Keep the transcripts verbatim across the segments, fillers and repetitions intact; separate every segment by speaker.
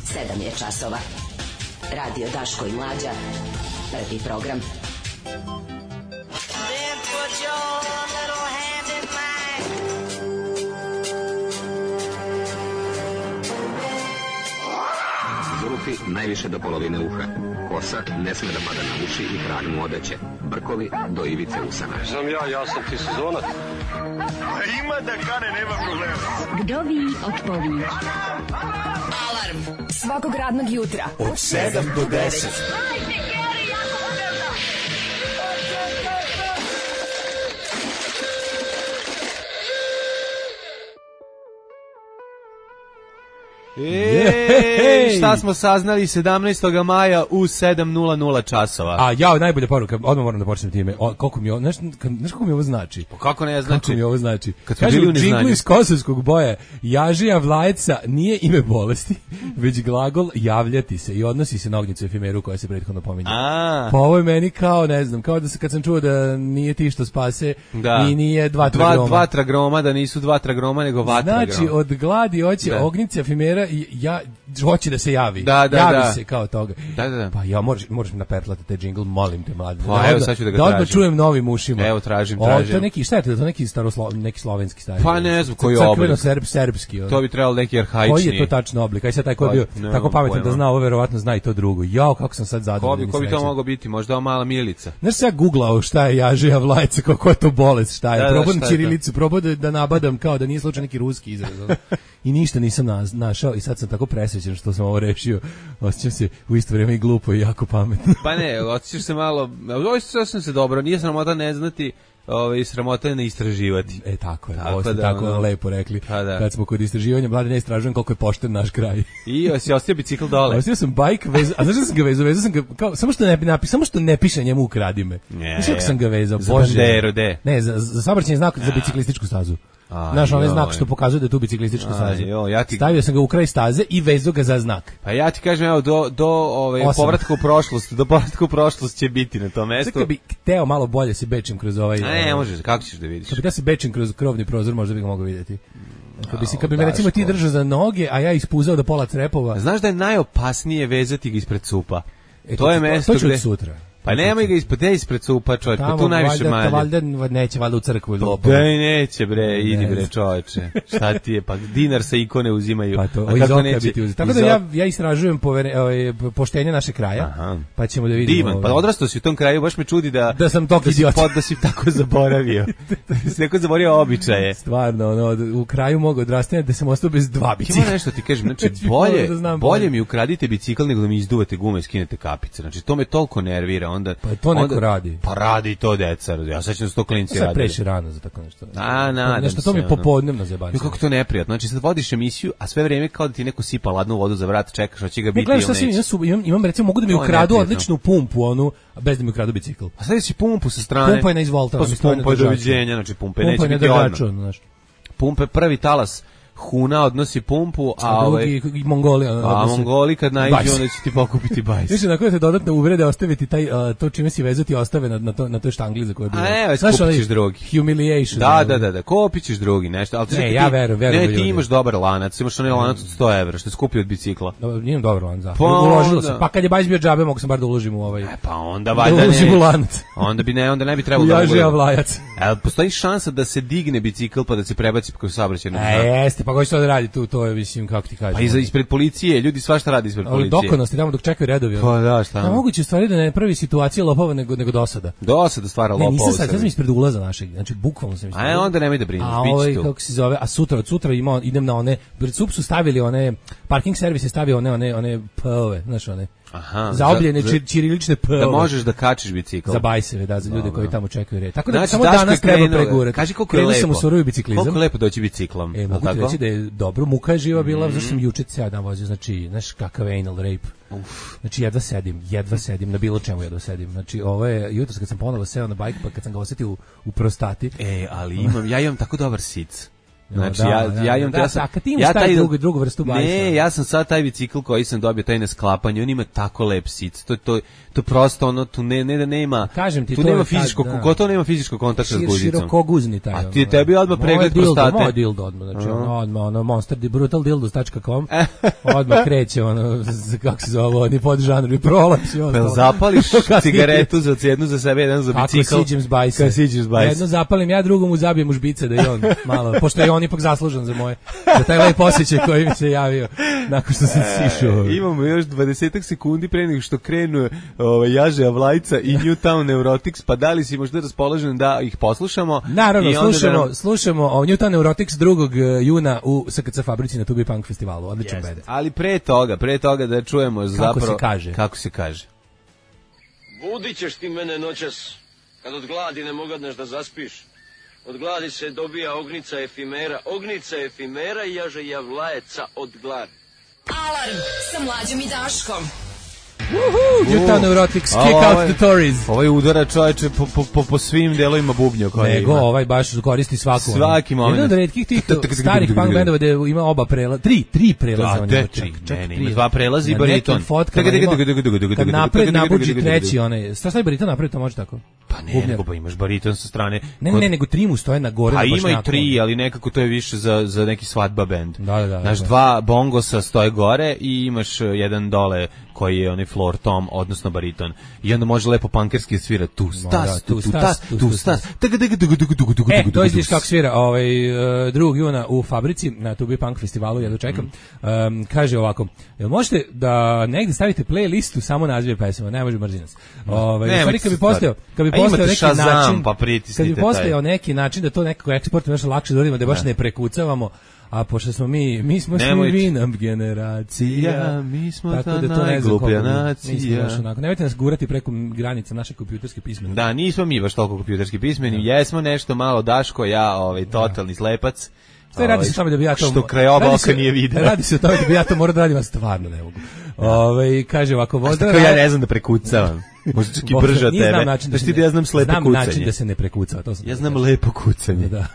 Speaker 1: sedam je časova. Radio Daško i Mlađa. Prvi program. Then put your little hand in mine.
Speaker 2: Zulufi najviše do polovine uha. Kosa ne sme da pada na uši i trag mu odeće. Brkovi do ivice usana.
Speaker 3: Znam ja, ja sam ti sezonac.
Speaker 4: A ima da kane, nema problema.
Speaker 1: Vdovi odpovi.
Speaker 5: Alarm svakog radnog jutra
Speaker 4: Od sedam do deset.
Speaker 6: Ej, šta smo saznali sedamnaestog maja u sedam nula nula časova.
Speaker 7: A ja, najbolja poruka, odmah moram da počnem time. O, koliko mi ovo, znaš, znaš kako mi ovo znači?
Speaker 6: Pa kako ne znači?
Speaker 7: Kako mi ovo znači?
Speaker 6: Kad smo
Speaker 7: kaže,
Speaker 6: bili
Speaker 7: u
Speaker 6: u neznanju.
Speaker 7: džinglu iz kosovskog boja, jažija vlajeca nije ime bolesti, već glagol javljati se i odnosi se na ognjicu efimeru koja se prethodno pominje.
Speaker 6: A.
Speaker 7: Pa ovo je meni kao, ne znam, kao da se, kad sam čuo da nije ti što spase,
Speaker 6: Da.
Speaker 7: i nije dva
Speaker 6: Dva,
Speaker 7: tragroma.
Speaker 6: dva tragroma, da nisu dva tragroma, nego vatra
Speaker 7: Znači, od gladi hoće
Speaker 6: Da.
Speaker 7: ognjica efimera i ja, hoće da se javi.
Speaker 6: Da, da,
Speaker 7: javi
Speaker 6: da.
Speaker 7: se kao toga.
Speaker 6: Da, da, da.
Speaker 7: Pa ja, moraš, moraš mi napertlati te džingl, molim te, mlade.
Speaker 6: Pa, evo, sad ću da ga
Speaker 7: da odmah
Speaker 6: tražim.
Speaker 7: čujem novim ušima.
Speaker 6: Evo, tražim,
Speaker 7: O,
Speaker 6: tražim.
Speaker 7: to je neki, šta je to, to je neki, staroslo, neki slovenski stari.
Speaker 6: Pa ne znam koji je
Speaker 7: Crkveno
Speaker 6: oblik.
Speaker 7: serb, serbski. Ono.
Speaker 6: To bi trebalo neki arhaični.
Speaker 7: Koji je to tačno oblik? Aj sad taj ko je bio
Speaker 6: Pa, nemam
Speaker 7: tako pametan da
Speaker 6: pojma.
Speaker 7: zna, ovo verovatno zna i to drugo. Jao, kako sam sad
Speaker 6: Ko
Speaker 7: zadovoljan.
Speaker 6: bi, ko bi to moglo biti? Možda ova mala Milica.
Speaker 7: Znaš se ja googlao šta je jažija vlajca, kako je to bolest, šta je.
Speaker 6: Da, da,
Speaker 7: Probam
Speaker 6: šta je to?
Speaker 7: ćirilicu, probao da, da nabadam kao da nije slučaj neki ruski izraz. ono. I ništa nisam na, našao i sad sam tako presrećen što sam ovo rešio. Osjećam se u isto vrijeme i glupo i jako pametno.
Speaker 6: Pa ne, osjećaš se malo, ovo sam se dobro, nije sramota ne znati, ovaj, sramota je ne istraživati.
Speaker 7: E tako je,
Speaker 6: Tako
Speaker 7: ovo ste
Speaker 6: da,
Speaker 7: tako
Speaker 6: ono,
Speaker 7: lepo rekli.
Speaker 6: pa da.
Speaker 7: Kad smo kod istraživanja, mlade ne istražujem koliko je pošten naš kraj.
Speaker 6: I si ostio bicikl dole.
Speaker 7: Ostavio sam bajk, vezao, a znaš da sam ga vezao? Vezao sam ga, kao, samo što ne napi, samo što ne piše njemu ukradi me.
Speaker 6: Ne,
Speaker 7: Znaš kako sam ga vezao?
Speaker 6: za
Speaker 7: Bože.
Speaker 6: banderu, de.
Speaker 7: Ne, za, za saobraćajni znak za biciklističku stazu.
Speaker 6: A,
Speaker 7: Znaš, onaj
Speaker 6: joj.
Speaker 7: znak što pokazuje da je tu biciklistička
Speaker 6: A,
Speaker 7: staza.
Speaker 6: joj, ja ti-
Speaker 7: Stavio sam ga u kraj staze i vezao ga za znak.
Speaker 6: Pa ja ti kažem, evo, do, do ovaj,
Speaker 7: Osam.
Speaker 6: povratka u prošlost, do povratka u prošlost će biti na tom
Speaker 7: Sad
Speaker 6: mestu.
Speaker 7: kad bi hteo malo bolje se bečim kroz ovaj...
Speaker 6: A ne, možeš, kako ćeš da vidiš?
Speaker 7: Kad bi da se bečim kroz krovni prozor, možda bi ga mogao vidjeti. Kad bi, si, kad bi me
Speaker 6: Daško.
Speaker 7: recimo ti držao za noge, a ja ispuzao do pola crepova...
Speaker 6: Znaš da je najopasnije vezati ga ispred cupa?
Speaker 7: E,
Speaker 6: to je
Speaker 7: ću-
Speaker 6: mesto
Speaker 7: to ću
Speaker 6: gde...
Speaker 7: od sutra.
Speaker 6: Pa nemoj ga ispred, ne ispred cupa, čovječ, pa
Speaker 7: Tamo,
Speaker 6: tu najviše
Speaker 7: valjda,
Speaker 6: manje.
Speaker 7: valjda neće valjda u crkvu ili lopo.
Speaker 6: Da i neće bre, idi bre
Speaker 7: znam.
Speaker 6: čoveče. Šta ti je, pa dinar sa ikone uzimaju.
Speaker 7: Pa to,
Speaker 6: A
Speaker 7: iz
Speaker 6: kako
Speaker 7: oka
Speaker 6: neće?
Speaker 7: biti uzeti. Tako
Speaker 6: Iz
Speaker 7: da ja,
Speaker 6: oka.
Speaker 7: ja istražujem povere, ovaj, poštenje naše kraja,
Speaker 6: Aha.
Speaker 7: pa ćemo da vidimo.
Speaker 6: Divan,
Speaker 7: ovaj,
Speaker 6: pa odrastao si u tom kraju, baš me čudi da...
Speaker 7: Da sam tog
Speaker 6: si
Speaker 7: idiota.
Speaker 6: pod- Da si tako zaboravio. Da si neko zaboravio običaje.
Speaker 7: Stvarno, ono, u kraju mogu odrastanja da sam ostao bez dva
Speaker 6: Ima
Speaker 7: bicikla.
Speaker 6: nešto ti kažem, znači
Speaker 7: Znači,
Speaker 6: bolje,
Speaker 7: moram da znam
Speaker 6: bolje
Speaker 7: bolje.
Speaker 6: mi ukradite bicikl nego da mi izduvate gume i skinete kapice. Znači to me toliko nervira, onda
Speaker 7: Pa to neko
Speaker 6: onda-
Speaker 7: radi.
Speaker 6: Pa radi to deca. Ja sad ću da sto klinci
Speaker 7: Sad
Speaker 6: radili.
Speaker 7: preši rano za tako nešto.
Speaker 6: A, nadam
Speaker 7: nešto to
Speaker 6: se,
Speaker 7: mi je
Speaker 6: ono.
Speaker 7: popodnevno zajebanje.
Speaker 6: Jo, kako to neprijatno. Znači sad vodiš emisiju, a sve vrijeme kao da ti neko sipa ladnu vodu za vrat, čekaš hoće ga
Speaker 7: Ne,
Speaker 6: biti
Speaker 7: gledaš
Speaker 6: ili
Speaker 7: šta si,
Speaker 6: neće.
Speaker 7: imam, su- imam, imam recimo, mogu da mi
Speaker 6: To je
Speaker 7: ukradu
Speaker 6: neprijatno.
Speaker 7: odličnu pumpu, onu, bez da mi ukradu bicikl.
Speaker 6: A sad si pumpu sa strane.
Speaker 7: Pumpa je na izvolta,
Speaker 6: To
Speaker 7: ono,
Speaker 6: su
Speaker 7: stoji na
Speaker 6: pumpa je
Speaker 7: držaču.
Speaker 6: doviđenja, znači pumpe
Speaker 7: Pumpa
Speaker 6: neće
Speaker 7: je na
Speaker 6: biti odmah.
Speaker 7: držaču, ono, znaš.
Speaker 6: Pumpe prvi talas Huna odnosi pumpu, a,
Speaker 7: A
Speaker 6: ovaj,
Speaker 7: drugi i Mongoli. ono,
Speaker 6: a
Speaker 7: odnose-
Speaker 6: Mongoli kad naiđu,
Speaker 7: bajs.
Speaker 6: onda će ti pokupiti bajs.
Speaker 7: Više na koje te dodatne uvrede ostaviti taj, uh, to čime si vezati ostave na, na, to, na toj štangli za koje je bilo.
Speaker 6: A ne,
Speaker 7: Znaš,
Speaker 6: kupit
Speaker 7: onaj
Speaker 6: ćeš drugi.
Speaker 7: Humiliation.
Speaker 6: Da,
Speaker 7: ono.
Speaker 6: da, da, da, kupit ćeš drugi nešto. Ali
Speaker 7: Ne,
Speaker 6: čekaj,
Speaker 7: ja
Speaker 6: ti-
Speaker 7: verujem, verujem
Speaker 6: Ne,
Speaker 7: u
Speaker 6: ti
Speaker 7: ljude.
Speaker 6: imaš dobar lanac, imaš onaj lanac od sto evra, što je skupio od bicikla.
Speaker 7: Dobro, nije dobro lan za.
Speaker 6: Pa
Speaker 7: Uložilo
Speaker 6: onda-
Speaker 7: sam. Pa kad je bajs bio džabe, mogu sam bar da uložim u ovaj.
Speaker 6: E, pa onda
Speaker 7: Da
Speaker 6: valjda
Speaker 7: uložim
Speaker 6: ne.
Speaker 7: u lanac.
Speaker 6: Onda bi ne, onda ne bi trebalo
Speaker 7: U
Speaker 6: da
Speaker 7: jažija
Speaker 6: uložim.
Speaker 7: vlajac.
Speaker 6: E, postoji šansa da se digne bicikl pa da se prebaci kroz saobraćajnu
Speaker 7: E,
Speaker 6: znaku?
Speaker 7: jeste, pa ko će to da radi tu, to je, mislim, kako ti kažem.
Speaker 6: Pa iza ispred policije, ljudi svašta radi ispred
Speaker 7: Ali
Speaker 6: policije.
Speaker 7: dokonosti tamo dok čekaju redovi. ono.
Speaker 6: Pa da, šta?
Speaker 7: Da, moguće u stvari da ne pravi situacija lopova nego, nego dosada.
Speaker 6: Dosada stvara
Speaker 7: Ne,
Speaker 6: lopova.
Speaker 7: nisam
Speaker 6: u
Speaker 7: sad, sad sam
Speaker 6: Srbiji.
Speaker 7: ispred ulaza našeg, znači bukvalno sam ispred.
Speaker 6: A onda nemoj da brineš,
Speaker 7: A
Speaker 6: bit će
Speaker 7: ovaj,
Speaker 6: tu.
Speaker 7: kako se zove, a sutra, od sutra ima, idem na one, pred sup su stavili one, parking servis je stavio one, one, one P-ove, znač one,
Speaker 6: Aha,
Speaker 7: zaobljene
Speaker 6: za-
Speaker 7: čir, ćirilične P-ove.
Speaker 6: Da možeš da kačiš bicikl.
Speaker 7: Za bajseve, da, za ljude koji tamo čekaju red. Tako da
Speaker 6: Znači,
Speaker 7: samo
Speaker 6: Daško
Speaker 7: danas
Speaker 6: je
Speaker 7: treba
Speaker 6: krenuo-
Speaker 7: pregurati.
Speaker 6: Kaži koliko je
Speaker 7: Krenuo
Speaker 6: lepo.
Speaker 7: sam u surovi biciklizam.
Speaker 6: Koliko je lepo doći biciklom.
Speaker 7: E,
Speaker 6: jel
Speaker 7: mogu ti
Speaker 6: tako?
Speaker 7: reći da je dobro, muka je živa bila, zato što sam juče ceo dan vozio, znači, znaš kakav je anal rape.
Speaker 6: Uf.
Speaker 7: Znači, jedva sedim, jedva sedim, na bilo čemu jedva sedim. Znači, ovo je, jutros kad sam ponovo seo na bajk, pa kad sam ga osetio u, u prostati,
Speaker 6: E, ali imam, ja imam tako dobar sic. Znači,
Speaker 7: da,
Speaker 6: ja,
Speaker 7: da,
Speaker 6: ja imam...
Speaker 7: da,
Speaker 6: ja
Speaker 7: da,
Speaker 6: sam,
Speaker 7: kad ti imaš
Speaker 6: ja
Speaker 7: taj drugu, drugu vrstu bajstva.
Speaker 6: Ne, ja sam sad taj bicikl koji sam dobio, taj na sklapanje, on ima tako lep sic, to, to, to prosto ono, tu ne, ne da nema,
Speaker 7: kažem ti,
Speaker 6: tu
Speaker 7: to
Speaker 6: nema
Speaker 7: je
Speaker 6: fizičko,
Speaker 7: tad, da.
Speaker 6: gotovo nema fizičkog kontakta s
Speaker 7: Šir,
Speaker 6: guzicom.
Speaker 7: širokoguzni taj.
Speaker 6: A ti tebi odmah pregled
Speaker 7: dildo,
Speaker 6: prostate.
Speaker 7: Moj dildo odmah, znači ono, odmah, ono, monster, brutal dildos dot com, odmah kreće, ono, kako se zove, oni podžanrovi, prolaps i ono.
Speaker 6: Pel zapališ cigaretu za jednu za sebe, jedan za bicikl.
Speaker 7: Kako siđem s bajsa.
Speaker 6: Kad siđeš s bajsa.
Speaker 7: Jedno zapalim, ja drugom mu zabijem u žbice da i on malo, pošto je on ipak zaslužan za moje, za taj lep osjećaj koji mi se javio nakon što sam sišao.
Speaker 6: E, imamo još dvadesetak sekundi pre nego što krenu ovaj, Jaže Avlajca i Newtown Neurotics, pa da li si možda raspoložen da ih poslušamo?
Speaker 7: Naravno,
Speaker 6: I onda
Speaker 7: slušamo,
Speaker 6: da nam...
Speaker 7: slušamo o Newtown Neurotics drugog juna u S K C Fabrici na Tubi Punk festivalu. Odličan band.
Speaker 6: Ali pre toga, pre toga da čujemo
Speaker 7: kako
Speaker 6: zapravo...
Speaker 7: se kaže.
Speaker 6: Kako se kaže.
Speaker 3: Budit ćeš ti mene noćas, kad od gladi ne mogadneš da zaspiš. Od gladi se dobija ognica efimera, ognica efimera i jaže javlajeca od gladi.
Speaker 5: Alarm sa Mlađom i Daškom.
Speaker 7: Newtown Neurotics, kick
Speaker 6: A,
Speaker 7: out
Speaker 6: ovaj-
Speaker 7: the Tories.
Speaker 6: Ovaj udara čoveče po, po, po, po svim delovima bubnja koje
Speaker 7: Nego,
Speaker 6: ima.
Speaker 7: ovaj baš koristi svaku.
Speaker 6: Svaki moment.
Speaker 7: Jedan od retkih tih starih punk bendova da ima oba prelaza, tri, tri prelaza.
Speaker 6: Da,
Speaker 7: on
Speaker 6: de
Speaker 7: ima,
Speaker 6: tri,
Speaker 7: čak- čak
Speaker 6: ne, ne,
Speaker 7: tri.
Speaker 6: ima dva prelaza i
Speaker 7: Na
Speaker 6: bariton.
Speaker 7: nekim fotkama
Speaker 6: Tega, tega,
Speaker 7: ima-
Speaker 6: tega, tega, tega, tega,
Speaker 7: Kad
Speaker 6: tega,
Speaker 7: napred
Speaker 6: tega,
Speaker 7: nabuđi
Speaker 6: tega, tega,
Speaker 7: treći
Speaker 6: tega.
Speaker 7: onaj, šta stavi bariton napred, to može tako?
Speaker 6: Pa ne,
Speaker 7: Bubnjar.
Speaker 6: nego pa imaš bariton sa strane.
Speaker 7: Ne,
Speaker 6: Kod-
Speaker 7: ne, nego tri mu stoje na gore.
Speaker 6: A
Speaker 7: na
Speaker 6: ima i
Speaker 7: bošnjaku.
Speaker 6: tri, ali nekako to je više za, za neki svadba bend.
Speaker 7: Da, da, da,
Speaker 6: Znaš,
Speaker 7: da.
Speaker 6: dva bongosa stoje gore i imaš uh, jedan dole koji je onaj floor tom, odnosno bariton. I onda može lepo pankerski svira tu
Speaker 7: da,
Speaker 6: stas,
Speaker 7: tu
Speaker 6: tu tu
Speaker 7: stas,
Speaker 6: stas,
Speaker 7: tu
Speaker 6: tu
Speaker 7: stas.
Speaker 6: stas. Tega, tega, tega, tega, tega, tega,
Speaker 7: E,
Speaker 6: tega,
Speaker 7: to
Speaker 6: tega,
Speaker 7: izviš
Speaker 6: tega.
Speaker 7: kako svira ovaj, uh, drugog juna u Fabrici na Tubi Punk festivalu, ja dočekam. Um, kaže ovako, jel možete da negde stavite playlistu samo nazive pesama, ne može mrzi nas. Ovaj,
Speaker 6: Ne,
Speaker 7: u stvari,
Speaker 6: nemojte
Speaker 7: kad bi
Speaker 6: se
Speaker 7: postojao, kad bi
Speaker 6: A imate
Speaker 7: postojao neki
Speaker 6: Shazam,
Speaker 7: način,
Speaker 6: pa pritisnite
Speaker 7: kad bi
Speaker 6: taj.
Speaker 7: postojao neki način da to nekako eksportujemo još lakše da uradimo, da baš ne prekucavamo. A pošto smo mi, mi smo svi
Speaker 6: Nemojte.
Speaker 7: vinam generacija,
Speaker 6: Ja, mi smo
Speaker 7: tako
Speaker 6: ta
Speaker 7: da to ne znam
Speaker 6: najgluplja
Speaker 7: koliko mi-
Speaker 6: nacija.
Speaker 7: mi smo baš onako. Nemojte nas gurati preko granica naše kompjuterske pismenosti.
Speaker 6: Da, nismo mi baš toliko kompjuterski pismeni, jesmo nešto malo Daško, ja, ovaj, totalni slepac.
Speaker 7: Sve radi
Speaker 6: Ovaj,
Speaker 7: se o tome da bi ja to...
Speaker 6: Što krajoba
Speaker 7: radi
Speaker 6: oka
Speaker 7: se-
Speaker 6: nije video.
Speaker 7: Radi se o tome da bi ja to morao da radim, a stvarno ne mogu. Ove, kaže ovako...
Speaker 6: A
Speaker 7: Vozdra,
Speaker 6: tako ja ne znam da prekucavam. Možda čak i brže od
Speaker 7: Nije znam
Speaker 6: tebe.
Speaker 7: način da
Speaker 6: Znaš
Speaker 7: se
Speaker 6: ti
Speaker 7: ne-
Speaker 6: da ja znam slepo
Speaker 7: znam
Speaker 6: kucanje.
Speaker 7: način da se ne prekucava, to sam
Speaker 6: Ja
Speaker 7: da
Speaker 6: znam
Speaker 7: kažem.
Speaker 6: lepo kucanje.
Speaker 7: Da.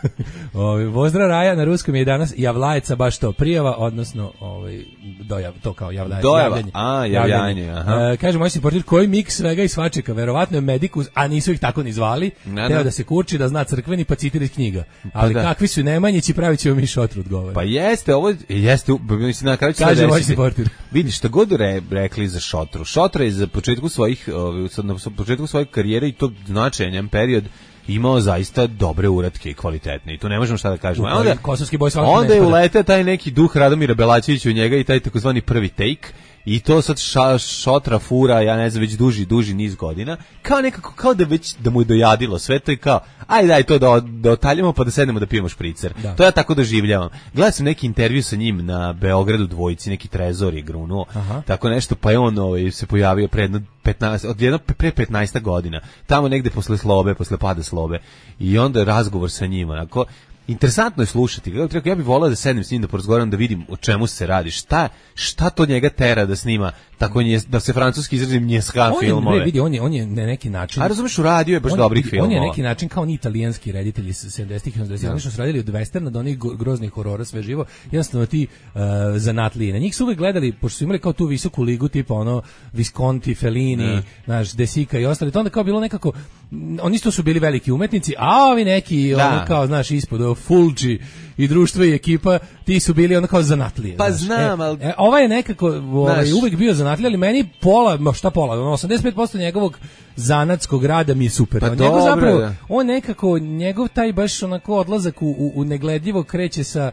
Speaker 7: Ovaj Vozdra Raja na ruskom je danas javlajeca baš to prijava, odnosno ovaj dojav to kao javljanje.
Speaker 6: Dojava,
Speaker 7: javljanje.
Speaker 6: a, javljanje, aha.
Speaker 7: E, kaže moj supporter koji miks svega i svačega, verovatno je Medikus, a nisu ih tako ni zvali.
Speaker 6: Ne,
Speaker 7: Teo
Speaker 6: ne.
Speaker 7: da se kurči, da zna crkveni pa citira iz knjiga. Ali
Speaker 6: da.
Speaker 7: kakvi su Nemanjići, pravit ćemo mi šotrut govore.
Speaker 6: Pa jeste, ovo jeste, mislim na kraju će se
Speaker 7: Kaže moj
Speaker 6: desiti.
Speaker 7: supporter.
Speaker 6: Vidi šta god re, rekli za Šotru. Šotra je za početku svojih ovaj, sad na početku svoje karijere i to značajan period imao zaista dobre uratke i kvalitetne i tu ne možemo šta da kažemo. A onda
Speaker 7: Kosovski boj svakako
Speaker 6: onda
Speaker 7: ne
Speaker 6: je
Speaker 7: spada.
Speaker 6: uleteo taj neki duh Radomira Belačevića u njega i taj takozvani prvi take i to sad ša, Šotra fura, ja ne znam, već duži, duži niz godina, kao nekako, kao da već, da mu je dojadilo sve to i kao, aj daj to da, da otaljamo pa da sednemo da pijemo špricer.
Speaker 7: Da.
Speaker 6: To ja tako doživljavam. Gledao sam neki intervju sa njim na Beogradu dvojici, neki Trezor je grunuo,
Speaker 7: Aha.
Speaker 6: tako nešto, pa je on ovaj, se pojavio pre jedno petnaest, od jedno pre petnaest godina, tamo negde posle slobe, posle pada slobe, i onda razgovor sa njima, onako, interesantno je slušati. Kako rekao, ja bih voleo da sednem s njim da porazgovaram da vidim o čemu se radi. Šta šta to njega tera da snima tako nje, da se francuski izrazim njeska
Speaker 7: On je,
Speaker 6: filmove.
Speaker 7: ne, vidi, on je, on je na neki način...
Speaker 6: A razumeš, uradio je baš
Speaker 7: on,
Speaker 6: dobrih
Speaker 7: vidi,
Speaker 6: filmova.
Speaker 7: On je neki način kao oni italijanski reditelji iz sedamdesetih i osamdesetih. Oni što su radili od westerna do onih go- groznih horora, sve živo. Jednostavno ti uh, zanatlije. Na njih su uvek gledali, pošto su imali kao tu visoku ligu, tipa ono Visconti, Fellini, naš Desika i ostali. To onda kao bilo nekako... m, Oni isto su bili veliki umetnici, a ovi neki,
Speaker 6: Da.
Speaker 7: ono kao, znaš, ispod, ovo, Fulci i društvo i ekipa, ti su bili ono kao zanatlije.
Speaker 6: Pa
Speaker 7: znaš.
Speaker 6: znam,
Speaker 7: E,
Speaker 6: ali-
Speaker 7: e, ovaj je nekako ovaj,
Speaker 6: Znaš.
Speaker 7: uvek bio zanatlija, ali meni pola, ma šta pola, ono, osamdeset pet posto njegovog zanatskog rada mi je super.
Speaker 6: Pa
Speaker 7: On njegov
Speaker 6: dobro,
Speaker 7: zapravo,
Speaker 6: da.
Speaker 7: on nekako, njegov taj baš onako odlazak u, u, u negledljivo kreće sa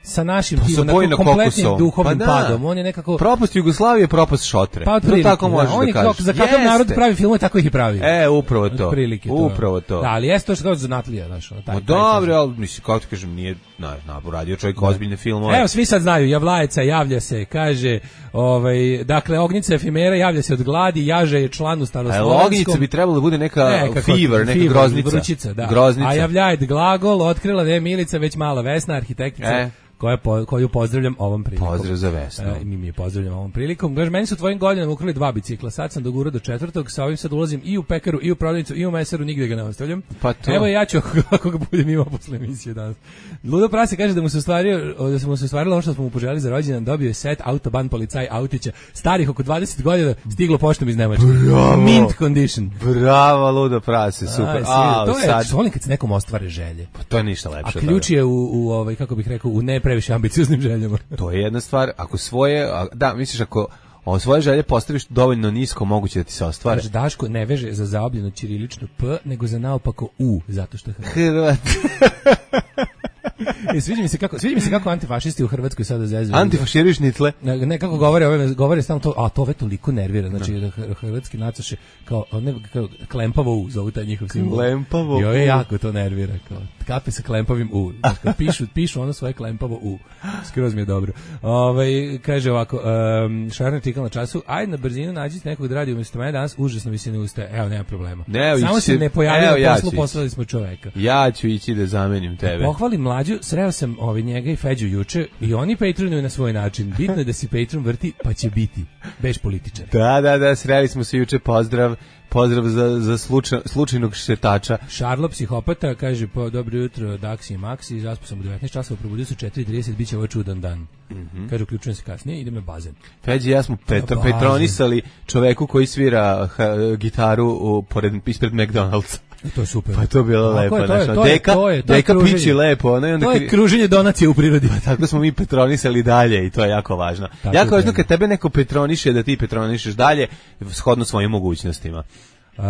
Speaker 7: sa našim
Speaker 6: Pa
Speaker 7: tim,
Speaker 6: sa
Speaker 7: onako
Speaker 6: Bojno
Speaker 7: kompletnim
Speaker 6: Kokosom.
Speaker 7: duhovnim
Speaker 6: Pa da.
Speaker 7: padom. On je nekako...
Speaker 6: Propast Jugoslavije, propast Šotre.
Speaker 7: Pa
Speaker 6: To
Speaker 7: otprilike,
Speaker 6: tako možeš
Speaker 7: da.
Speaker 6: da,
Speaker 7: On je
Speaker 6: kažeš.
Speaker 7: kao, za kakav
Speaker 6: Jeste.
Speaker 7: narod pravi filmove, tako ih i pravi.
Speaker 6: E, upravo to.
Speaker 7: Otprilike to.
Speaker 6: Upravo to.
Speaker 7: Da, ali jeste to što kao zanatlija, znaš, ono, taj,
Speaker 6: Ma
Speaker 7: taj
Speaker 6: dobro, ali mislim, kako ti kažem, nije, na, na, radio čovjek ozbiljne filmove.
Speaker 7: Evo, svi sad znaju, Javlajeca javlja se, kaže, Ovaj, dakle, Ognjica efimera javlja se od gladi, jaže je član u staroslovenskom.
Speaker 6: A Ognjica bi trebalo da bude neka ne, kako, fever, neka fever, groznica.
Speaker 7: Vrućica, da.
Speaker 6: Groznica.
Speaker 7: A javljajt glagol, otkrila ne Milica, već mala Vesna, arhitektica. E. Koja po, koju pozdravljam ovom prilikom.
Speaker 6: Pozdrav za Vesnu.
Speaker 7: E, mi mi je pozdravljam ovom prilikom. Kaže, meni su tvojim godinama ukrali dva bicikla. Sad sam dogurao do četvrtog, sa ovim sad ulazim i u pekaru, i u prodavnicu, i u mesaru, nigde ga ne ostavljam. Pa to. Evo ja ću, ako, ako ga budem imao posle emisije danas. Ludo Prase kaže da mu se ostvario, da se mu se ostvarilo ono što smo mu poželili za rođendan, dobio je set Autoban policaj autića, starih oko dvadeset godina, stiglo poštom iz Nemačke. Mint condition.
Speaker 6: Bravo, Ludo Prase, super.
Speaker 7: A, to je, sad... volim kad se nekom ostvare želje.
Speaker 6: Pa to je ništa lepše.
Speaker 7: A ključ je u, u ovaj, kako bih rekao, u ne previše ambicioznim željama.
Speaker 6: To je jedna stvar, ako svoje, a, da, misliš ako o svoje želje postaviš dovoljno nisko, moguće da ti se ostvare.
Speaker 7: Kaže, Daško ne veže za zaobljeno ćirilično P, nego za naopako U, zato što je Hrvat.
Speaker 6: Hrvat.
Speaker 7: E, sviđa mi se kako, sviđa mi se kako antifašisti u Hrvatskoj sada zezuju.
Speaker 6: Antifaširiš nitle.
Speaker 7: Ne, ne kako govore, ove govore stalno to, a to ove toliko nervira, znači da hrvatski nacoše kao ne kao klempavo U, zovu taj njihov simbol.
Speaker 6: Klempavo.
Speaker 7: I ove jako to nervira, kao kape sa klempavim U. Znači, pišu, pišu ono svoje klempavo U. Skroz mi je dobro. Ovaj kaže ovako, um, Šarner tikal na času, aj na brzinu nađite nekog da radi umjesto mene danas, užasno mi se ne ustaje. Evo, nema problema.
Speaker 6: Ne,
Speaker 7: samo se ne pojavio ja poslu, poslali smo čoveka.
Speaker 6: Ja ću ići da zamenim tebe.
Speaker 7: Pohvalim mlađu, sreo sam ovaj njega i Feđu juče i oni patronuju na svoj način. Bitno je da si patron vrti, pa će biti. Beš političar.
Speaker 6: Da, da, da, sreli smo se juče, pozdrav. Pozdrav za, za slučaj, slučajnog šetača.
Speaker 7: Šarlo, psihopata, kaže, po dobro jutro, Daksi i Maksi, zaspao sam u devetnaest časova, probudio su četiri trideset, bit će ovo čudan dan. Mm-hmm. Kaže, uključujem se kasnije, idem na bazen.
Speaker 6: Feđi, ja smo petro, petronisali čoveku koji svira ha, gitaru u, pored, ispred McDonald'sa.
Speaker 7: I to je super.
Speaker 6: Pa to je bilo lepo.
Speaker 7: Je, to je, to je,
Speaker 6: deka,
Speaker 7: to je, to je,
Speaker 6: deka pići lepo. Ono,
Speaker 7: to je kruženje donacije u prirodi.
Speaker 6: Pa tako smo mi petronisali dalje i to je jako važno. Tako jako važno kad tebe neko petroniše, da ti petronišeš dalje, shodno svojim mogućnostima.
Speaker 7: Uh,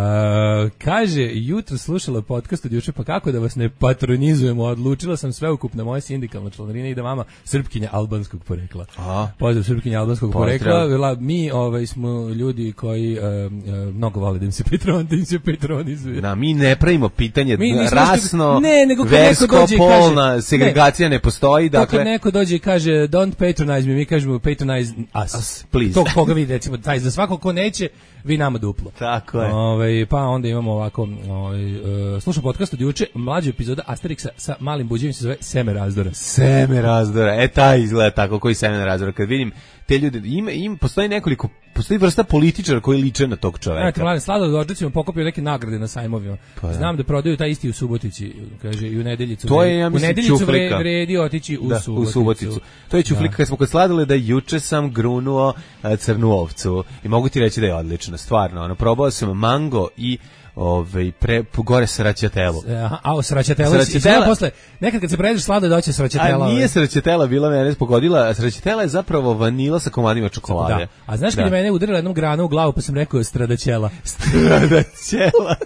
Speaker 7: kaže, jutro slušala podcast od juče, pa kako da vas ne patronizujemo, odlučila sam sveukupna moja sindikalna članarina i da vama Srpkinja albanskog porekla. Aha. Pozdrav Srpkinja albanskog porekla. Vela, mi ovaj, smo ljudi koji uh, uh, mnogo vole da im se patron, da im se patronizuje.
Speaker 6: Da, mi ne pravimo pitanje
Speaker 7: mi
Speaker 6: rasno,
Speaker 7: ne, nego
Speaker 6: versko, polna, segregacija ne, ne postoji. Dakle,
Speaker 7: kad neko dođe i kaže don't patronize me, mi kažemo patronize us.
Speaker 6: us please.
Speaker 7: To koga vi recimo, taj, za svako ko neće, vi nama duplo.
Speaker 6: Tako je.
Speaker 7: Ovaj, pa onda imamo ovako, ovaj, uh, slušam podcast od juče, mlađa epizoda Asterixa sa malim buđevim se zove Seme razdora.
Speaker 6: Seme razdora, e taj izgleda tako, koji Seme razdora. Kad vidim te ljude, ima, ima, postoji nekoliko, postoji vrsta političara koji liče na tog čoveka.
Speaker 7: Znate, mladen, Slado Dođacima pokupio neke nagrade na sajmovima. Pa, Znam da prodaju taj isti u Subotici, kaže, i u Nedeljicu.
Speaker 6: To je, ja mislim,
Speaker 7: u Nedeljicu
Speaker 6: Ćuflika.
Speaker 7: vredi otići u,
Speaker 6: da,
Speaker 7: Suboticu.
Speaker 6: u Suboticu. To je Ćuflika, da. Kad smo kod Sladole da juče sam grunuo uh, crnu ovcu i mogu ti reći da je odlično, stvarno. Ono, probao sam mango i Ove, pre, gore sraćatelu.
Speaker 7: Aha, a o sraćatelu. Sraćatela posle, nekad kad se pređeš Slado doće sraćatela.
Speaker 6: A nije sraćatela bila mene pogodila, sraćatela je zapravo vanila sa komadima čokolade.
Speaker 7: Da. A znaš kad je mene udarila jednom grana u glavu, pa sam rekao stradaćela.
Speaker 6: Stradaćela.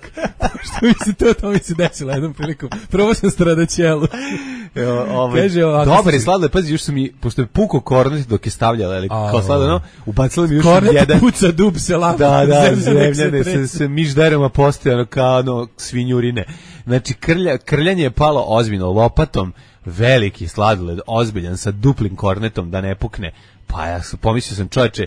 Speaker 7: Što mi se to, to mi se desilo jednom prilikom. Probao sam stradaćelu.
Speaker 6: Kaže, dobar je Slado, pazi, još su mi, pošto je puko kornet dok je stavljala, ali kao Slado, no, ubacila mi još
Speaker 7: kornet
Speaker 6: jedan.
Speaker 7: Kornet puca, dub se lama.
Speaker 6: Da, da, zemljane, se, se mižderama postojano kao ono svinjurine. Znači, krlja, krljanje je palo ozbiljno, lopatom, veliki sladoled, ozbiljan, sa duplim kornetom, da ne pukne. Pa ja pomislio sam, čovječe,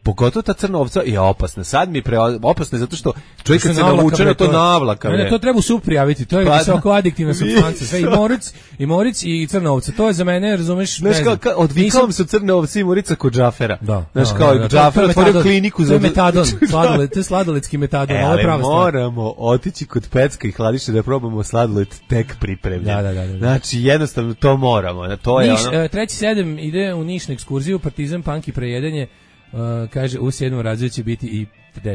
Speaker 6: pogotovo ta crna ovca je opasna. Sad mi je pre opasna zato što čovjek kad se navuče na to navlaka.
Speaker 7: Ne, to treba u sup prijaviti. To je pa, visoko adiktivna supstanca. Sve i moric, i moric i crna ovca. To je za mene, razumeš,
Speaker 6: znaš, ne znam. Kao, odvikao sam crne ovce i morica kod Džafera.
Speaker 7: Da.
Speaker 6: Znaš, da, kao da, da, Džafer otvorio kliniku za...
Speaker 7: To je metadon, sladoled, to je sladoledski metadon.
Speaker 6: E, ali moramo otići kod Pecka i Hladiša da probamo sladoled tek pripremljen.
Speaker 7: Da, da, da, da.
Speaker 6: Znači, jednostavno to moramo. To je
Speaker 7: Niš,
Speaker 6: ono...
Speaker 7: treći sedam ide u Niš na ekskurziju, Partizan, Punk i prejedenje. Uh, kaže, u sedmom razredu će biti i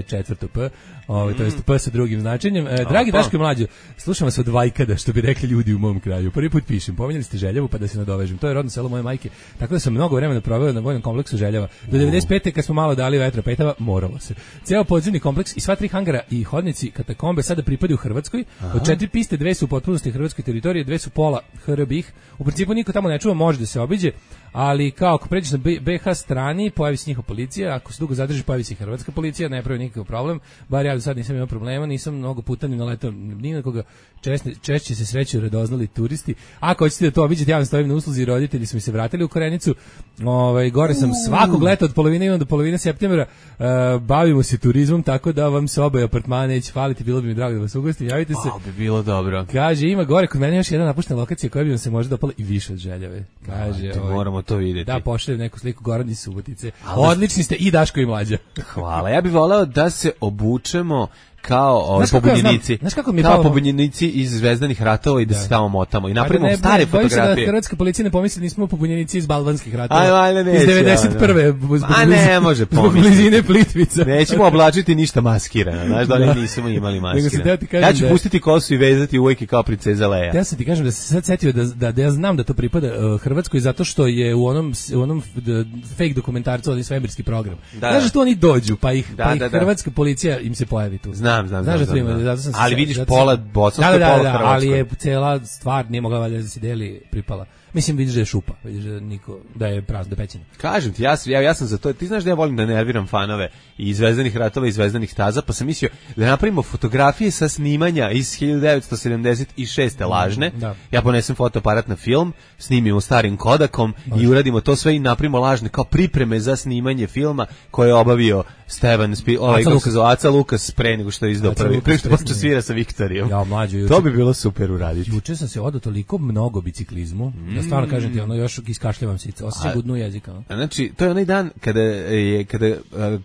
Speaker 7: četvrto P, ovaj, mm. to jest P sa drugim značenjem. E, dragi Daško i Mlađo, slušam vas od Vajkada, što bi rekli ljudi u mom kraju. Prvi put pišem, pominjali ste Željevu, pa da se nadovežem. To je rodno selo moje majke, tako da sam mnogo vremena proveo na vojnom kompleksu Željeva. Do devedeset pete kad smo malo dali vetra petava, moralo se. Ceo podzemni kompleks i sva tri hangara i hodnici katakombe sada pripadaju Hrvatskoj. Aha. Od četiri piste, dve su u potpunosti hrvatske teritorije, dve su pola H R B ih. U principu niko tamo ne čuva, može da se obiđe, ali kao ako pređeš na B H strani, pojavi se njihova policija, ako se dugo zadrži, pojavi se hrvatska policija, ne pravi nikakav problem, bar ja do sad nisam imao problema, nisam mnogo puta ni naletao ni na koga, češće, češće se sreću radoznali turisti. Ako hoćete da to obiđete, ja vam stojim na usluzi, roditelji su mi se vratili u Korenicu, ovaj, gore sam svakog leta od polovine imam do polovine septembra, uh, bavimo se turizmom, tako da vam se oboje apartmane neće faliti, bilo bi mi drago da vas ugostim, javite se.
Speaker 6: Wow, bi bilo dobro.
Speaker 7: Kaže, ima gore kod mene još jedna napuštena lokacija koja bi vam se možda dopala i više od Željave. Kaže,
Speaker 6: da,
Speaker 7: ovaj,
Speaker 6: moramo to vidjeti.
Speaker 7: Da, pošaljem neku sliku Goran iz Subotice. Odlični ste i Daško i Mlađa.
Speaker 6: Hvala. Ja bih voleo da se obučemo kao ovaj, pobunjenici.
Speaker 7: Znaš kako mi
Speaker 6: kao
Speaker 7: palo...
Speaker 6: pobunjenici iz Zvezdanih ratova i da, da se tamo motamo i napravimo
Speaker 7: ne,
Speaker 6: stare
Speaker 7: ne,
Speaker 6: fotografije.
Speaker 7: Da hrvatska policija ne pomisli nismo pobunjenici iz Balvanskih ratova.
Speaker 6: Aj, aj, ne,
Speaker 7: iz devedeset prve. Zbog,
Speaker 6: a ne, može
Speaker 7: pomisliti. Zbog blizine Plitvica.
Speaker 6: Nećemo oblačiti ništa maskirano. Znaš da li nismo imali maskirano. Ja ću da... pustiti kosu i vezati uvijek kao princeza Leja.
Speaker 7: Ja se ti kažem da se sad setio da, da, da ja znam da to pripada uh, Hrvatskoj zato što je u onom, u onom da, fake dokumentarcu onaj svemirski program.
Speaker 6: Da,
Speaker 7: znaš da tu oni dođu pa ih,
Speaker 6: da,
Speaker 7: pa ih
Speaker 6: da, da.
Speaker 7: hrvatska policija im se pojavi tu.
Speaker 6: Znam, znam,
Speaker 7: znaš
Speaker 6: znam.
Speaker 7: Da
Speaker 6: znam,
Speaker 7: ima,
Speaker 6: znam.
Speaker 7: sam
Speaker 6: Ali
Speaker 7: se,
Speaker 6: vidiš
Speaker 7: sam,
Speaker 6: pola bosansko,
Speaker 7: da, da,
Speaker 6: pola
Speaker 7: da,
Speaker 6: hrvatsko.
Speaker 7: Ali je cela stvar nije mogla valjda da se deli pripala. Mislim vidiš da je šupa, vidiš da niko da je prazno da pećina.
Speaker 6: Kažem ti, ja, ja, ja sam za to. Ti znaš da ja volim da nerviram fanove i Zvezdanih ratova i Zvezdanih staza, pa sam mislio da napravimo fotografije sa snimanja iz hiljadu devetsto sedamdeset šeste lažne.
Speaker 7: Da.
Speaker 6: Ja ponesem fotoaparat na film, snimimo starim Kodakom Baš. i uradimo to sve i napravimo lažne kao pripreme za snimanje filma koje je obavio Stevan Spi, ovaj kako se zove Aca Lukas pre nego što je izdao prvi, pre što počeo svira sa Viktorijom.
Speaker 7: Ja mlađe,
Speaker 6: to bi bilo super uraditi.
Speaker 7: Juče sam se odao toliko mnogo biciklizmu. Mm. Ja stvarno kažem ti, ono još iskašljavam se, osjećam gudnu jezika. No?
Speaker 6: Znači, to je onaj dan kada je kada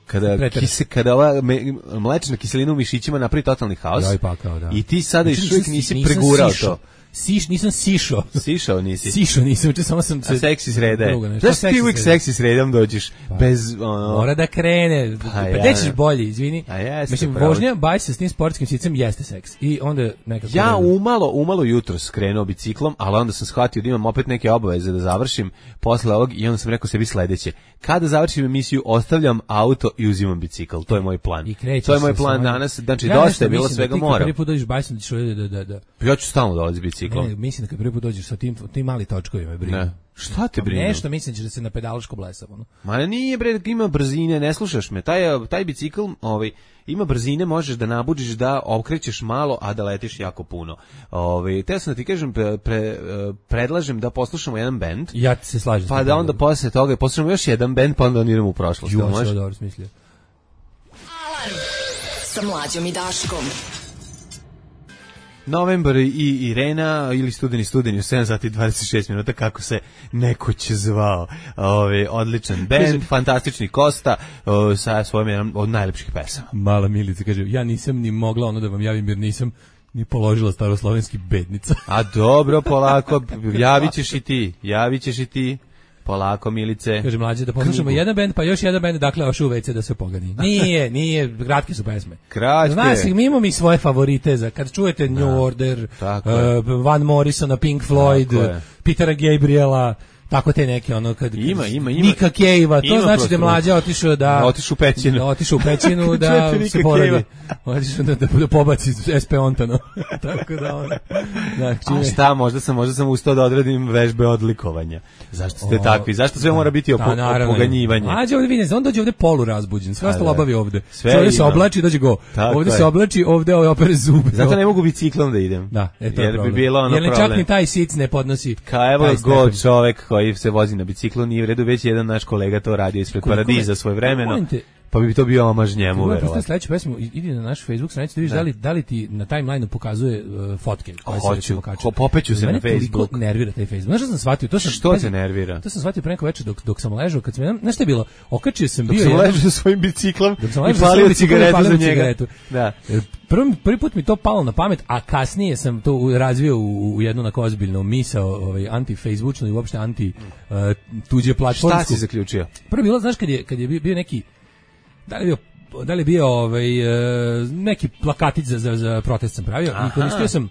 Speaker 6: kada kise, kada ova me, mlečna kiselina u mišićima napravi totalni haos.
Speaker 7: Ja i pa kao, da.
Speaker 6: I ti sada još uvijek nisi pregurao to.
Speaker 7: Siš, nisam sišao.
Speaker 6: Sišao nisi.
Speaker 7: Sišao nisam, če samo sam se...
Speaker 6: A seksi sreda je. Znaš ti uvijek seksi sredom dođeš
Speaker 7: pa,
Speaker 6: bez... Ono...
Speaker 7: Mora da krene. Pa ja, gde ćeš bolje, izvini.
Speaker 6: A jeste,
Speaker 7: mislim,
Speaker 6: pravo.
Speaker 7: vožnja, baj se s tim sportskim sicem jeste seks. I onda nekako...
Speaker 6: Ja umalo, umalo jutro skrenuo biciklom, ali onda sam shvatio da imam opet neke obaveze da završim posle ovog i onda sam rekao sebi sledeće. Kada završim emisiju, ostavljam auto i uzimam bicikl. To je moj plan. To je moj plan danas. Znači,
Speaker 7: ja
Speaker 6: dosta je bilo svega mora.
Speaker 7: Prvi put dođeš bajsom, da ćeš da, da, da.
Speaker 6: Ja ću stalno dolaziti biciklom.
Speaker 7: Ne, mislim da kad prvi put dođeš sa tim, tim mali točkovima, brinu.
Speaker 6: Ne. Šta te brinu?
Speaker 7: Nešto mislim da se na pedalaško blesavo. No?
Speaker 6: Ma nije bre, ima brzine, ne slušaš me. Taj, taj bicikl ovaj, ima brzine, možeš da nabuđiš da okrećeš malo, a da letiš jako puno. Ovaj, te sam da ti kažem, pre, pre, predlažem da poslušamo jedan bend.
Speaker 7: Ja ti se slažem.
Speaker 6: Pa da onda posle toga poslušamo još jedan bend, pa onda on idemo u prošlost.
Speaker 7: Jo, sve dobro smislio.
Speaker 5: Alarm sa Mlađom i Daškom.
Speaker 6: Novembar i Irena ili studeni studeni u sedam sati i dvadeset šest minuta kako se nekoć zvao. Ove, odličan band, fantastični Kosta o, sa svojom jednom od najlepših pesama.
Speaker 7: Mala Milica kaže, ja nisam ni mogla ono da vam javim jer nisam ni položila staroslovenski bednica.
Speaker 6: A dobro, polako, javit ćeš i ti, javit ćeš i ti. Polako, Milice.
Speaker 7: Kaže Mlađe da poslušamo jedan bend, pa još jedan bend, dakle ošu u ve ce da se pogani. Nije, nije, kratke su pesme.
Speaker 6: Kratke.
Speaker 7: Znaš, mi imamo mi svoje favorite, za kad čujete da. New Order, uh, Van Morrisona, Pink Floyd, Petera Gabriela, tako te neke ono kad
Speaker 6: ima ima ima
Speaker 7: Nika Cave-a, to znači da Mlađa otišao da
Speaker 6: otišao u pećinu,
Speaker 7: da otišao u pećinu da se poradi. Otišao da, da, da pobaci es pe Ontano. Tako da ona. Da,
Speaker 6: a šta, možda sam možda sam ustao da odradim vežbe odlikovanja. Zašto ste o, takvi? Zašto sve da, mora biti opo, da, opoganjivanje?
Speaker 7: Mlađa ovdje vidi, on dođe ovdje polu razbuđen. Sve ostalo obavi ovdje. Ovdje se oblači, dođe go. Tako ovdje je. Se oblači, ovdje ovaj opere zube.
Speaker 6: Zato ne mogu biciklom da idem.
Speaker 7: Da, e to
Speaker 6: jer
Speaker 7: problem.
Speaker 6: Bi bilo ono
Speaker 7: jer
Speaker 6: problem.
Speaker 7: Čak ni taj sic ne podnosi.
Speaker 6: Ka evo go čovek koji se vozi na biciklu, nije u redu, već jedan naš kolega to radio ispred Paradiza svoje vremeno, pa bi to bio omaž njemu, verovatno.
Speaker 7: Sledeću pesmu, idi na naš Facebook stranicu da vidiš da li, da li ti na timelineu pokazuje uh, fotke.
Speaker 6: Hoću, ko popeću se na Facebook.
Speaker 7: Mene nervira taj Facebook. Znaš što sam shvatio? To sam,
Speaker 6: što te nervira?
Speaker 7: To sam shvatio pre neko večer dok, dok sam ležao, kad sam, znaš šta je bilo? Okačio sam bio...
Speaker 6: Dok sam ležao svojim biciklom i palio cigaretu za njega. Da.
Speaker 7: Prvi, prvi put mi to palo na pamet, a kasnije sam to razvio u, u jednu onako ozbiljnu misao, ovaj, anti-facebooknu i uopšte anti uh, tuđe platformsku.
Speaker 6: Šta si zaključio?
Speaker 7: Prvo bilo, znaš, kad je, kad je bio neki, da li je bio, da li je bio ovaj, uh, neki plakatić za, za, za protest sam pravio. Aha. I koristio sam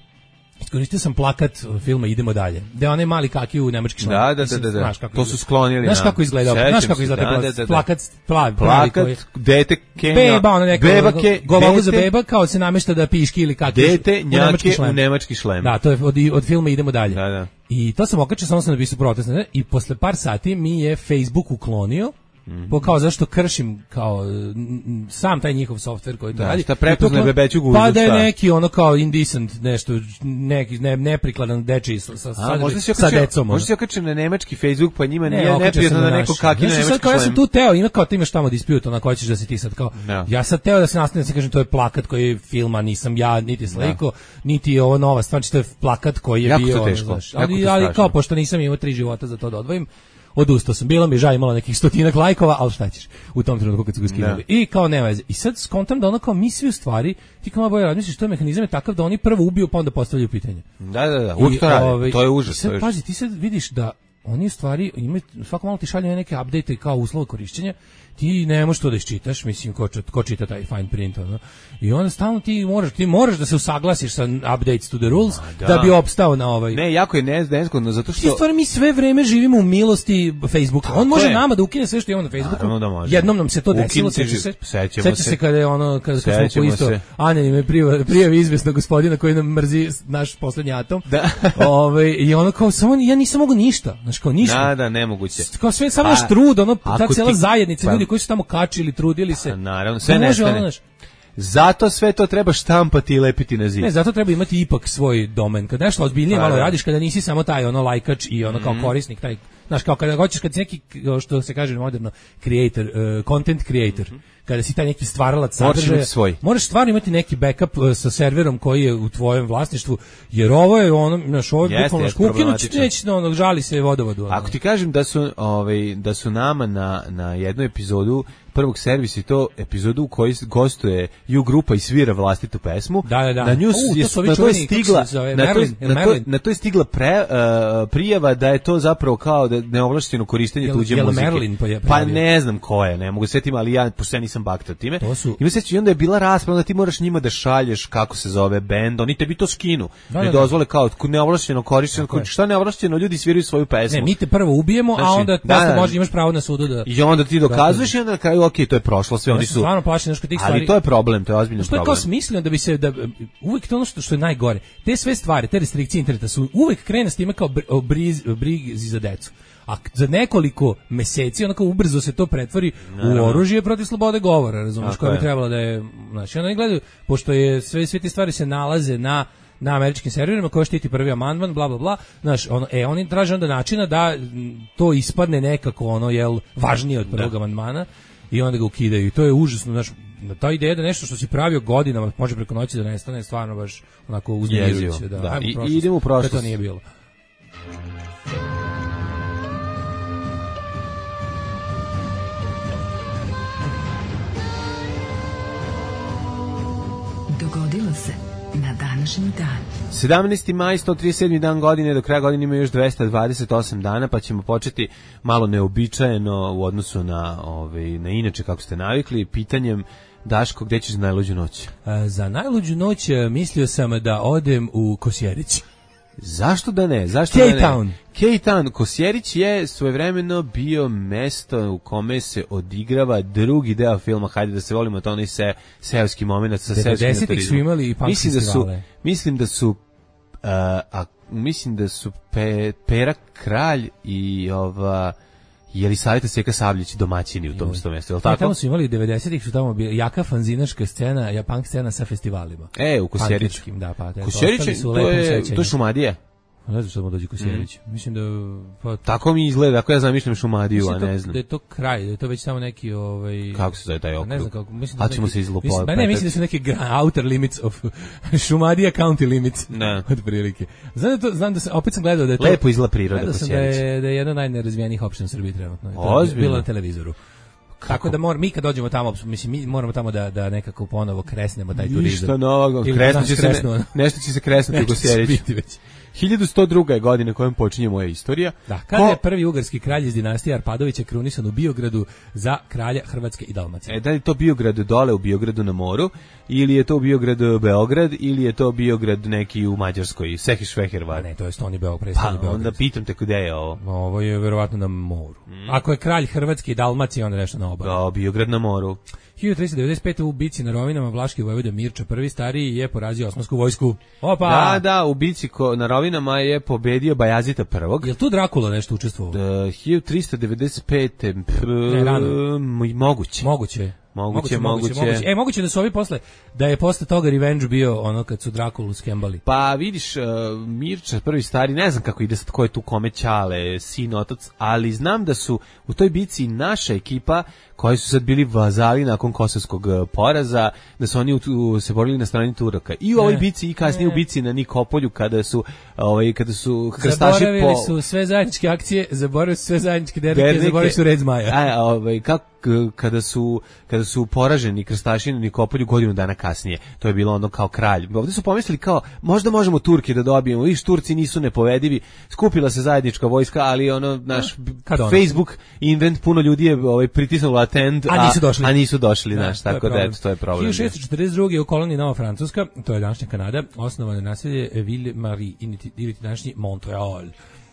Speaker 7: Iskoristio sam plakat filma Idemo dalje. Da je onaj mali kaki u nemački šlem.
Speaker 6: Da, da, da, da, da. To su sklonili.
Speaker 7: Znaš kako izgleda? Znaš kako izgleda
Speaker 6: da, da, da,
Speaker 7: plakat, plavi,
Speaker 6: plakat,
Speaker 7: plavi
Speaker 6: dete Kenja.
Speaker 7: Beba, ono neka.
Speaker 6: Beba ke,
Speaker 7: govalu za beba kao se namešta da piški ili kaki.
Speaker 6: Dete njake u nemački šlem.
Speaker 7: Da, to je od, od filma Idemo dalje.
Speaker 6: Da, da.
Speaker 7: I to sam okačio, samo sam napisao protest. I posle par sati mi je Facebook uklonio Mm. Po kao zašto kršim kao m, sam taj njihov softver koji to
Speaker 6: da,
Speaker 7: radi.
Speaker 6: Šta prepoznaje bebeću guzu.
Speaker 7: Pa da je neki ono kao indecent nešto, neki ne, neprikladan dečiji sa, sa,
Speaker 6: A, možda se
Speaker 7: sa decom.
Speaker 6: Možda se okačim na nemački Facebook, pa njima
Speaker 7: ne,
Speaker 6: nije neprijatno da neko kaki na nemački
Speaker 7: šlem. Ja sam tu teo, ima kao ti imaš tamo dispute, onako hoćeš da se ti sad kao,
Speaker 6: no.
Speaker 7: ja sad teo da se nastavim, da se kažem, to je plakat koji je filma, nisam ja, niti sliko, no. niti je ovo nova stvar, to je plakat koji je
Speaker 6: jako
Speaker 7: bio,
Speaker 6: to teško.
Speaker 7: Znaš, ali, ali kao, pošto nisam imao tri života za to da odvojim, odustao sam, bilo mi žao, imalo nekih stotinak lajkova, ali šta ćeš, u tom trenutku kad su ga skinuli. I kao nema veze. I sad skontam da ono kao mi svi u stvari, ti kao malo bolje razmisliš, to je mehanizam je takav da oni prvo ubiju pa onda postavljaju pitanje.
Speaker 6: Da, da, da, uvijek to radi, ovaj, to je užas.
Speaker 7: I sad, pazi, ti sad vidiš da oni u stvari imaju, svako malo ti šalju neke update kao uslova korišćenja, ti ne možeš to da iščitaš, mislim, ko, ko čita taj fine print, ono. I onda stalno ti moraš, ti moraš da se usaglasiš sa updates to the rules, da. da bi opstao na ovaj...
Speaker 6: Ne, jako je nezgodno, zato što...
Speaker 7: Ti stvari mi sve vreme živimo u milosti Facebooka. On može je. nama da ukine sve što imamo na Facebooku.
Speaker 6: Da
Speaker 7: jednom nam se to desilo, seća se.
Speaker 6: Seća
Speaker 7: se kada je ono, kada, kada smo po isto anonimne prijavi izvesnog gospodina koji nam mrzi naš poslednji atom.
Speaker 6: Da.
Speaker 7: Ove, I ono kao, samo, ja nisam mogu ništa, znaš, kao ništa.
Speaker 6: Da, da, nemoguće.
Speaker 7: Kao sve, samo naš trud, ono, ta cijela zajednica, ljudi koji su tamo kačili, trudili se.
Speaker 6: Naravno, sve nestane. Zato sve to treba štampati i lepiti na zid.
Speaker 7: Ne, zato treba imati ipak svoj domen. Kad nešto ozbiljnije malo radiš, kada nisi samo taj ono lajkač i ono kao korisnik, taj, znaš, kao kada hoćeš, kad si neki, što se kaže moderno, creator, uh, content creator, kada si taj neki stvaralac sadržaja, moraš stvarno imati neki backup uh, sa serverom koji je u tvojem vlasništvu, jer ovo je ono, znaš, ovo je bukvalno škukinuć, neće, ono, žali se vodovodu. Ono.
Speaker 6: Ako ti kažem da su, ovaj, da su nama na, na jednu epizodu prvog servisa i to epizodu u kojoj gostuje Ju grupa i svira vlastitu pesmu.
Speaker 7: Da, da, da.
Speaker 6: Na nju je, to na to je stigla na to, na, to, na to je stigla pre, uh, prijava da je to zapravo kao da neovlašćeno korištenje jel, tuđe
Speaker 7: jel
Speaker 6: muzike.
Speaker 7: Merlin
Speaker 6: pa ne znam ko je, ne mogu se setiti, ali ja pošto ja nisam bakta time.
Speaker 7: Su...
Speaker 6: I mislim i onda je bila rasprava da ti moraš njima da šalješ kako se zove bend, oni tebi to skinu.
Speaker 7: Da,
Speaker 6: ne
Speaker 7: da,
Speaker 6: dozvole kao neovlašćeno korištenje, šta neovlašćeno ljudi sviraju svoju pesmu.
Speaker 7: Ne, mi te prvo ubijemo, znači, a onda da, da, možeš imaš pravo na sudu da.
Speaker 6: I onda ti dokazuješ i onda na kraju okej, to je prošlo. Sve oni su
Speaker 7: stvarno plašeni nešto tih stvari.
Speaker 6: Ali to je problem, to je ozbiljan problem.
Speaker 7: Što je kao smisleno da bi se da uvek to ono što, što je najgore. Te sve stvari, te restrikcije interneta su uvek krene s time kao briz, brizi za decu. A za nekoliko meseci onako ubrzo se to pretvori Naravno. u oružje protiv slobode govora, razumiješ, koje bi trebalo da je, znači oni gledaju, pošto je sve sve te stvari se nalaze na na američkim serverima koji štiti prvi amandman, bla bla bla, znaš, ono, e oni traže onda načina da to ispadne nekako ono jel važnije od prvog amandmana. I onda ga ukidaju i to je užasno, znaš, ta ideja da nešto što si pravio godinama može preko noći da nestane, stvarno baš onako uznemirujuće. Da,
Speaker 6: da. I, i idemo u prošlost.
Speaker 7: To nije bilo.
Speaker 5: Dogodilo se na današnji dan.
Speaker 6: sedamnaesti maj, sto trideset sedmi dan godine, do kraja godine ima još dvesta dvadeset osam dana, pa ćemo početi malo neobičajeno u odnosu na, ovaj, na inače kako ste navikli, pitanjem Daško, gde ćeš za najluđu noć?
Speaker 7: A, za najluđu noć mislio sam da odem u Kosjerić.
Speaker 6: Zašto da ne? Zašto
Speaker 7: K-Town.
Speaker 6: da ne? K-Town. Kosjerić je svojevremeno bio mesto u kome se odigrava drugi deo filma, hajde da se volimo, to onaj se, seoski moment sa seoskim turizmom.
Speaker 7: su imali i punk
Speaker 6: mislim da su,
Speaker 7: festivale.
Speaker 6: mislim da su, uh, a, mislim da su pe, Pera Kralj i ova... Je li Saveta Seka Sabljić domaćini u tom istom mjestu, je li tako?
Speaker 7: Ja, tamo su imali devedesetih su tamo bili jaka fanzinaška scena, ja punk scena sa festivalima.
Speaker 6: E, u Kosjeriću.
Speaker 7: Da, pa,
Speaker 6: Kosjerić, to je, to je Šumadija.
Speaker 7: Ne znam što mu dođe Kosjerić. Mm. Mislim da pa
Speaker 6: tako mi izgleda, ako ja zamišljam Šumadiju, a ne
Speaker 7: to,
Speaker 6: znam.
Speaker 7: Da je to kraj, da je to već samo neki ovaj
Speaker 6: kako se zove taj okrug.
Speaker 7: Ne znam kako, mislim da
Speaker 6: a ćemo se izlupati.
Speaker 7: Ne, mislim da su neki outer limits of Šumadija county limits.
Speaker 6: Ne.
Speaker 7: Od prilike. Znam da to, znam da se opet sam gledao da je to
Speaker 6: lepo izgleda priroda
Speaker 7: Kosjerić. Da je da je jedna od najnerazvijenijih opština u Srbiji trenutno.
Speaker 6: To je
Speaker 7: bilo na televizoru. Kako? Tako da mor, mi kad dođemo tamo, mislim mi moramo tamo da da nekako ponovo kresnemo taj turizam.
Speaker 6: Ništa novog, kresnuće se ne, nešto će se kresnuti u Kosjeriću. hiljadu sto druga je godina kojom počinje moja istorija.
Speaker 7: Da, kada Ko... je prvi ugarski kralj iz dinastije Arpadovića krunisan u Biogradu za kralja Hrvatske i Dalmacije.
Speaker 6: E, da li to Biograd dole u Biogradu na moru, ili je to Biograd Beograd, ili je to Biograd neki u Mađarskoj, Sehišvehervar?
Speaker 7: Ne, to je Stoni Beograd, predstavni Beograd.
Speaker 6: Pa, onda pitam te gde je ovo.
Speaker 7: Ovo je verovatno na moru. Mm. Ako je kralj Hrvatske i Dalmacije, onda nešto na na obali.
Speaker 6: Da, Biograd na moru.
Speaker 7: hiljadu tristo devedeset pete u bici na Rovinama Vlaški vojvoda Mirča prvi stariji je porazio Osmansku vojsku. Opa!
Speaker 6: Da, da, u bici ko, na Rovinama je pobedio Bajazita prvog.
Speaker 7: Jel tu Drakula nešto učestvovao?
Speaker 6: Da, hiljadu tristo devedeset pete P,
Speaker 7: Ne, rano.
Speaker 6: moguće.
Speaker 7: Moguće.
Speaker 6: Moguće, moguće.
Speaker 7: moguće. E, moguće da su ovi posle, da je posle toga Revenge bio ono kad su Drakulu skembali.
Speaker 6: Pa vidiš, uh, Mirča prvi stari, ne znam kako ide sad, ko je tu kome Ćale, sin, otac, ali znam da su u toj bici naša ekipa, koji su sad bili vazali nakon kosovskog uh, poraza, da su oni u, u, se borili na strani Turaka. I u ovoj bici i kasnije u bici na Nikopolju, kada su, ovaj, kada su krstaši
Speaker 7: zaboravili
Speaker 6: po...
Speaker 7: su sve zajedničke akcije, zaboravili su sve zajedničke dernike, zaboravili su red zmaja.
Speaker 6: A, ovaj, kako kada su kada su poraženi krstaši na Nikopolju godinu dana kasnije. To je bilo ono kao kralj. Ovdje su pomislili kao možda možemo Turke da dobijemo. Viš, Turci nisu nepovedivi. Skupila se zajednička vojska, ali ono naš
Speaker 7: ono?
Speaker 6: Facebook invent, puno ljudi je ovaj pritisnulo attend,
Speaker 7: a, a nisu došli.
Speaker 6: A nisu došli, da, znaš, tako
Speaker 7: da
Speaker 6: to je problem.
Speaker 7: hiljadu šessto četrdeset druge u koloniji Nova Francuska, to je današnja Kanada, osnovano je naselje Ville-Marie ili današnji Montreal.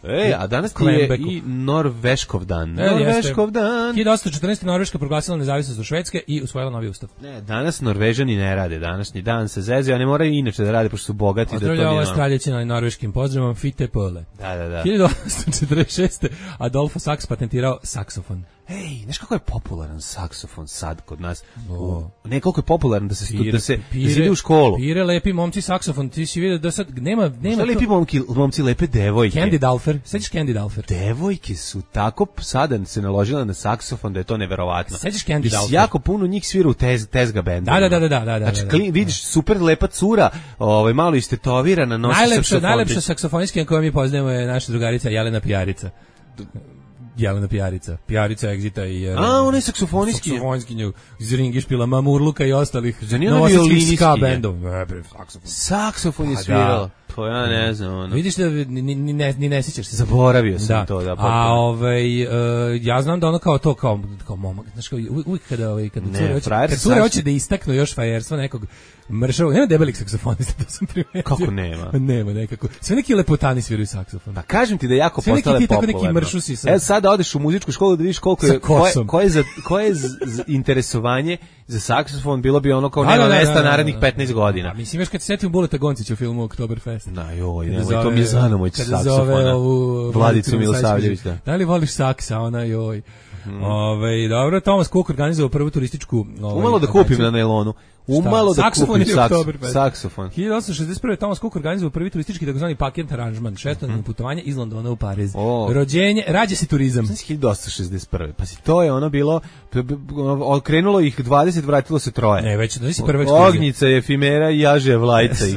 Speaker 6: E, a danas ti je i Norveškov dan.
Speaker 7: E,
Speaker 6: Norveškov dan.
Speaker 7: hiljadu osamsto četrnaeste. Norveška proglasila nezavisnost od Švedske i usvojila novi ustav.
Speaker 6: Ne, danas Norvežani ne rade, današnji dan se zezaju, a ne moraju inače da rade, pošto su bogati.
Speaker 7: Pozdravlja
Speaker 6: da to
Speaker 7: ova straljećina norveškim pozdravom, Fitte Pole.
Speaker 6: Da, da, da.
Speaker 7: hiljadu osamsto četrdeset šeste. Adolfo Saks patentirao saksofon.
Speaker 6: Ej, znaš kako je popularan saksofon sad kod nas? O. Ne, koliko je popularan da se pire, da se pire, da se ide u školu.
Speaker 7: Pire lepi momci saksofon, ti si vidio da sad nema nema.
Speaker 6: Šta lepi momci, momci lepe devojke.
Speaker 7: Candy Dalfer, sećaš Candy Dalfer?
Speaker 6: Devojke su tako sada se naložile na saksofon da je to neverovatno.
Speaker 7: Sećaš Candy Dalfer?
Speaker 6: Jako puno njih svira u tez, tezga bendu.
Speaker 7: Da, da, da, da, da, da.
Speaker 6: Znači,
Speaker 7: da, da,
Speaker 6: klin, vidiš super lepa cura, ovaj malo istetovirana, nosi
Speaker 7: najlepša,
Speaker 6: saksofon.
Speaker 7: Najlepša saksofonistkinja koju mi poznajemo je naša drugarica Jelena Pijarica. Jelena Pijarica, Pijarica Exita i... Uh,
Speaker 6: A, ona je saksofonistkinja.
Speaker 7: Saksofonistkinja iz Ringišpila, Mamurluka i ostalih
Speaker 6: novosadskih
Speaker 7: ska bendov. Ne, bre, saksofon.
Speaker 6: Saksofon je svirala. Pa ja ne znam, ono.
Speaker 7: Vidiš da ni, ni, ni, ne, ni ne sjećaš se.
Speaker 6: Zaboravio sam
Speaker 7: da.
Speaker 6: to, da.
Speaker 7: A ovaj, uh, ja znam da ono kao to, kao, kao momak, znaš, kao, uvijek kada, ovaj, kada
Speaker 6: ne,
Speaker 7: cure hoće, kad cure hoće da istaknu još fajerstva nekog mršavog, nema debelih saksofonista, to sam primetio.
Speaker 6: Kako nema?
Speaker 7: Nema nekako. Sve neki lepotani sviraju saksofon.
Speaker 6: Pa kažem ti da je jako
Speaker 7: sve
Speaker 6: postale
Speaker 7: neki
Speaker 6: popularno.
Speaker 7: Neki mršusi sad.
Speaker 6: E, sada odeš u muzičku školu da vidiš koliko je, koje, koje, za, koje z, z, interesovanje za saksofon bilo bi ono kao da, nema da, mesta da, da, narednih petnaest godina.
Speaker 7: A mislim, još kad se setim Buleta Goncića u filmu Oktoberfest.
Speaker 6: Na joj, nemoj, to mi je Zanomoć saksofona. Vladicu Milosavljević, da.
Speaker 7: Da li voliš saksa, ona joj. Hmm. Ove, dobro, Thomas Cook organizovao prvu turističku... Ovaj,
Speaker 6: umalo da kupim na nailonu. Umalo da
Speaker 7: saksofon
Speaker 6: kupim saks, saksofon.
Speaker 7: hiljadu osamsto šezdeset prve. Thomas Cook organizovao prvi turistički takozvani paket aranžman, šestodnevno putovanje iz Londona u Pariz. Oh. Rođenje, rađe se turizam.
Speaker 6: Znači hiljadu osamsto šezdeset prve. Pa si to je ono bilo, okrenulo ih dvadeset, vratilo se troje.
Speaker 7: Ne, već da si prva ekskluzija.
Speaker 6: Ognjica je efimera i jaže vlajca ih.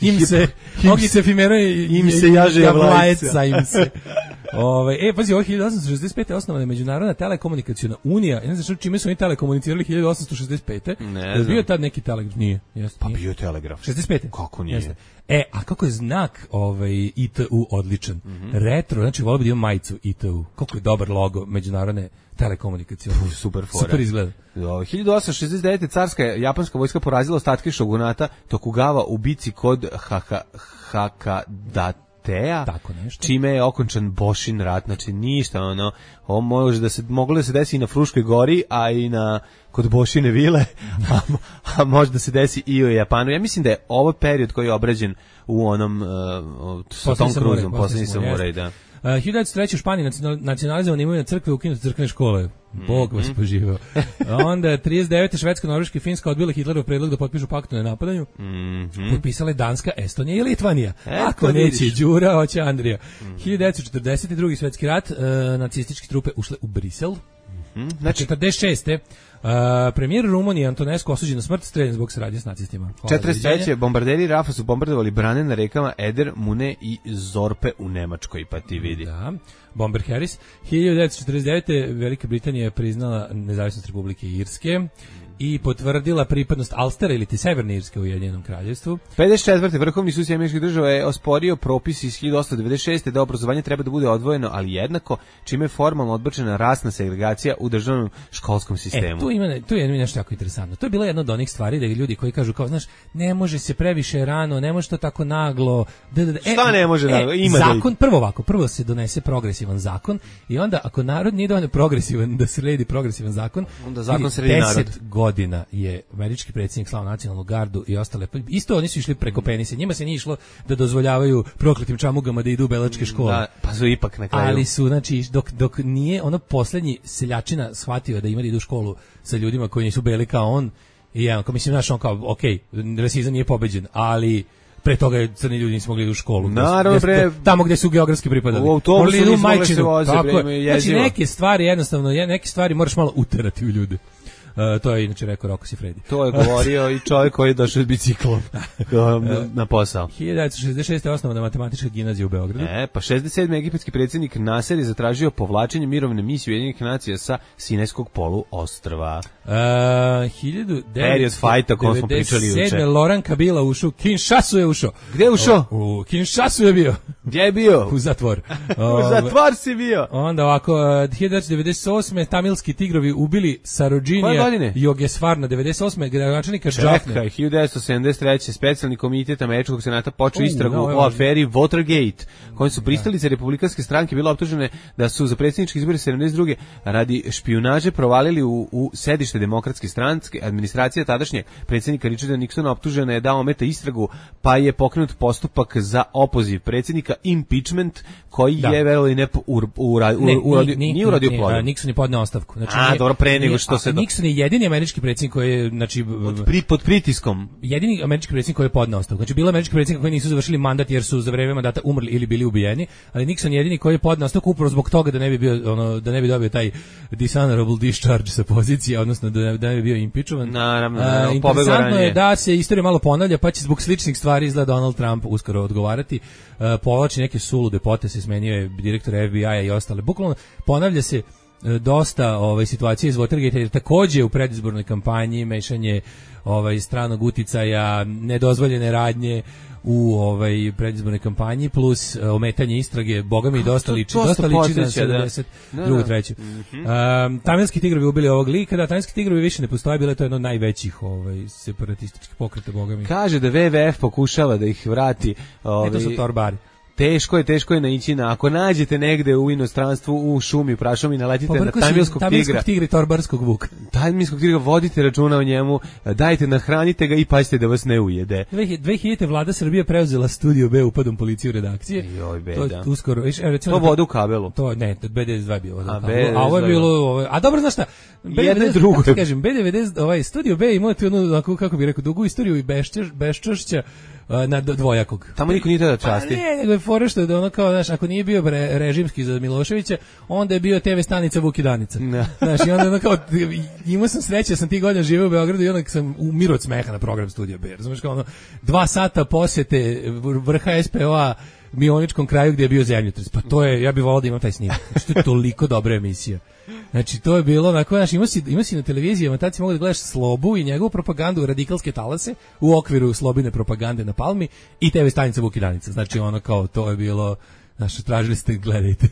Speaker 7: Im se, Ognjica efimera i
Speaker 6: im se jaže vlajca.
Speaker 7: Im se. Ove, e, pazi, ovo hiljadu osamsto šezdeset pete. osnovana je Međunarodna telekomunikaciona unija. Ja ne znam čime su oni telekomunicirali hiljadu osamsto šezdeset pete.
Speaker 6: Ne znam.
Speaker 7: Bio tad neki telegraf? Nije. Jeste,
Speaker 6: pa
Speaker 7: nije.
Speaker 6: bio je telegraf.
Speaker 7: šezdeset pete.
Speaker 6: Kako nije? Jeste.
Speaker 7: E, a kako je znak ovaj, I T U odličan? Mm -hmm. Retro, znači volio bi da imam majicu I T U. Kako je dobar logo Međunarodne telekomunikacione.
Speaker 6: Super fora.
Speaker 7: Super izgleda.
Speaker 6: hiljadu osamsto šezdeset devete. carska japanska vojska porazila ostatke šogunata Tokugawa u bici kod Hakadate. Teja,
Speaker 7: tako nešto.
Speaker 6: Čime je okončan Boshin rat, znači ništa, ono, ovo može da se, moglo da se desi i na Fruškoj gori, a i na, kod Bošine vile, a, a može da se desi i u Japanu. Ja mislim da je ovo period koji je obrađen u onom, uh, sa Tom Cruiseom, posljednji samuraj, da.
Speaker 7: Uh, hiljadu devetsto treće. u Španiji nacionalizovane imovine crkve, ukinute crkvene škole. Bog vas poživao. Onda trideset devete. Švedska, Norveška i Finska odbile Hitlerov predlog da potpišu pakt o nenapadanju. Mm -hmm. Potpisale Danska, Estonija i Litvanija. E, ako neće Đura, hoće Andrija. Mm. hiljadu devetsto četrdeset. drugi svjetski rat, uh, nacističke trupe ušle u Brisel. Mm
Speaker 6: -hmm. Znači,
Speaker 7: četrdeset šeste. Uh, premijer Rumunije Antonescu osuđen na smrt, streljan zbog saradnje s nacistima.
Speaker 6: četrdeset treće. bombarderi Rafa su bombardovali brane na rekama Eder, Mune i Zorpe u Nemačkoj, pa ti vidi.
Speaker 7: Da. Bomber Harris. hiljadu devetsto četrdeset devete. Velika Britanija je priznala nezavisnost Republike Irske. i potvrdila pripadnost Alstera ili ti Severne Irske u Ujedinjenom kraljevstvu.
Speaker 6: pedeset četvrte Vrhovni sud Sjedinjenih Američkih Država je osporio propis iz hiljadu osamsto devedeset šeste da obrazovanje treba da bude odvojeno, ali jednako, čime je formalno odbačena rasna segregacija u državnom školskom sistemu.
Speaker 7: E, tu ima, tu je nešto jako interesantno. To je bila jedna od onih stvari da ljudi koji kažu kao, znaš, ne može se previše rano, ne može to tako naglo. Da, da, da. E,
Speaker 6: Šta ne može naglo?
Speaker 7: E,
Speaker 6: Ima
Speaker 7: zakon,
Speaker 6: da...
Speaker 7: prvo ovako, prvo se donese progresivan zakon i onda ako narod nije dovoljno progresivan da se redi progresivan zakon,
Speaker 6: onda zakon se redi narod.
Speaker 7: deset godina je američki predsjednik slao nacionalnu gardu i ostale. Isto oni su išli preko penisa. Njima se nije išlo da dozvoljavaju prokletim čamugama da idu u belačke škole.
Speaker 6: Da, pa su ipak na kraju.
Speaker 7: Ali su, znači, dok, dok nije ono poslednji seljačina shvatio da ima da idu u školu sa ljudima koji nisu beli kao on, i ja, kao mislim, znaš, on kao, ok, rasizam nije pobeđen, ali pre toga je crni ljudi nisu mogli ići u školu.
Speaker 6: Naravno, pre...
Speaker 7: Tamo gde su geografski pripadali.
Speaker 6: U autobusu nisu mogli se voze,
Speaker 7: znači, neke stvari, jednostavno, neke stvari moraš malo uterati u ljude. Uh, to je inače rekao Rocco Siffredi.
Speaker 6: To je govorio i čovjek koji je došao s biciklom na, na posao.
Speaker 7: hiljadu devetsto šezdeset šeste. je osnovana matematička gimnazija u Beogradu.
Speaker 6: E, pa šezdeset sedme. egipatski predsjednik Nasser je zatražio povlačenje mirovne misije Ujedinjenih nacija sa Sinajskog poluostrva.
Speaker 7: Uh, hiljadu
Speaker 6: devetsto devedeset
Speaker 7: sedme. Laurent Kabila ušao, Kinshasu je ušao.
Speaker 6: Gdje je ušao?
Speaker 7: U, u Kinshasu je bio.
Speaker 6: Gdje je bio?
Speaker 7: U zatvor.
Speaker 6: U zatvor si bio.
Speaker 7: Onda ovako, hiljadu devetsto devedeset osme. tamilski tigrovi ubili Sarojinija Jogesvarna, devedeset osme. gradonačelnika Džafne.
Speaker 6: Čekaj, hiljadu devetsto sedamdeset treće. specijalni komitet Američkog senata počeo uh, istragu no, o aferi Watergate, kojim su pristalice republikanske stranke bile optužene da su za predsjedničke izbore sedamdeset druge radi špijunaže provalili u, u sedište demokratske stranke. Administracija tadašnjeg predsjednika Richarda Nixona optužena je da ometa istragu, pa je pokrenut postupak za opoziv predsjednika, impeachment, koji da. je verovali ne ur, ur,
Speaker 7: ne,
Speaker 6: uradio,
Speaker 7: ni,
Speaker 6: nije uradio plodom.
Speaker 7: Nixon je podneo ostavku. Znači,
Speaker 6: a, dobro, pre nego što se...
Speaker 7: Nixon je jedini američki predsjednik koji je, znači...
Speaker 6: Pod, pri, pod pritiskom.
Speaker 7: Jedini američki predsjednik koji je podneo ostavku. Znači, bilo američki predsjednik koji nisu završili mandat jer su za vreme mandata umrli ili bili ubijeni, ali Nixon je jedini koji je podneo ostavku upravo zbog toga da ne bi bio, ono, da ne bi dobio taj dishonorable discharge sa pozicije, odnosno da ne, da ne bi bio impeachovan.
Speaker 6: Naravno,
Speaker 7: uh, interesantno je da se istorija malo ponavlja, pa će zbog sličnih stvari izgleda Donald Trump uskoro odgovarati. Uh, povlači neke sulude poteze, smenio je direktor F B I-a i ostale. Bukvalno ponavlja se dosta ovaj situacije iz Watergate, jer takođe u predizbornoj kampanji mešanje ovaj stranog uticaja, nedozvoljene radnje u ovaj predizbornoj kampanji plus uh, ometanje istrage, bogami dosta liči, dosta liči na sedamdeset drugu treću. Um, tamilski tigrovi ubili ovog lika, da tamilski tigrovi više ne postoje, bilo je to jedno od najvećih ovaj separatističkih pokreta, bogami.
Speaker 6: Kaže da W W F pokušava da ih vrati, ovaj,
Speaker 7: e, to su torbari.
Speaker 6: Teško je, teško je naići na, ako nađete negde u inostranstvu, u šumi, prašumi, naletite na tamilskog tigra.
Speaker 7: Tamilskog tigra i torbarskog vuka.
Speaker 6: Tamilskog tigra, vodite računa o njemu, dajte, nahranite ga i pazite da vas ne ujede.
Speaker 7: dve hiljadite. vlada Srbije preuzela Studio B upadom policije u redakcije.
Speaker 6: Joj, beda.
Speaker 7: To, uskoro, viš, recimo,
Speaker 6: to voda u kabelu.
Speaker 7: To, ne, B devedeset dva je bio voda
Speaker 6: a,
Speaker 7: u kabelu. A ovo je bilo, ovo, a dobro, znaš šta?
Speaker 6: Jedno drugo.
Speaker 7: Kažem, B devedeset, ovaj, Studio B ima tu jednu, kako bih rekao, dugu istoriju i beščeš, beščašća na dvojakog.
Speaker 6: Tamo niko nije da časti.
Speaker 7: Pa ne, nego je fora što je da ono kao, znaš, ako nije bio re, režimski za Miloševića, onda je bio te ve stanica Vuk i Danica. No. Znaš, i onda ono kao, imao sam sreće, sam ti godina živeo u Beogradu i onda sam umiro od smeha na program Studio B. Znaš, kao ono, dva sata posjete vrha S P O-a Mioničkom kraju gdje je bio zemljotres. Pa to je, ja bih volao da imam taj snimak. Znači, to je toliko dobra emisija. Znači, to je bilo onako, znaš, imao si, imao si na televiziji, tad si mogu da gledaš Slobu i njegovu propagandu, radikalske talase, u okviru Slobine propagande na Palmi i te ve stanica Vuk i Danica. Znači, ono kao, to je bilo, znaš, tražili ste, gledajte.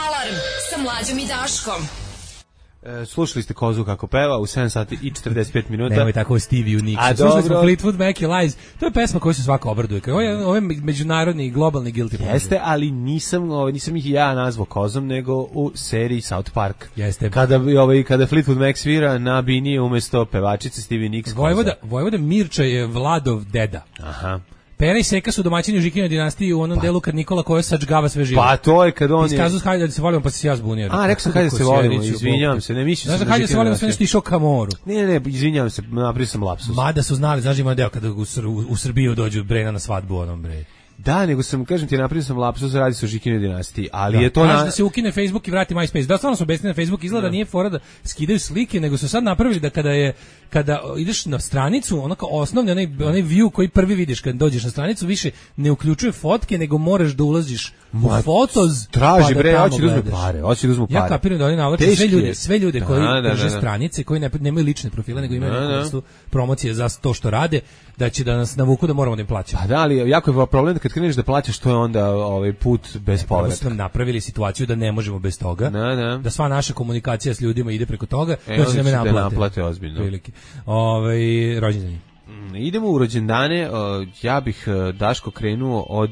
Speaker 1: Alarm sa Mlađom i Daškom.
Speaker 6: E, slušali ste Kozu kako peva u sedam sati i četrdeset pet minuta.
Speaker 7: Nemoj tako Stevie Nicks. Slušali smo Fleetwood Mac i Lies. To je pesma koju se svako obraduje. Ovo je, ovo je međunarodni i globalni guilty pleasure.
Speaker 6: Jeste, ali nisam, ovaj, nisam ih ja nazvao Kozom, nego u seriji South Park.
Speaker 7: Jeste.
Speaker 6: Kada, ovaj, kada Fleetwood Mac svira na bini umesto pevačice Stevie Nicks.
Speaker 7: Vojvoda, Vojvoda Mirča je Vladov deda.
Speaker 6: Aha.
Speaker 7: Pera i Seka su domaćini u Žikinoj dinastiji u onom pa. delu kad Nikola Kojo sačgava sve živo.
Speaker 6: Pa to je kad on je...
Speaker 7: Iskazu hajde da se volimo, pa se ja zbunio.
Speaker 6: A, rekao sam hajde da se volimo, izvinjavam se, ne mislio sam.
Speaker 7: Znaš, hajde da se volimo, sve nešto išao ka moru.
Speaker 6: Ne, ne, ne, izvinjavam se, napravio sam lapsus.
Speaker 7: Mada su znali, znaš, ima deo kada u, u, u Srbiju dođu Brena na svadbu, onom bre.
Speaker 6: Da, nego sam, kažem ti, napravio sam lapsus, radi se o Žikinoj dinastiji, ali
Speaker 7: da.
Speaker 6: je to...
Speaker 7: Znaš
Speaker 6: na...
Speaker 7: da se ukine Facebook i vrati MySpace. Da, stvarno su besni na Facebook, izgleda da nije fora da skidaju slike, nego su sad napravili da kada je kada ideš na stranicu, ono kao osnovni onaj, onaj view koji prvi vidiš kad dođeš na stranicu, više ne uključuje fotke, nego moraš da ulaziš u Fotos,
Speaker 6: traži
Speaker 7: pa
Speaker 6: bre,
Speaker 7: da
Speaker 6: hoće da uzme pare, hoće da uzme pare.
Speaker 7: Ja kapiram da oni navlače sve ljude, sve ljude koji da, da, drže da, da. stranice, koji ne, nemaju lične profile, nego imaju da, neku promocije za to što rade, da će da nas navuku da moramo da im plaćamo.
Speaker 6: Pa da, ali jako je problem da kad kreneš da plaćaš, to je onda ovaj put bez povratka.
Speaker 7: Smo napravili situaciju da ne možemo bez toga,
Speaker 6: da, da.
Speaker 7: da sva naša komunikacija s ljudima ide preko toga,
Speaker 6: e,
Speaker 7: to će da me naplate.
Speaker 6: Da naplate ozbiljno.
Speaker 7: Prilike. Ovaj rođendani.
Speaker 6: Idemo u rođendane, ja bih Daško krenuo od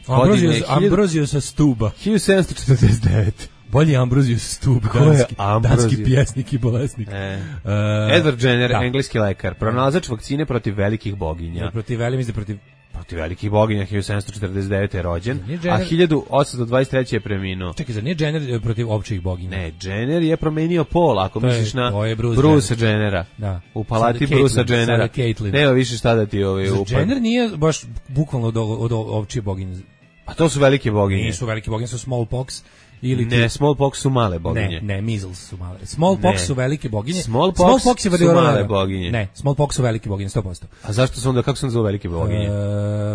Speaker 7: Ambrozio, Ambrozio sa Stuba.
Speaker 6: hiljadu sedamsto četrdeset devete.
Speaker 7: Bolji Ambrozio Stub, danski, danski pjesnik i bolesnik.
Speaker 6: E. Uh, Edward Jenner, da. engleski lekar, pronalazač vakcine protiv velikih boginja.
Speaker 7: Ne, protiv velikih, protiv
Speaker 6: protiv velikih boginja, hiljadu sedamsto četrdeset devete je rođen, a hiljadu osamsto dvadeset treće je preminuo.
Speaker 7: Čekaj, zar nije Jenner protiv općih boginja?
Speaker 6: Ne, Jenner je promenio pol, ako
Speaker 7: to
Speaker 6: misliš
Speaker 7: je,
Speaker 6: na
Speaker 7: Bruce
Speaker 6: Bruce Jennera.
Speaker 7: Da.
Speaker 6: U palati Bruce Jennera. Nema više šta da ti ovaj upad.
Speaker 7: Jenner nije baš bukvalno od, od, od općih boginja.
Speaker 6: A to su velike boginje.
Speaker 7: Nisu velike boginje, su smallpox. Ili
Speaker 6: ne, smallpox su male boginje.
Speaker 7: Ne, ne, measles su male. Smallpox ne. su velike boginje.
Speaker 6: Smallpox, smallpox je su male boginje.
Speaker 7: Ne, smallpox su velike boginje, sto posto.
Speaker 6: A zašto su onda, kako su nazvao velike boginje?
Speaker 7: E,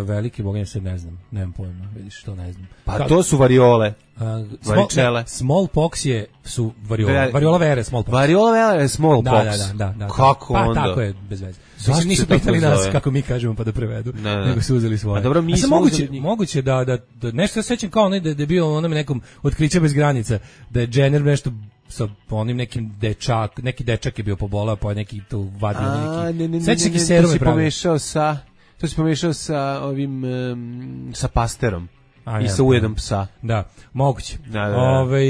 Speaker 7: velike boginje se ne znam, nemam pojma, vidiš, to ne znam.
Speaker 6: Pa Ka, to su variole.
Speaker 7: Uh, small, smallpox je su variola, variola vere, smallpox.
Speaker 6: Variola vere, smallpox.
Speaker 7: Da, da, da, da, da.
Speaker 6: Kako
Speaker 7: pa,
Speaker 6: onda?
Speaker 7: Pa tako je, bez veze. Zašto nisu pitali nas kako mi kažemo pa da prevedu,
Speaker 6: ne, ne.
Speaker 7: nego su uzeli svoje.
Speaker 6: A dobro, mi smo
Speaker 7: moguće, moguće da, da, da nešto se sećam kao onaj da, da je bio onom nekom Otkriće bez granica, da je Jenner nešto sa onim nekim dečak, neki dečak je bio pobolao, pa neki tu vadio neki.
Speaker 6: Ne, ne, ne, sećam se serum je pomešao sa, to si pomešao sa ovim um, sa pasterom. A, I sa ujedom psa.
Speaker 7: Da, moguće.
Speaker 6: Da, da, da.
Speaker 7: Ove,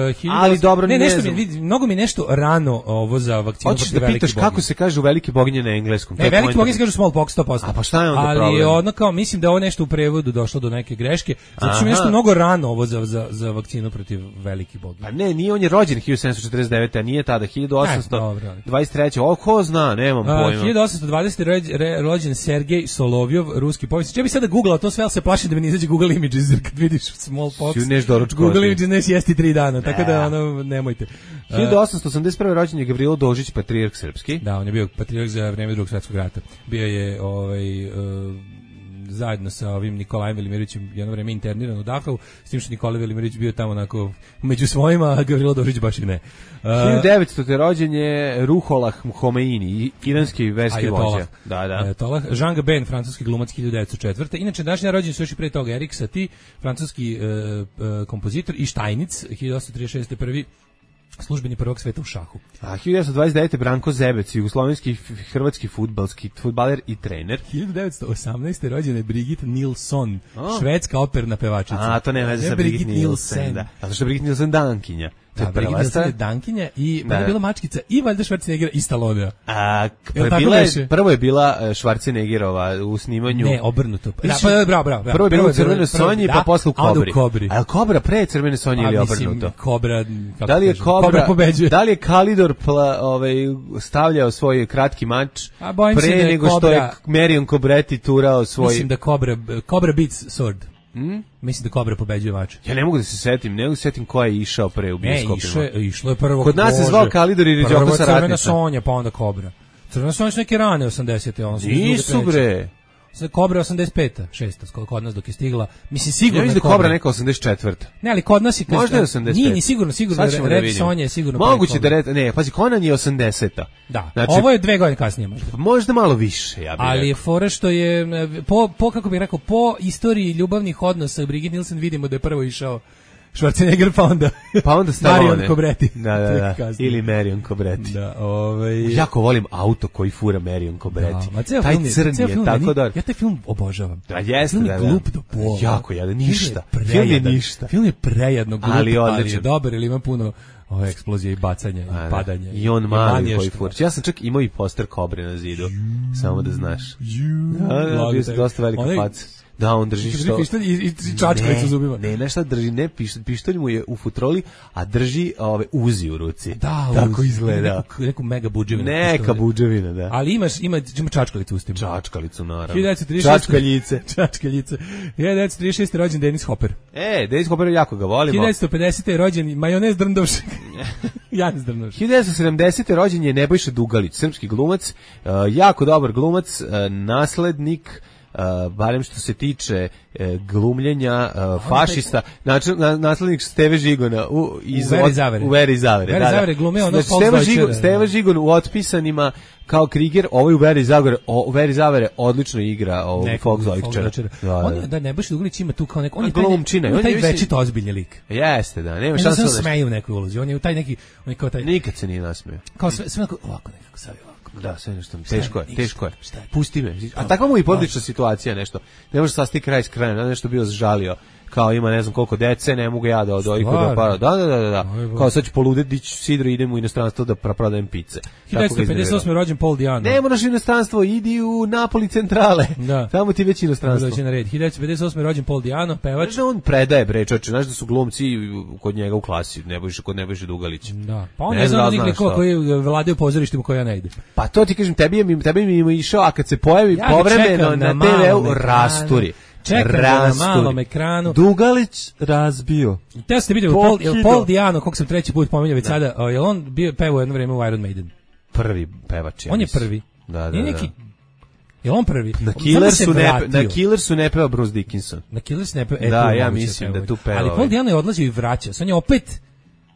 Speaker 7: uh,
Speaker 6: ali dobro,
Speaker 7: ne,
Speaker 6: ne
Speaker 7: nešto mi, vidi, mnogo mi nešto rano ovo za vakcinu.
Speaker 6: Hoćeš da pitaš kako se kaže u velike boginje na engleskom?
Speaker 7: Ne, velike boginje se kaže smallpox sto posto.
Speaker 6: A pa šta je onda
Speaker 7: ali
Speaker 6: problem?
Speaker 7: Ali ono kao, mislim da ovo nešto u prevodu došlo do neke greške. Zato što mi nešto mnogo rano ovo za, za, za vakcinu protiv velikih boginja.
Speaker 6: Pa ne, nije on je rođen hiljadu sedamsto četrdeset devete, a nije tada, hiljadu osamsto dvadeset treće. O, ko zna, nemam pojma.
Speaker 7: hiljadu osamsto dvadesete rođen Sergej Solovjov, ruski povjesničar. Ja bih sada googlao to sve, ali se plašim da mi ne izađe Google Images, jer kad vidiš smallpox. Google Images ne sjesti tri dana, ne. Tako da ono, nemojte.
Speaker 6: hiljadu osamsto osamdeset prve rođen je Gavrilo Dožić, patrijarh srpski.
Speaker 7: Da, on je bio patrijarh za vreme Drugog svjetskog rata. Bio je ovaj, uh, zajedno sa ovim Nikolajem Velimirovićem jedno vreme interniran u Dachau, s tim što Nikolaj Velimirović bio tamo onako među svojima, a Gavrilo Dožić baš i ne. Uh,
Speaker 6: hiljadu devetstete rođen je Ruhollah Khomeini, iranski verski vođa. Da, da.
Speaker 7: Ajatolah. Jean Gabin, francuski glumac, hiljadu devetsto četvrte. Inače, današnji rođen su još i pre toga Erik Satie, francuski uh, uh, kompozitor, i Steinitz, hiljadu osamsto trideset šeste prvi službeni prvog sveta u šahu.
Speaker 6: A hiljadu devetsto dvadeset devete Branko Zebec, jugoslovenski hrvatski fudbalski fudbaler i trener.
Speaker 7: hiljadu devetsto osamnaeste rođena je Brigitte Nilsson, oh. švedska operna pevačica.
Speaker 6: A, to nema veze sa Brigitte Nilsson. Da. Zato što je Brigitte Nilsson dankinja.
Speaker 7: Da, Brigitte Nilsson je dankinja i da. bila mačkica i valjda Schwarzeneggera i Stallonea.
Speaker 6: A, bila je, prvo je bila Schwarzeneggerova u snimanju.
Speaker 7: Ne, obrnuto. Da, pa, bravo, bravo.
Speaker 6: Prvo je bila u Crvenoj Sonji, pa posle u Kobri.
Speaker 7: A, kobri.
Speaker 6: A je Kobra pre Crvene Sonje ili
Speaker 7: mislim,
Speaker 6: obrnuto?
Speaker 7: Kobra, kako
Speaker 6: da li je Kobra,
Speaker 7: Kobra pobeđuje?
Speaker 6: Da li je Kalidor pla, ovaj, stavljao svoj kratki mač
Speaker 7: A,
Speaker 6: pre
Speaker 7: da
Speaker 6: nego
Speaker 7: Kobra,
Speaker 6: što je Marion Cobretti turao svoj...
Speaker 7: Mislim da Kobra, Kobra beats sword.
Speaker 6: Hmm?
Speaker 7: Mislim da Kobra pobeđuje mač.
Speaker 6: Ja ne mogu da se setim, ne mogu da se setim ko je išao pre u bioskopima.
Speaker 7: Ne, išlo je, išlo je prvo.
Speaker 6: Kod nas se zvao Kalidor i Riđoko sa ratnica.
Speaker 7: Crvena Sonja, pa onda Kobra. Crvena Sonja su neke rane osamdesete. On
Speaker 6: nisu bre.
Speaker 7: Kobra osamdeset peta, šesta, kod nas dok je stigla. Mislim sigurno.
Speaker 6: Ja mislim da Kobra neka osamdeset četvrta.
Speaker 7: Ne, ali kod nas je kad
Speaker 6: možda je osamdeset peta.
Speaker 7: Nije ni sigurno, sigurno Red Sonja je sigurno.
Speaker 6: Moguće da Red, ne, pazi, Conan je osamdeseta.
Speaker 7: Da. Znači, ovo je dve godine kasnije možda.
Speaker 6: Možda malo više, ja bih.
Speaker 7: Ali je fora što je po po kako bih rekao, po istoriji ljubavnih odnosa Brigitte Nielsen vidimo da je prvo išao Schwarzenegger, pa onda,
Speaker 6: pa onda
Speaker 7: Marion Cobretti.
Speaker 6: Da, da, da. Ili Marion Cobretti.
Speaker 7: Da, ovaj...
Speaker 6: Jako volim auto koji fura Marion Cobretti.
Speaker 7: Da,
Speaker 6: taj crni je, je tako dobar.
Speaker 7: Ja taj film obožavam.
Speaker 6: Da, jeste,
Speaker 7: film
Speaker 6: da,
Speaker 7: je
Speaker 6: da.
Speaker 7: glup do pola.
Speaker 6: Jako, ja, ništa. Film je ništa.
Speaker 7: Film je prejedno glup,
Speaker 6: ali,
Speaker 7: ali je dobar, ili ima puno ove eksplozije i bacanja i padanja.
Speaker 6: I on mali koji fura. Ja sam čak imao i poster Kobre na zidu, samo da znaš. Da, da, bio sam dosta velika faca. Da, on drži što...
Speaker 7: pištolj i, i čačkalicu zubima.
Speaker 6: Ne, ne, šta drži, ne, pištolj, pištolj mu je u futroli, a drži ove uzi u ruci.
Speaker 7: Da,
Speaker 6: tako
Speaker 7: uz,
Speaker 6: izgleda.
Speaker 7: Neku, neku mega budževinu.
Speaker 6: Neka budževina, da.
Speaker 7: Ali imaš, ima, ima čačkalicu ustima.
Speaker 6: Čačkalicu, naravno.
Speaker 7: hiljadu devetsto trideset šeste
Speaker 6: Čačkaljice.
Speaker 7: Čačkaljice. hiljadu devetsto trideset šeste rođen Dennis Hopper.
Speaker 6: E, Dennis Hopper, jako ga volimo.
Speaker 7: hiljadu devetsto pedesete rođen Majonez Drndovšek. Janez Drndovšek.
Speaker 6: hiljadu devetsto sedamdesete rođen je Nebojša Dugalić, srpski glumac, uh, jako dobar glumac, uh, naslednik, uh, barem što se tiče uh, glumljenja uh, fašista, znači na, naslednik Steve Žigona u, iz,
Speaker 7: u Veri Zavere.
Speaker 6: U Veri Zavere,
Speaker 7: Veri
Speaker 6: da,
Speaker 7: Zavere
Speaker 6: da.
Speaker 7: glume ono
Speaker 6: Znači, Steve Žigon,
Speaker 7: da.
Speaker 6: Steve Žigon u Otpisanima kao Kriger, ovaj u Veri Zavere, o, u Veri Zavere odlično igra ovog Fox Zojčara.
Speaker 7: Da, da. On, da, Nebojša Dugalić ima tu kao neko, on je taj,
Speaker 6: glumčina,
Speaker 7: on je taj
Speaker 6: on je
Speaker 7: večito ozbiljni lik.
Speaker 6: Jeste, da, nema
Speaker 7: On
Speaker 6: šanse
Speaker 7: se
Speaker 6: da
Speaker 7: smeje u nekoj ulozi, on je u taj neki, on je kao taj...
Speaker 6: nikad se nije nasmeo.
Speaker 7: Kao sve, sve onako, ovako nekako sad ovako.
Speaker 6: Da, sve nešto, teško je, teško je.
Speaker 7: Šta je?
Speaker 6: Pusti me. A takva mu i porodična situacija nešto. Ne može sasti kraj s krajem, ne nešto bio zžalio. Kao ima ne znam koliko dece, ne mogu ja da odojku da para. Da, da, da, da. da. Kao sad ću poludeti, dići sidro, idem u inostranstvo da prodajem pice.
Speaker 7: hiljadu devetsto pedeset osme rođen Paul Diano.
Speaker 6: Ne moraš u inostranstvo, idi u Napoli centrale.
Speaker 7: Da.
Speaker 6: Tamo ti već inostranstvo.
Speaker 7: Dođe na red. hiljadu devetsto pedeset osme rođen Paul Diano, pevač.
Speaker 6: Znaš da on predaje bre, čoče, znaš da su glumci kod njega u klasi, ne bojiš kod Nebojše Dugalić.
Speaker 7: Da. Pa on
Speaker 6: ne
Speaker 7: je znam
Speaker 6: znam
Speaker 7: onih likova koji vladaju pozorištima koja ja ne ide.
Speaker 6: Pa to ti kažem, tebi je mi, tebi mi ima išao, a kad se pojavi
Speaker 7: Ja ga
Speaker 6: povremeno
Speaker 7: čekam
Speaker 6: na,
Speaker 7: na
Speaker 6: te ve u
Speaker 7: malom
Speaker 6: rasturi.
Speaker 7: Čekam ga na malom ekranu.
Speaker 6: Dugalić razbio.
Speaker 7: Te ste vidjeli, Paul, Paul Diano, kog sam treći put pominjao već sada, o, je on bio pevao jedno vreme u Iron Maiden?
Speaker 6: Prvi pevač. Ja
Speaker 7: on je
Speaker 6: mislim.
Speaker 7: prvi.
Speaker 6: Da, da,
Speaker 7: Nije neki,
Speaker 6: da.
Speaker 7: je on prvi?
Speaker 6: Na Killersu ne, na Killersu ne peva Bruce Dickinson.
Speaker 7: Na Killersu ne peva. E,
Speaker 6: da,
Speaker 7: tu
Speaker 6: ja
Speaker 7: moguće
Speaker 6: mislim
Speaker 7: peva.
Speaker 6: da tu peva.
Speaker 7: Ali Paul Diano je odlazio i vraćao. On je opet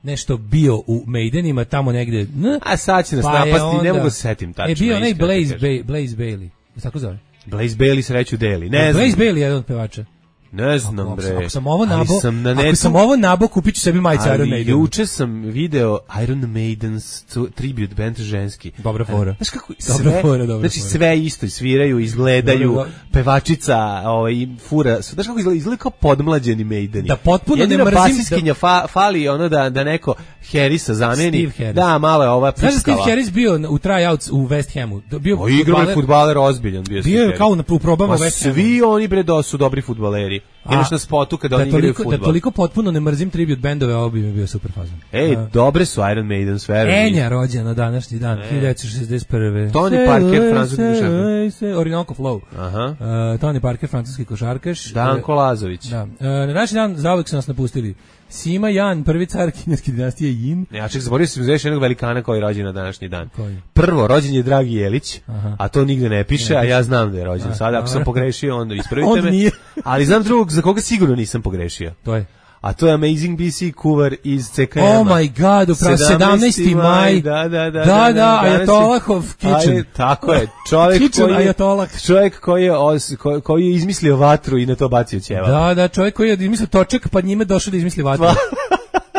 Speaker 7: nešto bio u Maidenima tamo negde. N,
Speaker 6: A sad će nas
Speaker 7: pa
Speaker 6: napasti,
Speaker 7: onda,
Speaker 6: ne mogu se setim tačno.
Speaker 7: Je bio onaj
Speaker 6: iskreno
Speaker 7: Blaze,
Speaker 6: ti kažem.
Speaker 7: Ba- Blaze Bailey. Tako zove?
Speaker 6: Blaze Bailey sreću deli. Ne
Speaker 7: Blaze
Speaker 6: znam.
Speaker 7: Bailey je jedan od pevača.
Speaker 6: Ne znam,
Speaker 7: Ako,
Speaker 6: bre.
Speaker 7: ako sam ovo nabo,
Speaker 6: Ali sam na
Speaker 7: ako
Speaker 6: netu,
Speaker 7: sam ovo nabo, kupit ću sebi majicu Iron
Speaker 6: ali
Speaker 7: Maiden.
Speaker 6: juče sam video Iron Maiden's tu- tribute band ženski.
Speaker 7: Dobra fora.
Speaker 6: Znaš kako
Speaker 7: Dobra
Speaker 6: sve,
Speaker 7: fora, dobra
Speaker 6: znači
Speaker 7: fora.
Speaker 6: sve isto, sviraju, izgledaju,
Speaker 7: Dobro, dobro.
Speaker 6: pevačica, ovaj, fura, znaš kako izgleda, izgleda kao podmlađeni Maideni.
Speaker 7: Da potpuno
Speaker 6: Jedina
Speaker 7: ne mrzim
Speaker 6: basiskinja fa, fali ono da, da neko Harrisa zameni.
Speaker 7: Steve Harris.
Speaker 6: Da, malo je ova
Speaker 7: Znaš da Steve
Speaker 6: puskala.
Speaker 7: Harris bio u tryouts u West Hamu? Bio
Speaker 6: O, igrao je
Speaker 7: fudbaler-
Speaker 6: fudbaler ozbiljan bio.
Speaker 7: Bio je
Speaker 6: Steve
Speaker 7: kao
Speaker 6: Harris.
Speaker 7: na, u probama u
Speaker 6: Ma
Speaker 7: West Hamu.
Speaker 6: svi oni bre da su dobri fudbaleri. Imaš na spotu kada
Speaker 7: da
Speaker 6: oni igraju
Speaker 7: toliko,
Speaker 6: fudbal.
Speaker 7: da toliko potpuno ne mrzim tribute bendove, ovo bi mi bio super fazon.
Speaker 6: Ej,
Speaker 7: A,
Speaker 6: dobre su Iron Maiden, sve.
Speaker 7: Enja rođena na današnji dan, hiljadu devetsto šezdeset prve.
Speaker 6: Tony Parker, francuski košarkaš.
Speaker 7: Orinoco Flow.
Speaker 6: Aha.
Speaker 7: Uh, Tony Parker, francuski košarkaš.
Speaker 6: Danko Lazović.
Speaker 7: Da. Uh, na naš dan zauvek su nas napustili. Sima Jan, prvi car kineske dinastije Yin.
Speaker 6: Ja ček, zaboravio sam još jednog velikana koji je rođen na današnji dan.
Speaker 7: Koji?
Speaker 6: Prvo, rođen je Dragi Jelić,
Speaker 7: Aha.
Speaker 6: a to nigde ne piše, a ja znam da je rođen. Sada, ako sam pogrešio, onda ispravite
Speaker 7: On
Speaker 6: me.
Speaker 7: nije.
Speaker 6: Ali znam drugog za koga sigurno nisam pogrešio.
Speaker 7: To je.
Speaker 6: A to je Amazing B C kuvar iz C K M-a.
Speaker 7: Oh my god, upravo sedamnaesti maj.
Speaker 6: Da, da, da.
Speaker 7: Da, da, da, Ajatolahov kitchen.
Speaker 6: Aj, tako je. Čovjek
Speaker 7: Kitchen
Speaker 6: koji je,
Speaker 7: Ajatolah.
Speaker 6: čovjek koji je, os, ko, koji je izmislio vatru i na to bacio ćeva.
Speaker 7: Da, da, čovjek koji je izmislio točak, pa njime došao da izmisli vatru.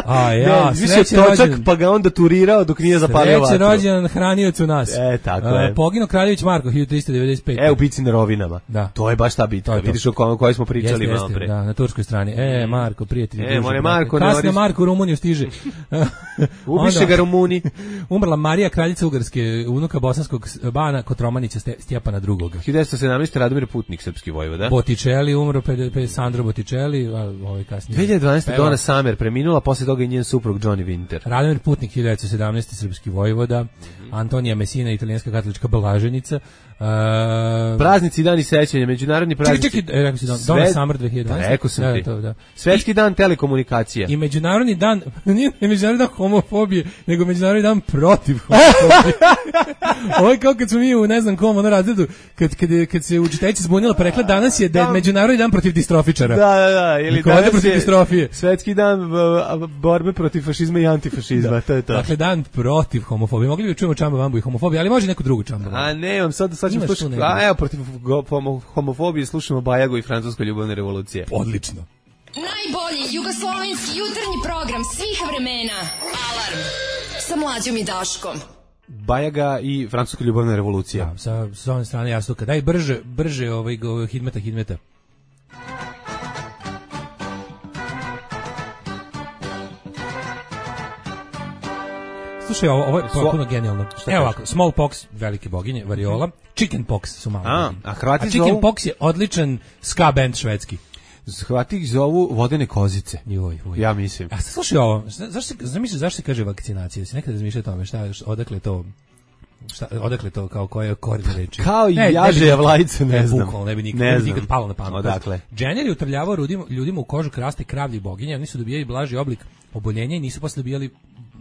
Speaker 7: A ja,
Speaker 6: ne, izmislio
Speaker 7: srećan
Speaker 6: točak,
Speaker 7: rođendan.
Speaker 6: pa ga onda turirao dok nije zapalio vatru.
Speaker 7: Srećan rođendan hranioc u nas.
Speaker 6: E, tako
Speaker 7: A,
Speaker 6: je.
Speaker 7: Poginuo Kraljević Marko, hiljadu tristo devedeset pete.
Speaker 6: E, u bici na rovinama.
Speaker 7: Da.
Speaker 6: To je baš ta bitka.
Speaker 7: To je to.
Speaker 6: Vidiš o kojoj kojoj smo pričali
Speaker 7: Jeste,
Speaker 6: malo
Speaker 7: jeste,
Speaker 6: pre.
Speaker 7: da, na turskoj strani. E, Marko, prijatelj.
Speaker 6: E, more Marko, ne
Speaker 7: Kasno
Speaker 6: moriš-
Speaker 7: Marko u Rumuniju stiže.
Speaker 6: Ubiše
Speaker 7: Onda-
Speaker 6: ga Rumuni.
Speaker 7: Umrla Marija, kraljica Ugarske, unuka bosanskog bana Kotromanića Ste- Stjepana drugog.
Speaker 6: hiljadu devetsto sedamnaeste. Radomir Putnik, srpski vojvoda.
Speaker 7: Botticelli umro, pe, pe Sandro Botticelli, a ovaj kasnije.
Speaker 6: dve hiljade dvanaeste.
Speaker 7: Peva.
Speaker 6: Donna Summer preminula, posle toga i njen suprug Johnny Winter.
Speaker 7: Radomir Putnik, hiljadu devetsto sedamnaeste. srpski vojvoda. Antonija Messina, italijanska katolička blaženica. Uh,
Speaker 6: Praznici i dani sećanja, međunarodni
Speaker 7: čekaj,
Speaker 6: praznici.
Speaker 7: čekaj, e, rekao si Don,
Speaker 6: Sve-
Speaker 7: Donna Summer dve hiljade dvanaeste.
Speaker 6: Rekao sam
Speaker 7: da,
Speaker 6: ti.
Speaker 7: Da, da.
Speaker 6: Svetski dan telekomunikacija.
Speaker 7: I međunarodni dan, nije međunarodni dan homofobije, nego međunarodni dan protiv homofobije. Ovo je kao kad smo mi u ne znam kom ono razredu, kad, kad, je- kad se učiteljica zbunila pa rekla danas je da je međunarodni dan protiv distrofičara.
Speaker 6: Da, da, da. Ili
Speaker 7: Niko ovde
Speaker 6: danas
Speaker 7: protiv
Speaker 6: je
Speaker 7: distrofije.
Speaker 6: Svetski dan uh, borbe protiv fašizma i antifašizma. To je to.
Speaker 7: Dakle, dan protiv homofobije. Mogli bi čujemo Čamba Vambu i homofobiju, ali može neku drugu Čamba Vambu.
Speaker 6: A ne, vam sad, sad ćemo
Speaker 7: Imaš tu
Speaker 6: slušati.
Speaker 7: negdje.
Speaker 6: A evo, protiv go- homo- homofobije slušamo Bajagu i francusko ljubavne revolucije.
Speaker 7: Odlično.
Speaker 8: Najbolji jugoslovenski jutarnji program svih vremena. Alarm sa Mlađom i Daškom.
Speaker 6: Bajaga i francuska ljubavna revolucija.
Speaker 7: Ja, sa, sa one strane jastuka. Daj brže, brže ovaj, go- hidmeta, hidmeta. slušaj, ovo, ovo je potpuno
Speaker 6: Svo-
Speaker 7: genijalno.
Speaker 6: Šta
Speaker 7: Evo
Speaker 6: kažeš?
Speaker 7: ovako, smallpox, velike boginje, variola, chickenpox su malo.
Speaker 6: A,
Speaker 7: boginje.
Speaker 6: a Hrvati
Speaker 7: a
Speaker 6: zovu-
Speaker 7: chickenpox je odličan ska band švedski.
Speaker 6: Hrvati ih zovu vodene kozice.
Speaker 7: Joj, joj.
Speaker 6: Ja mislim.
Speaker 7: A sad slušaj ovo, zna- zašto se, zamisli zašto se kaže vakcinacija? Si nekada razmišljao o tome, šta, š- odakle to, šta, odakle to, kao koje korijene reči?
Speaker 6: Kao i
Speaker 7: Ne, ne bi
Speaker 6: jaže
Speaker 7: nikad-
Speaker 6: javlajce, ne znam.
Speaker 7: bukvalno, ne bi nikad,
Speaker 6: Ne
Speaker 7: ne bi
Speaker 6: znam.
Speaker 7: nikad palo na pamet.
Speaker 6: Odakle?
Speaker 7: Jenner je utrljavao ljudima, ljudima u kožu kraste kravlji boginje, oni su dobijali blaži oblik oboljenja i nisu posle dobijali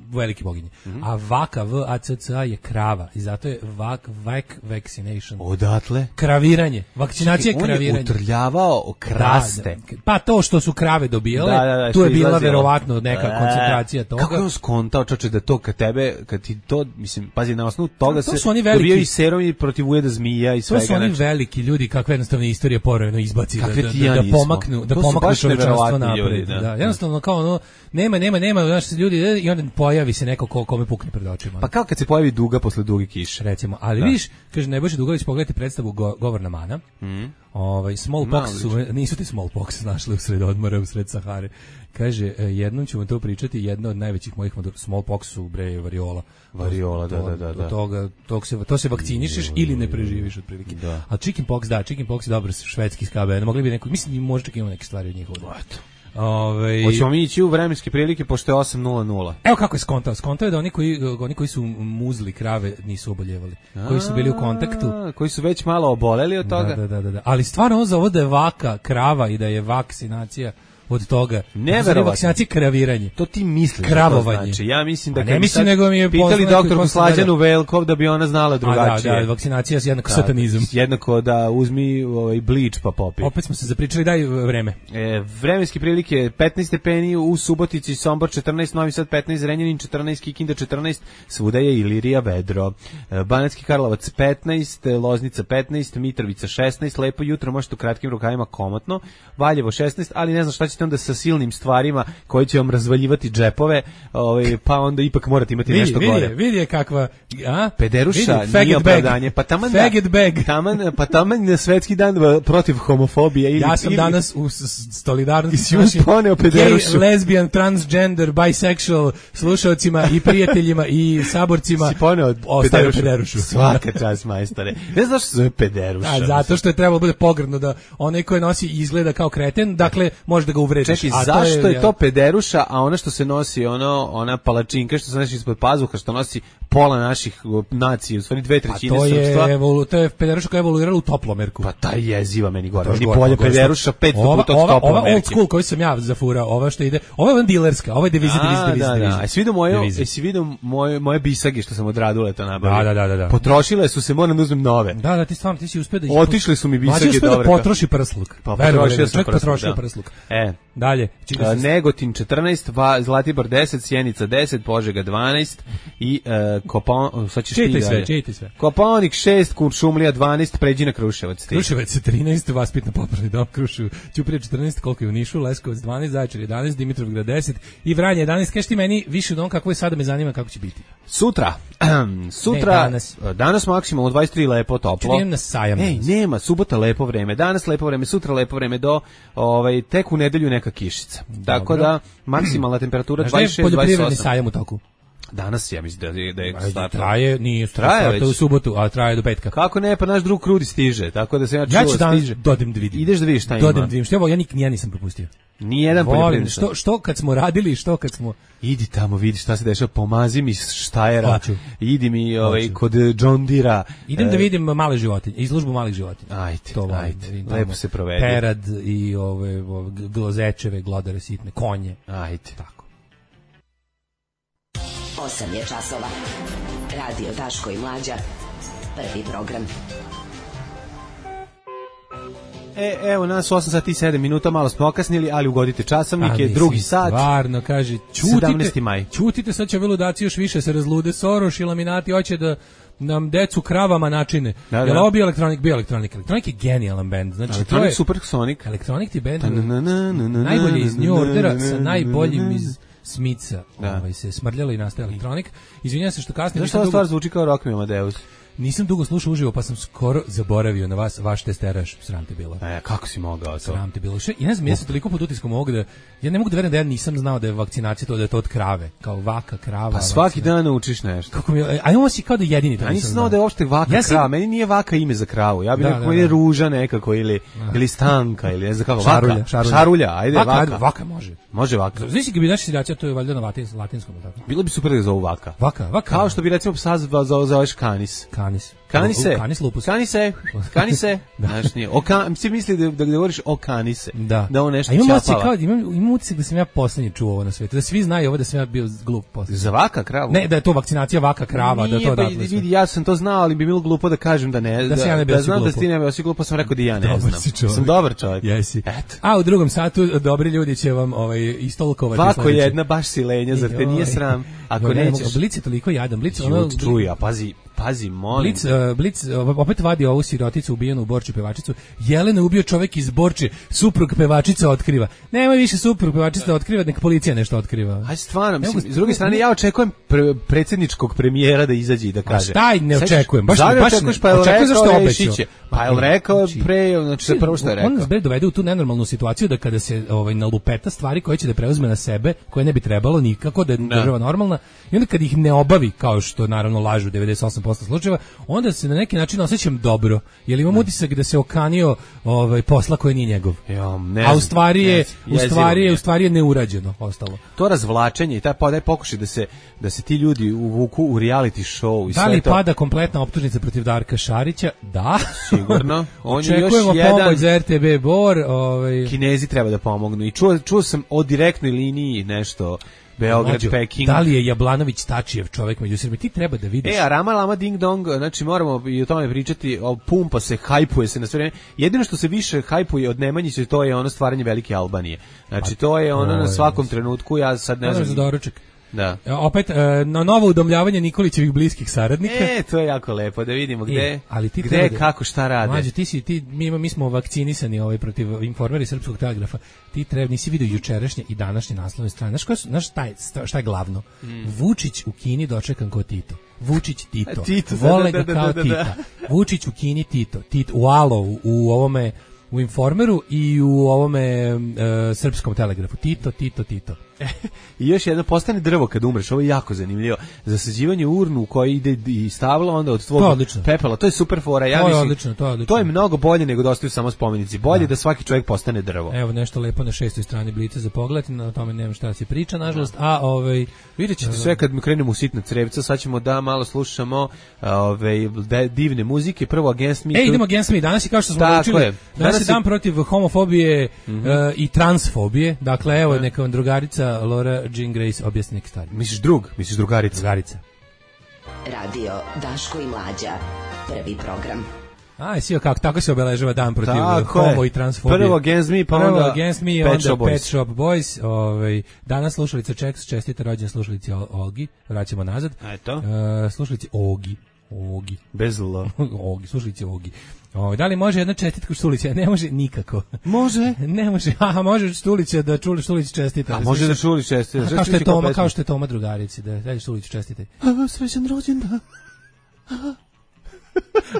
Speaker 7: veliki boginje.
Speaker 6: Mhm.
Speaker 7: A vaka, V A C C A je krava i zato je vak, vak vaccination.
Speaker 6: Odatle?
Speaker 7: Kraviranje. Vakcinacija je
Speaker 6: On je
Speaker 7: kraviranje.
Speaker 6: utrljavao kraste.
Speaker 7: Da, da. Pa to što su krave dobijale,
Speaker 6: Da, da, da,
Speaker 7: tu
Speaker 6: što
Speaker 7: je bila
Speaker 6: izlazilo.
Speaker 7: verovatno neka
Speaker 6: E,
Speaker 7: koncentracija toga.
Speaker 6: Kako je on skontao, čoče, da to kad tebe, kad ti to, mislim, pazi, na osnovu toga
Speaker 7: To
Speaker 6: se
Speaker 7: su oni veliki-
Speaker 6: dobijaju i seromi protiv ujeda zmija i
Speaker 7: To
Speaker 6: svega.
Speaker 7: su oni
Speaker 6: znači.
Speaker 7: veliki ljudi kakve jednostavno istorija porojeno izbaci da,
Speaker 6: Kakve
Speaker 7: da,
Speaker 6: ti ja
Speaker 7: da, da
Speaker 6: nismo.
Speaker 7: pomaknu, da
Speaker 6: To su
Speaker 7: pomaknu
Speaker 6: baš
Speaker 7: čovečanstvo
Speaker 6: neverovatni
Speaker 7: napred.
Speaker 6: ljudi, da.
Speaker 7: Da. Jednostavno kao ono, nema, nema, nema, znaš, ljudi, i onda pojavi se neko ko, kome pukne pred očima.
Speaker 6: Pa kao kad se pojavi duga posle duge kiše.
Speaker 7: Recimo, ali vidiš, kaže Nebojša Dugović, pogledajte predstavu go, Govorna mana.
Speaker 6: Mhm.
Speaker 7: Ovaj smallpox su, nisu ti smallpox našli u sred odmora, u sred Sahare. Kaže, e, jednom ćemo to pričati, jedna od najvećih mojih motor, smallpox su bre variola.
Speaker 6: Variola, da,
Speaker 7: To-
Speaker 6: da, da,
Speaker 7: do
Speaker 6: da.
Speaker 7: toga, tog se, to se vakcinišeš ili ne preživiš otprilike.
Speaker 6: Da.
Speaker 7: A chickenpox, da, chickenpox je dobar švedski ska band. Mogli bi neko, mislim, možda čak imamo neke stvari od njihovog.
Speaker 6: Eto.
Speaker 7: Ovaj
Speaker 6: Hoćemo mi ići u vremenske prilike, pošto je osam nula nula.
Speaker 7: Evo kako je skontao. Skontao je da oni koji, oni koji su muzli krave nisu oboljevali. Koji su bili u kontaktu.
Speaker 6: A, koji su već malo oboleli od toga.
Speaker 7: Da, da, da, da, da. Ali stvarno on za ovo da je vaka krava i da je vakcinacija od toga.
Speaker 6: Neverovatno.
Speaker 7: Vakcinacija kraviranje.
Speaker 6: To ti misliš.
Speaker 7: Kravovanje.
Speaker 6: Da to znači. Ja mislim da
Speaker 7: A ne
Speaker 6: kad bi
Speaker 7: mislim,
Speaker 6: sad
Speaker 7: nego mi je
Speaker 6: pitali
Speaker 7: poznato
Speaker 6: doktorku
Speaker 7: ko se
Speaker 6: Slađanu
Speaker 7: gleda.
Speaker 6: Velkov da bi ona znala drugačije.
Speaker 7: A da, da, vakcinacija je jednako
Speaker 6: Da,
Speaker 7: satanizam.
Speaker 6: Jednako da uzmi ovaj bleach pa popi.
Speaker 7: Opet smo se zapričali, daj vreme.
Speaker 6: E, vremenske prilike petnaest stepeni u Subotici, Sombor četrnaest, Novi Sad petnaest, Zrenjanin četrnaest, Kikinda četrnaest, svuda je Ilirija vedro. E, Banatski Karlovac petnaest, Loznica petnaest, Mitrovica šesnaest, lepo jutro, možete u kratkim rukavima komotno, Valjevo šesnaest, ali ne znam šta ćete onda sa silnim stvarima koji će vam razvaljivati džepove, ovaj, pa onda ipak morate imati
Speaker 7: Vidi,
Speaker 6: nešto
Speaker 7: vidi,
Speaker 6: gore.
Speaker 7: je, vidi je kakva, a?
Speaker 6: Pederuša
Speaker 7: Vidi, faggot
Speaker 6: nije
Speaker 7: bag.
Speaker 6: opravdanje, pa taman da-
Speaker 7: Faggot bag.
Speaker 6: taman, pa taman na svetski dan va- protiv homofobije. Ili,
Speaker 7: Ja sam
Speaker 6: ili-
Speaker 7: danas u s- s- solidarnosti s
Speaker 6: si
Speaker 7: našim
Speaker 6: poneo
Speaker 7: gay,
Speaker 6: pederušu.
Speaker 7: lesbian, transgender, bisexual slušalcima i prijateljima i saborcima
Speaker 6: si poneo
Speaker 7: ostavio
Speaker 6: pederušu.
Speaker 7: pederušu.
Speaker 6: Svaka čast, majstore. Ne znaš što se zove pederuša?
Speaker 7: A, zato što je trebalo bude pogrdno da onaj koji nosi izgleda kao kreten, dakle može da ga uvrediš.
Speaker 6: Čekaj,
Speaker 7: A
Speaker 6: zašto je to pederuša, a ona što se nosi, ono, ona palačinka što se nosi ispod pazuha, što nosi pola naših o, nacije, u stvari dve
Speaker 7: A
Speaker 6: trećine
Speaker 7: to je,
Speaker 6: srpstva.
Speaker 7: evolu, to je pederuša koja je evoluirala u toplomerku.
Speaker 6: Pa taj jeziva meni gore.
Speaker 7: To je
Speaker 6: Meni
Speaker 7: gore,
Speaker 6: bolje
Speaker 7: gore,
Speaker 6: pederuša pet
Speaker 7: ova,
Speaker 6: puta od
Speaker 7: ova, ova old
Speaker 6: toplomerke.
Speaker 7: school koju sam ja zafurao, ova što ide, ova je van dilerska, ova je deviza, deviza,
Speaker 6: A,
Speaker 7: deviza,
Speaker 6: da,
Speaker 7: deviza.
Speaker 6: da. Jesi vidio moje,
Speaker 7: Deviza.
Speaker 6: jesi vidio moje, moje bisage što sam od Raduleta nabavio?
Speaker 7: Da, da, da, da, da.
Speaker 6: Potrošile su se, moram da uzmem nove.
Speaker 7: Da, da, ti stvarno, ti si uspio da...
Speaker 6: Otišli su mi bisage
Speaker 7: Mlađi uspio da
Speaker 6: dobre.
Speaker 7: potroši prsluk.
Speaker 6: Pa
Speaker 7: Veruj,
Speaker 6: potrošio
Speaker 7: veruj,
Speaker 6: sam
Speaker 7: čovjek
Speaker 6: prsluk,
Speaker 7: potrošio
Speaker 6: da.
Speaker 7: prsluk.
Speaker 6: E.
Speaker 7: Dalje. Čekaj,
Speaker 6: Uh, Negotin četrnaest, Va, Zlatibor deset, Sjenica deset, Požega dvanaest i uh, Kopon, sad ćeš ti
Speaker 7: Čitaj sve,
Speaker 6: dalje.
Speaker 7: čitaj sve.
Speaker 6: Kopaonik šest, Kuršumlija dvanaest, pređi na Kruševac. ti.
Speaker 7: Kruševac je trinaest, Vaspitno popravni dom Kruševac, Ćuprija četrnaest, koliko je u Nišu, Leskovac dvanaest, Zaječar jedanaest, Dimitrovgrad deset i Vranje jedanaest. Kaži ti meni više od on kako je sada, me zanima kako će biti.
Speaker 6: Sutra, sutra,
Speaker 7: Ne, danas.
Speaker 6: danas maksimalno dvadeset tri lepo, toplo.
Speaker 7: Čujem na sajam.
Speaker 6: Ej,
Speaker 7: danas.
Speaker 6: nema, subota lepo vreme, danas lepo vreme, sutra lepo vreme, do ovaj, tek u nedelju neka kišica. Tako da, maksimalna temperatura
Speaker 7: Znaš da je
Speaker 6: dvadeset šest do dvadeset
Speaker 7: poljoprivredni
Speaker 6: osam.
Speaker 7: sajam u toku?
Speaker 6: Danas ja mislim da je, da je
Speaker 7: Ajde,
Speaker 6: startao.
Speaker 7: traje, nije
Speaker 6: Traje
Speaker 7: startao
Speaker 6: već.
Speaker 7: u subotu, a traje do petka.
Speaker 6: Kako ne, pa naš drug Krudi stiže, tako da se ja čuo
Speaker 7: Ja ću danas
Speaker 6: stiže.
Speaker 7: dodem da vidim.
Speaker 6: Ideš da vidiš šta ima.
Speaker 7: Dodem da vidim. Što je ovo, ja, nik, ja nisam propustio.
Speaker 6: Nijedan
Speaker 7: Volim,
Speaker 6: poljoprivredni.
Speaker 7: što, što kad smo radili, što kad smo...
Speaker 6: Idi tamo, vidi šta se dešava, pomazi mi Štajera,
Speaker 7: Hoću.
Speaker 6: idi mi ovaj,
Speaker 7: Hoću.
Speaker 6: kod John Deera.
Speaker 7: Idem da
Speaker 6: e,
Speaker 7: vidim male životinje, izložbu malih životinja.
Speaker 6: Ajde,
Speaker 7: To volim,
Speaker 6: ajde,
Speaker 7: da vidim
Speaker 6: lepo
Speaker 7: tamo
Speaker 6: se provedi.
Speaker 7: Perad i ove, ove glozečeve, glodare sitne, konje.
Speaker 6: Ajde.
Speaker 7: Tako.
Speaker 1: osam je časova. Radio Daško i Mlađa. Prvi program.
Speaker 6: E, evo nas osam sati i sedam minuta, malo smo okasnili, ali ugodite časovnik,
Speaker 7: A,
Speaker 6: je
Speaker 7: mislim,
Speaker 6: drugi sat.
Speaker 7: Stvarno, kaže,
Speaker 6: sedamnaesti
Speaker 7: čutite,
Speaker 6: maj.
Speaker 7: čutite, sad će ove ludaci još više se razlude. Soroš i laminati hoće da nam decu kravama načine.
Speaker 6: Da, da.
Speaker 7: Jel ovo bio elektronik? Bio elektronik. Elektronik je genijalan bend. Znači, to
Speaker 6: Elektronik
Speaker 7: je
Speaker 6: Supersonic.
Speaker 7: elektronik ti bend.
Speaker 6: Ta na na na na na
Speaker 7: Najbolji iz
Speaker 6: na
Speaker 7: New
Speaker 6: na
Speaker 7: Ordera
Speaker 6: na
Speaker 7: sa
Speaker 6: na
Speaker 7: najboljim
Speaker 6: na na.
Speaker 7: iz Smica.
Speaker 6: Da.
Speaker 7: Ovaj se smrljalo i nastaje elektronik. Izvinjavam se što kasnije
Speaker 6: Zašto
Speaker 7: nisam
Speaker 6: ova
Speaker 7: dugo-
Speaker 6: stvar zvuči kao Rock Me Amadeus?
Speaker 7: nisam dugo slušao uživo, pa sam skoro zaboravio na vas, vaš testeraš, sram te bilo.
Speaker 6: E, kako si mogao to?
Speaker 7: Sram te bilo. Še, ja ne znam, ja sam toliko pod utiskom ovog da, ja ne mogu da verujem da ja nisam znao da je vakcinacija to, da je to od krave, kao vaka, krava.
Speaker 6: Pa svaki dan naučiš nešto.
Speaker 7: Kako mi, a imamo si kao da jedini to
Speaker 6: ja
Speaker 7: nisam
Speaker 6: nisam
Speaker 7: znao.
Speaker 6: znao da je uopšte vaka
Speaker 7: Ja
Speaker 6: ja
Speaker 7: sam...
Speaker 6: krava, meni nije vaka ime za kravu, ja bih
Speaker 7: Da,
Speaker 6: rekao
Speaker 7: da, da.
Speaker 6: ili ruža nekako, ili, ili stanka, ili ne znam kako,
Speaker 7: Šarulja,
Speaker 6: vaka.
Speaker 7: šarulja.
Speaker 6: Šarulja, ajde,
Speaker 7: Vaka,
Speaker 6: vaka.
Speaker 7: ajde, vaka može.
Speaker 6: Može vaka.
Speaker 7: Znaš kad bi naša seljacija, to je valjda na latins, latinskom, tako?
Speaker 6: Bilo bi super da ga zovu vaka.
Speaker 7: Vaka, vaka.
Speaker 6: Kao što bi recimo psa zoveš kanis.
Speaker 7: Kanis.
Speaker 6: Kanise.
Speaker 7: U, kanis lupus.
Speaker 6: Kanise. Kanise. Znaš, nije. O kan, si misli da, da govoriš o kanise.
Speaker 7: Da.
Speaker 6: Da on nešto
Speaker 7: A imam
Speaker 6: ćapava.
Speaker 7: utisak kao, imam, imam utisak da sam ja poslednji čuo ovo na svetu. Da svi znaju ovo da sam ja bio glup poslednji.
Speaker 6: Za vaka kravu?
Speaker 7: Ne, da je to vakcinacija vaka krava,
Speaker 6: Nije,
Speaker 7: da to
Speaker 6: pa,
Speaker 7: odatle sve.
Speaker 6: vidi, ja sam to znao, ali bi bilo glupo da kažem da ne.
Speaker 7: Da, da, ja ne bi
Speaker 6: da
Speaker 7: osi
Speaker 6: znam
Speaker 7: glupo.
Speaker 6: da ti ne bi osi glupo, sam rekao da ja ne
Speaker 7: Dobar
Speaker 6: znam.
Speaker 7: si čovjek.
Speaker 6: Sam dobar čovjek.
Speaker 7: Jesi.
Speaker 6: Eto.
Speaker 7: A u drugom satu dobri ljudi će vam ovaj istolkovati
Speaker 6: Vako
Speaker 7: sledeće.
Speaker 6: jedna baš silenja, zar te nije
Speaker 7: Joj.
Speaker 6: sram? Ako
Speaker 7: Joj, ne,
Speaker 6: nećeš...
Speaker 7: Blic je toliko jadan, Blic ono...
Speaker 6: Jut, čuj, a pazi, pazi, molim.
Speaker 7: Blic, uh, Blic uh, opet vadi ovu siroticu ubijenu u Borči pevačicu. Jelena ubio čovjek iz Borče, suprug pevačica otkriva. Nemoj više suprug pevačica da otkriva, neka policija nešto otkriva.
Speaker 6: Aj stvarno,
Speaker 7: Ne
Speaker 6: mislim,
Speaker 7: mogu-
Speaker 6: s druge strane ja očekujem pre, predsjedničkog premijera da izađe i da kaže.
Speaker 7: šta ne
Speaker 6: Sećaš-
Speaker 7: očekujem, baš-
Speaker 6: Zašto ne
Speaker 7: baš ne-
Speaker 6: očekuješ, pa je
Speaker 7: očekujem
Speaker 6: rekao
Speaker 7: zašto je
Speaker 6: Rešić
Speaker 7: obećao.
Speaker 6: je. Pa je rekao pre, znači prvo što je rekao.
Speaker 7: On nas bre dovede u tu nenormalnu situaciju da kada se ovaj nalupeta stvari koje će da preuzme na sebe, koje ne bi trebalo nikako da je država normalna, i onda kad ih ne obavi, kao što naravno lažu devedeset osam posto slučajeva, onda se na neki način osjećam dobro, jer imam utisak da se okanio ovaj posla koji nije njegov.
Speaker 6: Jo, ne
Speaker 7: A
Speaker 6: znam,
Speaker 7: u stvari je,
Speaker 6: ne
Speaker 7: u
Speaker 6: znam,
Speaker 7: stvari je,
Speaker 6: jezivo mi
Speaker 7: u stvari je neurađeno ostalo.
Speaker 6: To razvlačenje i taj podaj pokušaj da se da se ti ljudi uvuku u reality show i
Speaker 7: Da
Speaker 6: sve
Speaker 7: li
Speaker 6: to.
Speaker 7: pada kompletna optužnica protiv Darka Šarića? Da.
Speaker 6: Sigurno. On je još
Speaker 7: Očekujemo
Speaker 6: jedan-
Speaker 7: pomoć za R T B Bor, ovaj
Speaker 6: Kinezi treba da pomognu i čuo, čuo sam o direktnoj liniji nešto Beograd,
Speaker 7: Mlađo,
Speaker 6: Peking.
Speaker 7: Da li je Jablanović Tačijev čovjek među Srbima? Ti treba da vidiš.
Speaker 6: E, a Rama Lama Ding Dong, znači moramo i o tome pričati, o, pumpa se, hajpuje se na sve vreme. Jedino što se više hajpuje od Nemanjića, to je ono stvaranje velike Albanije. Znači, to je ono
Speaker 7: to
Speaker 6: na
Speaker 7: je,
Speaker 6: svakom trenutku, ja sad ne
Speaker 7: Ne znam
Speaker 6: znam...
Speaker 7: za doručak.
Speaker 6: Da.
Speaker 7: E, Opet, e, na novo udomljavanje Nikolićevih bliskih saradnika.
Speaker 6: E, to je jako lepo, da vidimo gde,
Speaker 7: E, ali ti
Speaker 6: gde,
Speaker 7: treba da-
Speaker 6: kako, šta rade.
Speaker 7: Mlađe, ti si, ti, mi, ima- mi smo vakcinisani ovaj, protiv Informera Srpskog telegrafa. Ti treba, nisi vidio jučerašnje i današnje naslovne strane. Znaš, koja su, znaš šta, je, šta je glavno? Vučić u Kini dočekan kao Tito. Vučić Tito.
Speaker 6: A, Tito, da,
Speaker 7: Vole
Speaker 6: da,
Speaker 7: ga
Speaker 6: da,
Speaker 7: kao
Speaker 6: da, da,
Speaker 7: Tita. Vučić u Kini Tito. Tito u Alo, u, u ovome u Informeru i u ovome e, Srpskom telegrafu. Tito, Tito, Tito.
Speaker 6: I još jedno, postane drvo kad umreš, ovo je jako zanimljivo. Zasađivanje u urnu u kojoj ide i stavla onda od tvog
Speaker 7: To je odlično.
Speaker 6: pepela, to je super fora. Ja
Speaker 7: To je
Speaker 6: mislim,
Speaker 7: odlično, to je odlično.
Speaker 6: To je mnogo bolje nego da ostaju samo spomenici. Bolje da, svaki čovjek postane drvo.
Speaker 7: Evo nešto lepo na šestoj strani Blica za pogled, na tome nemam šta da se priča, nažalost. A ovaj
Speaker 6: Vidjet ćete sve kad mi krenemo u sitna crevca, sad ćemo da malo slušamo ove, de, divne muzike, prvo Against Me.
Speaker 7: E, idemo Against Me, danas je kao što smo
Speaker 6: Tako
Speaker 7: naučili,
Speaker 6: je.
Speaker 7: danas,
Speaker 6: Danas
Speaker 7: je dan
Speaker 6: je-
Speaker 7: protiv homofobije mm-hmm. uh, i transfobije, dakle evo neka vam drugarica Laura Jean Grace objasni neke stvari.
Speaker 6: Misliš drug? Misliš drugarica?
Speaker 7: Drugarica.
Speaker 1: Radio Daško i Mlađa. Prvi program.
Speaker 7: Aj, sio kako, tako se obeležava dan protiv
Speaker 6: Tako
Speaker 7: homo
Speaker 6: je.
Speaker 7: i transfobije.
Speaker 6: Prvo Against Me, pa
Speaker 7: Prvo
Speaker 6: onda
Speaker 7: Against Me,
Speaker 6: Pet
Speaker 7: onda
Speaker 6: Shop Boys.
Speaker 7: Pet Shop Boys. Ovaj, danas slušalica Čeks, čestita rođen slušalici Ol- Olgi, vraćamo nazad.
Speaker 6: Eto.
Speaker 7: Uh, slušalici Ogi. Ogi.
Speaker 6: Bez L.
Speaker 7: Ogi, slušalici Ogi. O, da li može jedna čestitka Štulića? Ne može nikako.
Speaker 6: Može.
Speaker 7: Ne može. Aha, može Štulića da čuli Štulić čestita.
Speaker 6: A može da čuli česti.
Speaker 7: Kao što je Toma, kao što je Toma drugarici, da daj Štulić čestite.
Speaker 6: A, srećan rođendan.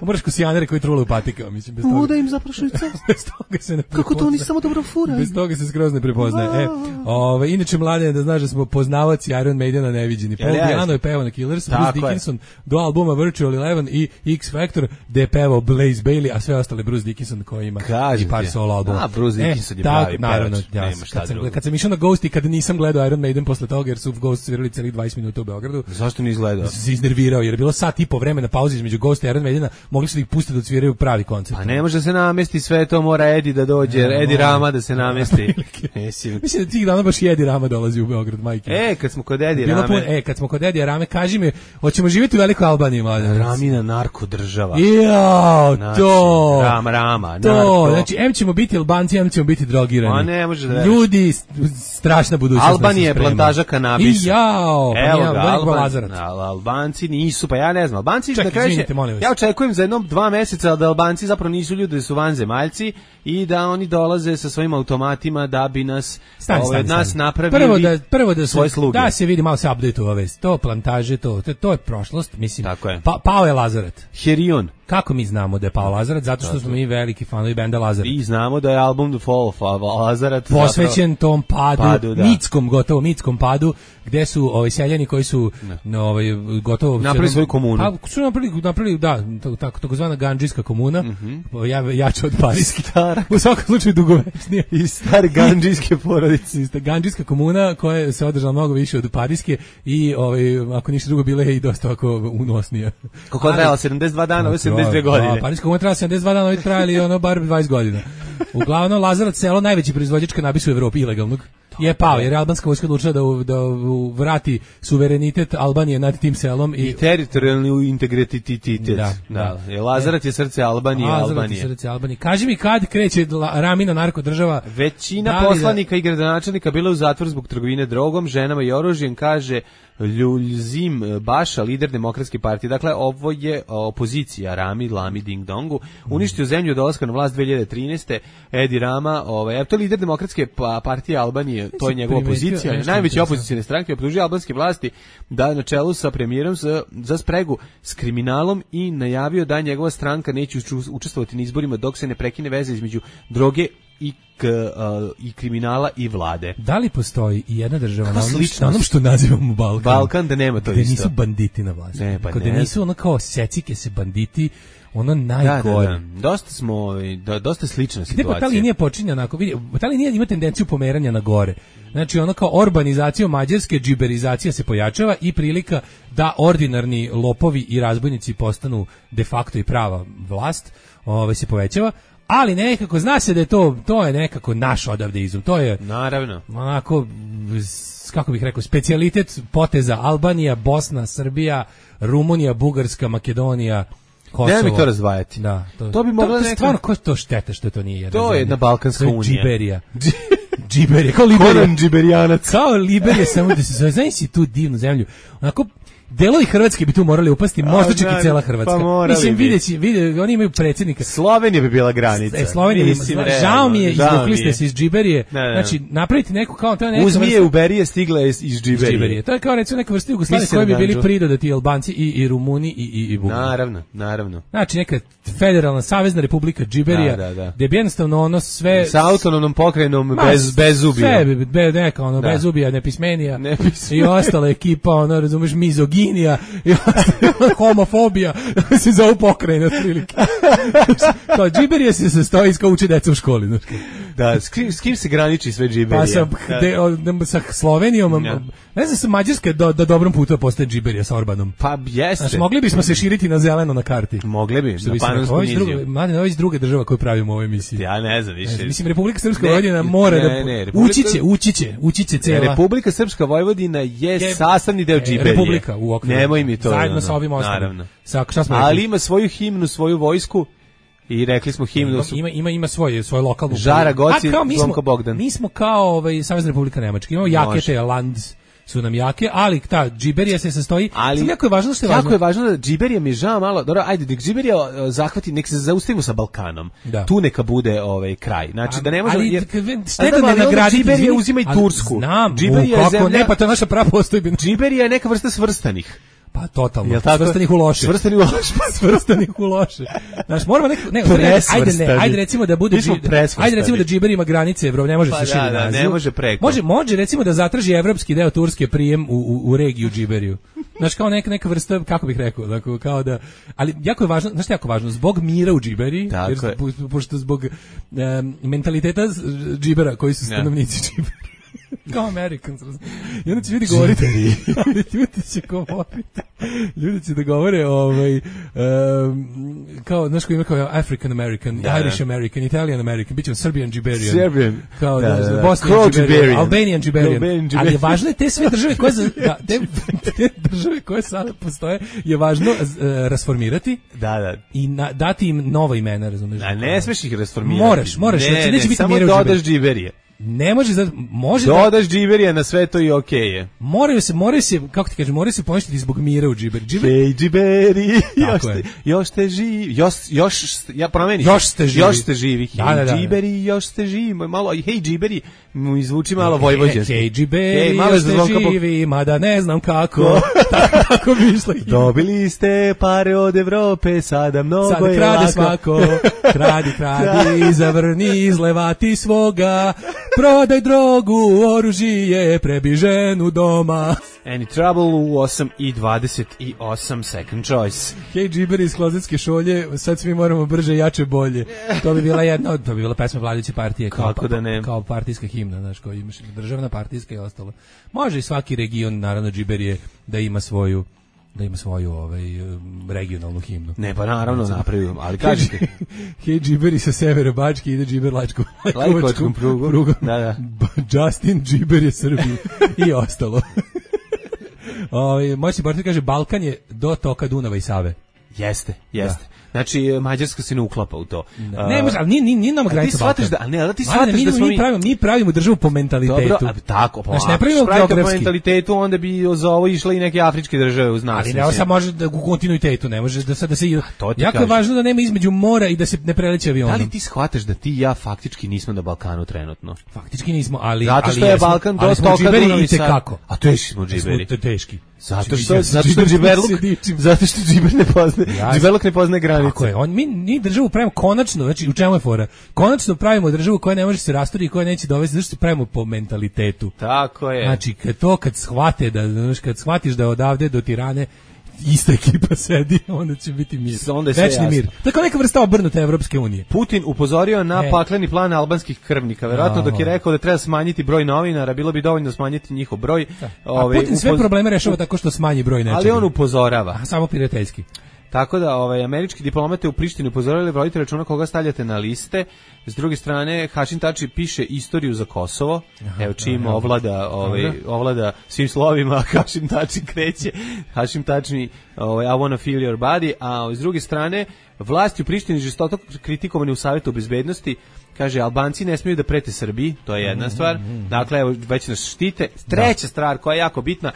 Speaker 7: Moraš kosijanere koji trule u patikama, mislim, bez toga.
Speaker 6: Uda im zaprašujca.
Speaker 7: Bez toga se ne
Speaker 6: Kako to oni samo dobro furaju?
Speaker 7: Bez toga se skroz ne prepoznaje. E, ove, inače, mladen, da znaš da smo poznavaci Iron Maidena neviđeni. Paul
Speaker 6: Jel,
Speaker 7: Diano je pevao na Killers,
Speaker 6: Tako
Speaker 7: Bruce
Speaker 6: je.
Speaker 7: Dickinson do albuma Virtual Eleven i X Factor, gde je pevao Blaze Bailey, a sve ostale Bruce Dickinson koji ima
Speaker 6: Kažem
Speaker 7: i par
Speaker 6: ti.
Speaker 7: solo albuma.
Speaker 6: A, Bruce Dickinson je
Speaker 7: tak,
Speaker 6: pravi
Speaker 7: naravno,
Speaker 6: pevač,
Speaker 7: ja,
Speaker 6: nema šta
Speaker 7: kad, sam,
Speaker 6: drugo.
Speaker 7: kad sam išao na Ghost i kada nisam gledao Iron Maiden posle toga, jer su Ghost svirali celih dvadeset minuta u Beogradu,
Speaker 6: Zašto ni izgledao?
Speaker 7: se iznervirao, jer je bilo sat i po vremena pauze između Ghosta i Iron Maidena, mogli su da ih pustiti da odsviraju pravi koncert.
Speaker 6: Pa ne može da se namesti sve to, mora Edi da dođe,
Speaker 7: Ne,
Speaker 6: Edi
Speaker 7: mora.
Speaker 6: Rama da se namesti. Mislim,
Speaker 7: Mislim da tih dana baš i Edi Rama dolazi u Beograd, majke.
Speaker 6: E, kad smo kod Edi
Speaker 7: Bilo
Speaker 6: Rame,
Speaker 7: pun, e, kad smo kod Edija Rame, kaži mi, hoćemo živjeti u Velikoj Albaniji, mladen?
Speaker 6: Ramina narko država.
Speaker 7: Jao,
Speaker 6: Znači,
Speaker 7: to!
Speaker 6: Rama, Rama,
Speaker 7: To,
Speaker 6: narko.
Speaker 7: znači, em ćemo biti Albanci, em ćemo biti drogirani.
Speaker 6: Ma ne može da veruješ.
Speaker 7: Ljudi, s- strašna budućnost.
Speaker 6: Albanija je
Speaker 7: nas se sprema.
Speaker 6: plantaža kanabisa.
Speaker 7: I jao, pa
Speaker 6: Evo
Speaker 7: nije,
Speaker 6: ga,
Speaker 7: Veliko
Speaker 6: Alban,
Speaker 7: Lazarac.
Speaker 6: Al- Albanci nisu, pa ja ne znam. Albanci
Speaker 7: Čekaj,
Speaker 6: na kraju će-
Speaker 7: izvinite, molim vas.
Speaker 6: Ja očekujem za jednom dva meseca da Albanci zapravo nisu ljudi, da su vanzemaljci i da oni dolaze sa svojim automatima da bi nas
Speaker 7: stani,
Speaker 6: ove,
Speaker 7: stani,
Speaker 6: nas
Speaker 7: stani.
Speaker 6: napravili
Speaker 7: prvo da prvo da
Speaker 6: svoje
Speaker 7: se
Speaker 6: sluge.
Speaker 7: Da se vidi malo se update-ova vest. To plantaže, to to, to je prošlost, mislim.
Speaker 6: Tako je.
Speaker 7: Pa, pao je Lazaret.
Speaker 6: Herion.
Speaker 7: Kako mi znamo da je pao Lazaret? Zato što smo mi veliki fanovi benda Lazaret.
Speaker 6: I znamo da je album The Fall of Lazaret
Speaker 7: posvećen zapravo tom padu,
Speaker 6: padu da.
Speaker 7: mitskom, gotovo mitskom padu, gde su ovi seljani koji su no, ovaj, gotovo
Speaker 6: napravili svoju komunu.
Speaker 7: Pa su napravili, napravili da, tako takozvana gandžijska komuna, mm-hmm. ja, jače od parijski. U svakom slučaju dugovečnije.
Speaker 6: I stari gandžijske porodice.
Speaker 7: Gandžijska komuna koja se održala mnogo više od parijske i ovaj, ako ništa drugo bila je i dosta ovako unosnija.
Speaker 6: Koliko je trajala? sedamdeset dva dana, ovo sedamdeset dve godine.
Speaker 7: Da, parijska komuna trajala sedamdeset dva dana, ovo je trajali ono bar dvadeset godina. Uglavnom, Lazarevac selo, najveći proizvođač kanabisa u Evropi, ilegalnog, je pao, jer je albanska vojska odlučila da, da vrati suverenitet Albanije nad tim selom. I,
Speaker 6: I teritorijalni integritet.
Speaker 7: Da,
Speaker 6: da. Je Lazarevac je srce Albanije.
Speaker 7: Lazarevac je srce Albanije. Kaži mi kad kreće Ramina narkodržava?
Speaker 6: Većina poslanika da... i gradonačelnika bila u zatvor zbog trgovine drogom, ženama i oružjem, kaže Ljuljzim Baša, lider Demokratske partije. Dakle, ovo je opozicija Rami, Lami, Ding Dongu. Uništio zemlju od dolaska na vlast dve hiljade trinaeste. Edi Rama, ovaj, to je lider Demokratske partije Albanije, to je njegova opozicija. Najveća opozicijne stranke optužuje albanske vlasti da na čelu sa premijerom za, za spregu s kriminalom i najavio da njegova stranka neće učestvovati na izborima dok se ne prekine veze između droge i K, uh, i kriminala i vlade.
Speaker 7: Da li postoji i jedna država na onom, na onom što nazivamo Balkan?
Speaker 6: Balkan da nema to
Speaker 7: gde
Speaker 6: isto.
Speaker 7: Nisu banditi na vlasti.
Speaker 6: Ne, pa
Speaker 7: gde
Speaker 6: ne.
Speaker 7: nisu ono kao secike se banditi, ono najgore.
Speaker 6: Da, da, da. Dosta smo, da, dosta slična
Speaker 7: gde
Speaker 6: situacija.
Speaker 7: Gde pa ta linija počinje onako, vidi, ta linija ima tendenciju pomeranja na gore. Znači ono kao urbanizacija Mađarske, džiberizacija se pojačava i prilika da ordinarni lopovi i razbojnici postanu de facto i prava vlast, ovaj, se povećava. Ali nekako, zna se da je to, to je nekako naš odavde izum, to je
Speaker 6: naravno
Speaker 7: onako, kako bih rekao, specijalitet poteza Albanija, Bosna, Srbija, Rumunija, Bugarska, Makedonija, Kosovo.
Speaker 6: Ne mi to razdvajati.
Speaker 7: Da, to,
Speaker 6: to bi mogla
Speaker 7: neka... Stvarno, ko je to šteta što to nije jedna
Speaker 6: to
Speaker 7: zemlja?
Speaker 6: Je jedna Balkanska unija.
Speaker 7: Džiberija. Džiberija, kao Liberija.
Speaker 6: Konan Džiberijanac.
Speaker 7: Kao Liberija, samo da se zove, znaš si tu divnu zemlju. Onako, delovi Hrvatske bi tu morali upasti, možda čak i cela Hrvatska.
Speaker 6: Pa
Speaker 7: mislim, videći, vide, oni imaju predsjednika.
Speaker 6: Slovenija bi bila granica.
Speaker 7: E, Slovenija, mislim,
Speaker 6: realno,
Speaker 7: žao mi je, izvukli ste se iz Džiberije.
Speaker 6: Ne, ne.
Speaker 7: Znači, napraviti neku kao... To neka
Speaker 6: Uzmi je u Berije, stigla je iz Džiberije.
Speaker 7: Džiberije. To je kao recimo neka vrsta Jugoslavije koji bi bili pridodati Albanci i, i Rumuni i, i, i Bugari.
Speaker 6: Naravno, naravno.
Speaker 7: Znači, neka federalna savezna republika Džiberija,
Speaker 6: da, da, da.
Speaker 7: gde bi jednostavno ono sve...
Speaker 6: Sa autonomnom pokrajinom
Speaker 7: Ma,
Speaker 6: bez, bez zubija.
Speaker 7: Sve, be, neka ono, da. Bez zubija, nepismenija.
Speaker 6: Nepismenija.
Speaker 7: I ostala ekipa, ono, razumeš, mizoginija, i homofobija, se zove pokrajina otprilike. Kao Džiberija se sastoji kao uči deca u školi. Znači.
Speaker 6: Da, s kim, s kim se graniči sve Džiberija?
Speaker 7: Pa sa, de, o, sa Slovenijom, ja. Ne znam, sa Mađarske do, do dobrom putu postaje Džiberija sa Orbanom.
Speaker 6: Pa jeste.
Speaker 7: Znači, mogli bismo se širiti na zeleno na karti.
Speaker 6: Mogli bi,
Speaker 7: što
Speaker 6: na Panonsku niziju.
Speaker 7: Mladen, ovo je iz druge država koju pravimo u ovoj emisiji.
Speaker 6: Ja ne znam više.
Speaker 7: Ne, mislim, Republika Srpska Vojvodina mora da...
Speaker 6: Ne, ne, Republika...
Speaker 7: Ući će, ući će, ući će cela...
Speaker 6: Republika Srpska Vojvodina je, je sastavni deo Džiberije.
Speaker 7: Republika u okviru.
Speaker 6: Nemoj mi to.
Speaker 7: Zajedno
Speaker 6: no,
Speaker 7: sa ovim ostalim.
Speaker 6: Naravno.
Speaker 7: Sa, šta smo
Speaker 6: ali ima svoju himnu, svoju vojsku. I rekli smo himnu.
Speaker 7: Ima ima ima svoje svoje lokalno.
Speaker 6: Žara Goci,
Speaker 7: Zvonko
Speaker 6: Bogdan.
Speaker 7: Mi smo kao ovaj Savezna Republika Nemačka. Imamo jake te land su nam jake, ali ta Džiberija se sastoji. Ali jako je važno što je važno.
Speaker 6: Jako je važno da Džiberija mi žao malo. Dobro, ajde, nek Džiberija zahvati, nek se zaustavimo sa Balkanom. Da. Tu neka bude ovaj kraj. Znači da ne možemo
Speaker 7: jer
Speaker 6: šteta
Speaker 7: ne nagraditi
Speaker 6: Džiberija uzima i Tursku.
Speaker 7: Znam,
Speaker 6: Džiberija je zemlja.
Speaker 7: Ne, pa to je naša prava postojbina.
Speaker 6: Džiberija je neka vrsta svrstanih.
Speaker 7: Pa totalno. Svrstanih u loše.
Speaker 6: Svrstanih u loše.
Speaker 7: Svrstanih u loše. Znaš, moramo neko, ne, ajde ne, ajde recimo da bude ajde recimo da Džiber ima granice Evrope, ne može
Speaker 6: pa
Speaker 7: se širi
Speaker 6: da, da,
Speaker 7: naziv.
Speaker 6: Ne može preko.
Speaker 7: Može, može recimo da zatraži evropski deo Turske prijem u, u, u regiju Džiberiju. Znaš, kao neka neka vrsta, kako bih rekao, dakle kao da, ali jako je važno, znaš šta je jako važno, zbog mira u Džiberiji, jer pošto zbog um, mentaliteta Džibera koji su stanovnici Džibera. Kao Americans. I onda će ljudi govoriti, ali ljudi će govoriti, ljudi će da govore ovaj, um, kao, znaš ko ima kao African American, da, Irish American, Italian American, bit će Serbian Džiberian.
Speaker 6: Serbian.
Speaker 7: Kao
Speaker 6: da, da, da.
Speaker 7: Bosnian Džiberian, Albanian Džiberian. Ali je važno te sve države koje, da, te, te države koje sada postoje, je važno uh, rasformirati
Speaker 6: da, da.
Speaker 7: i na, dati im nova imena, razumiješ?
Speaker 6: A ne smeš ih rasformirati.
Speaker 7: Moraš, moraš,
Speaker 6: ne,
Speaker 7: znači
Speaker 6: ne,
Speaker 7: neće biti
Speaker 6: samo
Speaker 7: mira u
Speaker 6: dodaš Džiberije.
Speaker 7: ne može da može
Speaker 6: dodaš džiberija na sve to i okej okay je.
Speaker 7: Moraju se, moraju se, kako ti kažem, moraju se poništiti zbog mira u džiber. Džiber.
Speaker 6: Hej džiberi, još ste, još ste živi, još, još, ja promeni.
Speaker 7: Još ste živi.
Speaker 6: Još ste živi.
Speaker 7: Da, da, da.
Speaker 6: Džiberi, još ste živi. Malo, hej džiberi, mu izvuči malo vojvođanski.
Speaker 7: Hej džiberi, još ste živi, mada ne znam kako. Tako bi išlo.
Speaker 6: Dobili ste pare od Evrope, sada mnogo
Speaker 7: sada
Speaker 6: je
Speaker 7: krade
Speaker 6: lako.
Speaker 7: svako, kradi, kradi, zavrni, izlevati svoga, prodaj drogu, oružje, prebi ženu doma.
Speaker 6: Any Trouble u osam i dvadeset osam, second choice.
Speaker 7: Hej džiberi iz klozetske šolje, sad svi moramo brže, jače, bolje. To bi bila jedna, to bi bila pesma vladajuće partije. Kao,
Speaker 6: kako da ne?
Speaker 7: Kao partijska himna, znaš, kao imaš državna partijska i ostalo. Može i svaki region, naravno džiberije, da ima svoju da ima svoju ovaj regionalnu himnu.
Speaker 6: Ne, pa naravno napravimo, ali kažite.
Speaker 7: Hej džiberi sa severa Bačke ide džiber Lajčkom
Speaker 6: Lajkovačkom prugom. prugom. Da, da.
Speaker 7: Justin džiber je Srbiji i ostalo. Ovaj moćni partner kaže Balkan je do toka Dunava i Save.
Speaker 6: Jeste, jeste. Da. Znači Mađarska se ne uklapa u to.
Speaker 7: Da. Ne, može, ali nije nije nama granica Balkana.
Speaker 6: Da, ne, ali ti shvataš da smo
Speaker 7: mi pravimo, mi pravimo državu po mentalitetu.
Speaker 6: Dobro, a tako, pa.
Speaker 7: Znači ne pravimo geografski.
Speaker 6: Po mentalitetu, onda bi za ovo išle i neke afričke države uz nas.
Speaker 7: Ali ne, sad može da u kontinuitetu, ne može da sad da se jako
Speaker 6: kažem.
Speaker 7: je važno da nema između mora i da se ne preleće avionom.
Speaker 6: Da li ti shvataš da ti i ja faktički nismo na Balkanu trenutno?
Speaker 7: Faktički nismo, ali
Speaker 6: zato što
Speaker 7: ali
Speaker 6: je
Speaker 7: jesmo,
Speaker 6: Balkan do toka Dunav i Save. A teški smo džiberi.
Speaker 7: Smo teški.
Speaker 6: Zato što zato što džiberluk, zato što džiber ne poznaje, džiberluk ne poznaje granice.
Speaker 7: Tako je. On mi ni državu pravimo konačno, znači u čemu je fora? Konačno pravimo državu koja ne može se rasturiti i koja neće dovesti, zato što pravimo po mentalitetu.
Speaker 6: Tako je.
Speaker 7: Znači kad to kad shvate da znači kad shvatiš da odavde do Tirane ista ekipa sedi, onda će biti mir.
Speaker 6: Onda je
Speaker 7: večni mir. Tako neka vrsta obrnute Evropske unije.
Speaker 6: Putin upozorio na e. pakleni plan albanskih krvnika. Verovatno dok je rekao da treba smanjiti broj novinara, bilo bi dovoljno smanjiti njihov broj.
Speaker 7: Da. Ove, A Putin sve upoz... probleme rešava tako što smanji broj nečega.
Speaker 6: Ali on upozorava.
Speaker 7: A samo prijateljski.
Speaker 6: Tako da ovaj američki diplomate u Prištini upozoravali vodite računa koga stavljate na liste. S druge strane Hašim Tači piše istoriju za Kosovo. Aha, evo čim aha, ovlada ovaj ovlada svim slovima, Hašim Tači kreće. Hašim Tači ovaj I wanna feel your body, a s druge strane vlasti u Prištini žestoko kritikovani u Savetu bezbednosti. Kaže, Albanci ne smiju da prete Srbiji, to je jedna stvar. Dakle, evo, već nas štite. Treća da. stvar koja je jako bitna,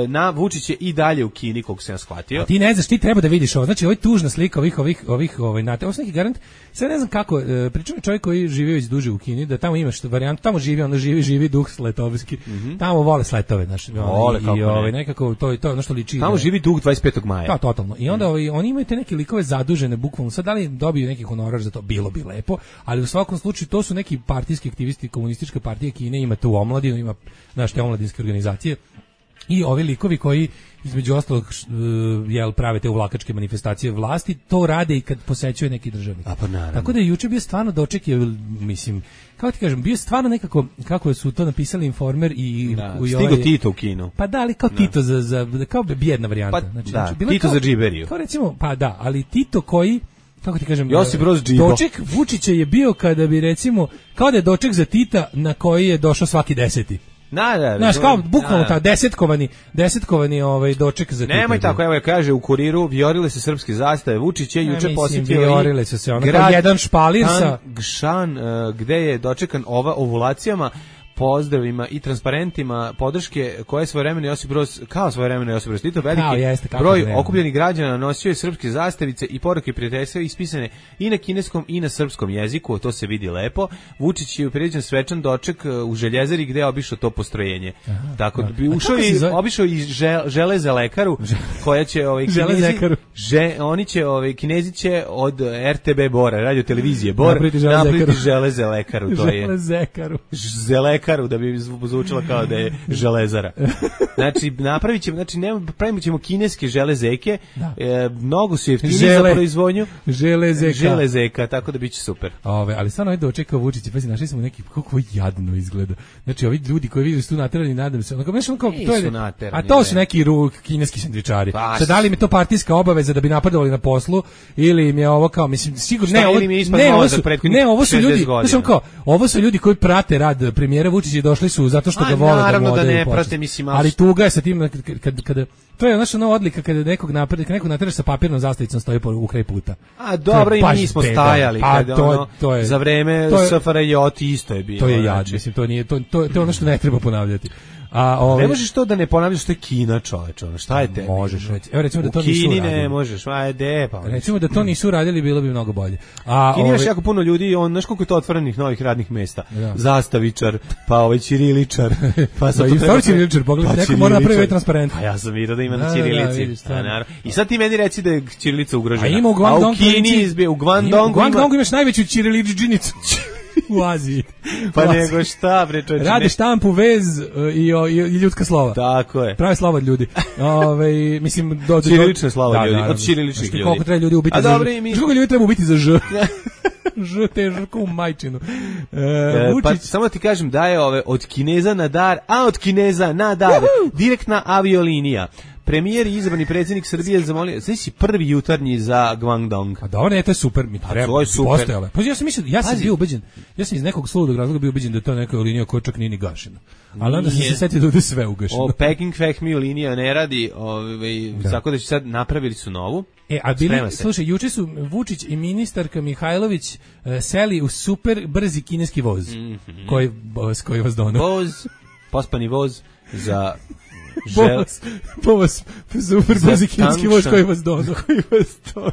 Speaker 6: na Vučić je i dalje u Kini, koliko sam ja shvatio.
Speaker 7: A ti ne znaš, ti treba da vidiš ovo. Znači, ovo je tužna slika ovih, ovih, ovih, ovaj, nate. Ovo je neki garant. Sad ne znam kako, pričam je čovjek koji živi već duže u Kini, da tamo imaš varijant, tamo živi, ono živi, živi duh sletovski. Mm-hmm. Tamo vole sletove, znači.
Speaker 6: Vole, kako
Speaker 7: i, ovaj, nekako, to je to, ono što liči.
Speaker 6: Tamo živi duh dvadeset petog maja.
Speaker 7: Da, totalno. I onda ovaj, oni imaju te neke likove zadužene, bukvalno. Sad da li dobiju neki honorar za to, bilo bi lepo, ali u svakom slučaju to su neki partijski aktivisti, komunistička partija Kine, ima tu omladinu, ima znaš te omladinske organizacije i ovi likovi koji između ostalog uh, jel prave te uvlakačke manifestacije vlasti, to rade i kad posećuje neki državnik.
Speaker 6: A pa naravno.
Speaker 7: Tako da je juče bio stvarno doček, je, mislim, kako ti kažem, bio stvarno nekako, kako su to napisali Informer i...
Speaker 6: Da,
Speaker 7: i
Speaker 6: stigo ovaj, Tito u Kinu.
Speaker 7: Pa da, ali kao da. Tito za, za, kao bijedna varijanta.
Speaker 6: Pa,
Speaker 7: znači,
Speaker 6: da,
Speaker 7: znači,
Speaker 6: Tito
Speaker 7: kao,
Speaker 6: za džiberiju.
Speaker 7: Kao recimo, pa da, ali Tito koji kako ti kažem,
Speaker 6: Josip Broz Džibo.
Speaker 7: Doček Vučića je bio kada bi recimo, kao da je doček za Tita na koji je došao svaki deseti.
Speaker 6: Na, da,
Speaker 7: znaš, kao bukvalno ta desetkovani, desetkovani ovaj doček za Tita.
Speaker 6: Nemoj tako, evo je kaže u Kuriru, vjorile se srpske zastave, Vučić je juče posjetio
Speaker 7: vjorile se se, ono kao jedan špalir sa
Speaker 6: Gšan, uh, gde je dočekan ova ovulacijama, pozdravima i transparentima podrške koje je svojevremeno Josip Broz, kao svojevremeno Josip Broz Tito, veliki
Speaker 7: jeste,
Speaker 6: broj okupljenih građana nosio je srpske zastavice i poruke prijateljstva ispisane i na kineskom i na srpskom jeziku, to se vidi lepo. Vučić je priređen svečan doček u Željezari gde je obišao to postrojenje. Aha, tako da bi ušao i obišao i žel, železe lekaru koja će ovaj Kinezi, že, oni će ovaj Kinezi će od R T B Bora, radio televizije Bor, napraviti železe lekaru, to je.
Speaker 7: Železekaru.
Speaker 6: Želekaru da bi zvučalo kao da je železara. Znači napravit ćemo, znači ne pravimo ćemo kineske železeke, e, mnogo su jeftinije za proizvodnju
Speaker 7: železeka.
Speaker 6: Železeka, tako da biće super.
Speaker 7: Ove, ali stvarno je dočekao Vučić, pa si našli smo neki kako jadno izgleda. Znači ovi ljudi koji vide su tu naterani, nadam se, onako baš onako to je, a to su neki ru, kineski sendvičari. Sad da li mi to partijska obaveza dokaza da bi napredovali na poslu ili im je ovo kao mislim sigurno
Speaker 6: Šta,
Speaker 7: ne ovo,
Speaker 6: ili mi je ispod
Speaker 7: ne, ovo
Speaker 6: mozak
Speaker 7: su,
Speaker 6: prethodnih
Speaker 7: ne ovo su ljudi
Speaker 6: šezdeset godina.
Speaker 7: znači kao ovo su ljudi koji prate rad premijera Vučića i došli su zato što
Speaker 6: A,
Speaker 7: ga vole da
Speaker 6: naravno
Speaker 7: mu
Speaker 6: da
Speaker 7: odaju
Speaker 6: ne
Speaker 7: počast.
Speaker 6: prate, mislim, ali-
Speaker 7: ali tuga je sa tim kad, kad, kada to je naša nova odlika kada nekog napred, kad nekog nateraš sa papirnom zastavicom stoji po u kraj puta.
Speaker 6: A dobro, i mi smo stajali
Speaker 7: a
Speaker 6: kada
Speaker 7: to,
Speaker 6: ono,
Speaker 7: to je,
Speaker 6: za vreme
Speaker 7: to je-
Speaker 6: S F R J isto je bilo.
Speaker 7: To je jad,
Speaker 6: znači.
Speaker 7: mislim, to nije, to, to, to je ono što ne treba ponavljati. A ovaj
Speaker 6: Ne možeš to da ne ponavljaš, što je Kina, čoveče, ono, šta je te?
Speaker 7: možeš reći. Evo recimo da to
Speaker 6: U
Speaker 7: nisu
Speaker 6: Kini
Speaker 7: uradili.
Speaker 6: ne možeš, ajde, pa.
Speaker 7: Recimo da to nisu radili, bilo bi mnogo bolje. A
Speaker 6: U Kini imaš
Speaker 7: ovaj-
Speaker 6: jako puno ljudi, on, znaš koliko je to otvorenih novih radnih mesta.
Speaker 7: Da.
Speaker 6: Zastavičar, pa ovaj ćiriličar, pa sad
Speaker 7: Da,
Speaker 6: to
Speaker 7: i
Speaker 6: treba-
Speaker 7: stvari ćiriličar, pogledaj,
Speaker 6: pa
Speaker 7: neko mora napraviti
Speaker 6: ćiriličar.
Speaker 7: transparent.
Speaker 6: Pa ja sam vidio da ima
Speaker 7: Da,
Speaker 6: na
Speaker 7: da, da,
Speaker 6: ćirilici.
Speaker 7: vidiš,
Speaker 6: A,
Speaker 7: stvarno.
Speaker 6: naravno. I sad ti meni reci da je ćirilica ugrožena.
Speaker 7: A ima u
Speaker 6: A
Speaker 7: Guangdong
Speaker 6: u Kini
Speaker 7: provinciji-
Speaker 6: izbije, u
Speaker 7: Ima-
Speaker 6: Guangdongu
Speaker 7: U Guangdongu
Speaker 6: ima-
Speaker 7: imaš najveću ćiriličdžinicu u Aziji.
Speaker 6: Pa
Speaker 7: U Aziji.
Speaker 6: nego šta, bre, čoveče.
Speaker 7: Rade
Speaker 6: ne-
Speaker 7: štampu, vez e, i, o- i, i ljudska slova.
Speaker 6: Tako je.
Speaker 7: Prave slova od ljudi. Ove, mislim, do, do,
Speaker 6: Ćirilične slova
Speaker 7: da,
Speaker 6: ljudi,
Speaker 7: naravno.
Speaker 6: od ćiriličnih
Speaker 7: Znaš ti
Speaker 6: ljudi.
Speaker 7: koliko treba ljudi ubiti
Speaker 6: A
Speaker 7: za
Speaker 6: dobro,
Speaker 7: ž.
Speaker 6: i mi-
Speaker 7: Znaš koliko ljudi treba ubiti za ž? Ž te žrko u majčinu. E,
Speaker 6: E, pa
Speaker 7: Vučić,
Speaker 6: samo ti kažem da je ove od Kineza na dar, a od Kineza na dar, direktna aviolinija. Premijer i izabrani predsjednik Srbije zamolio, znači si prvi jutarnji za Guangdong.
Speaker 7: pa dobro, ne, to je super, mi treba.
Speaker 6: to je super.
Speaker 7: postojalo. Pa ja sam mislio, ja sam
Speaker 6: Pazi.
Speaker 7: bio ubeđen, ja sam iz nekog sludog razloga bio ubeđen da je to neka linija koja čak nije ni gašena. Ali onda sam
Speaker 6: Nije.
Speaker 7: se setio da je sve ugašeno.
Speaker 6: O Peking Fehmiju linija ne radi, ovaj
Speaker 7: Da.
Speaker 6: tako da će sad napravili su novu.
Speaker 7: E, a bili,
Speaker 6: Sprema se.
Speaker 7: slušaj, juče su Vučić i ministarka Mihajlović e, seli u super brzi kineski voz. Koji voz, koji vas donao?
Speaker 6: Voz, pospani voz za žel,
Speaker 7: Voz, voz, super
Speaker 6: Za
Speaker 7: brzi kineski voz
Speaker 6: tančan-
Speaker 7: koji vas donao. Koji vas donao.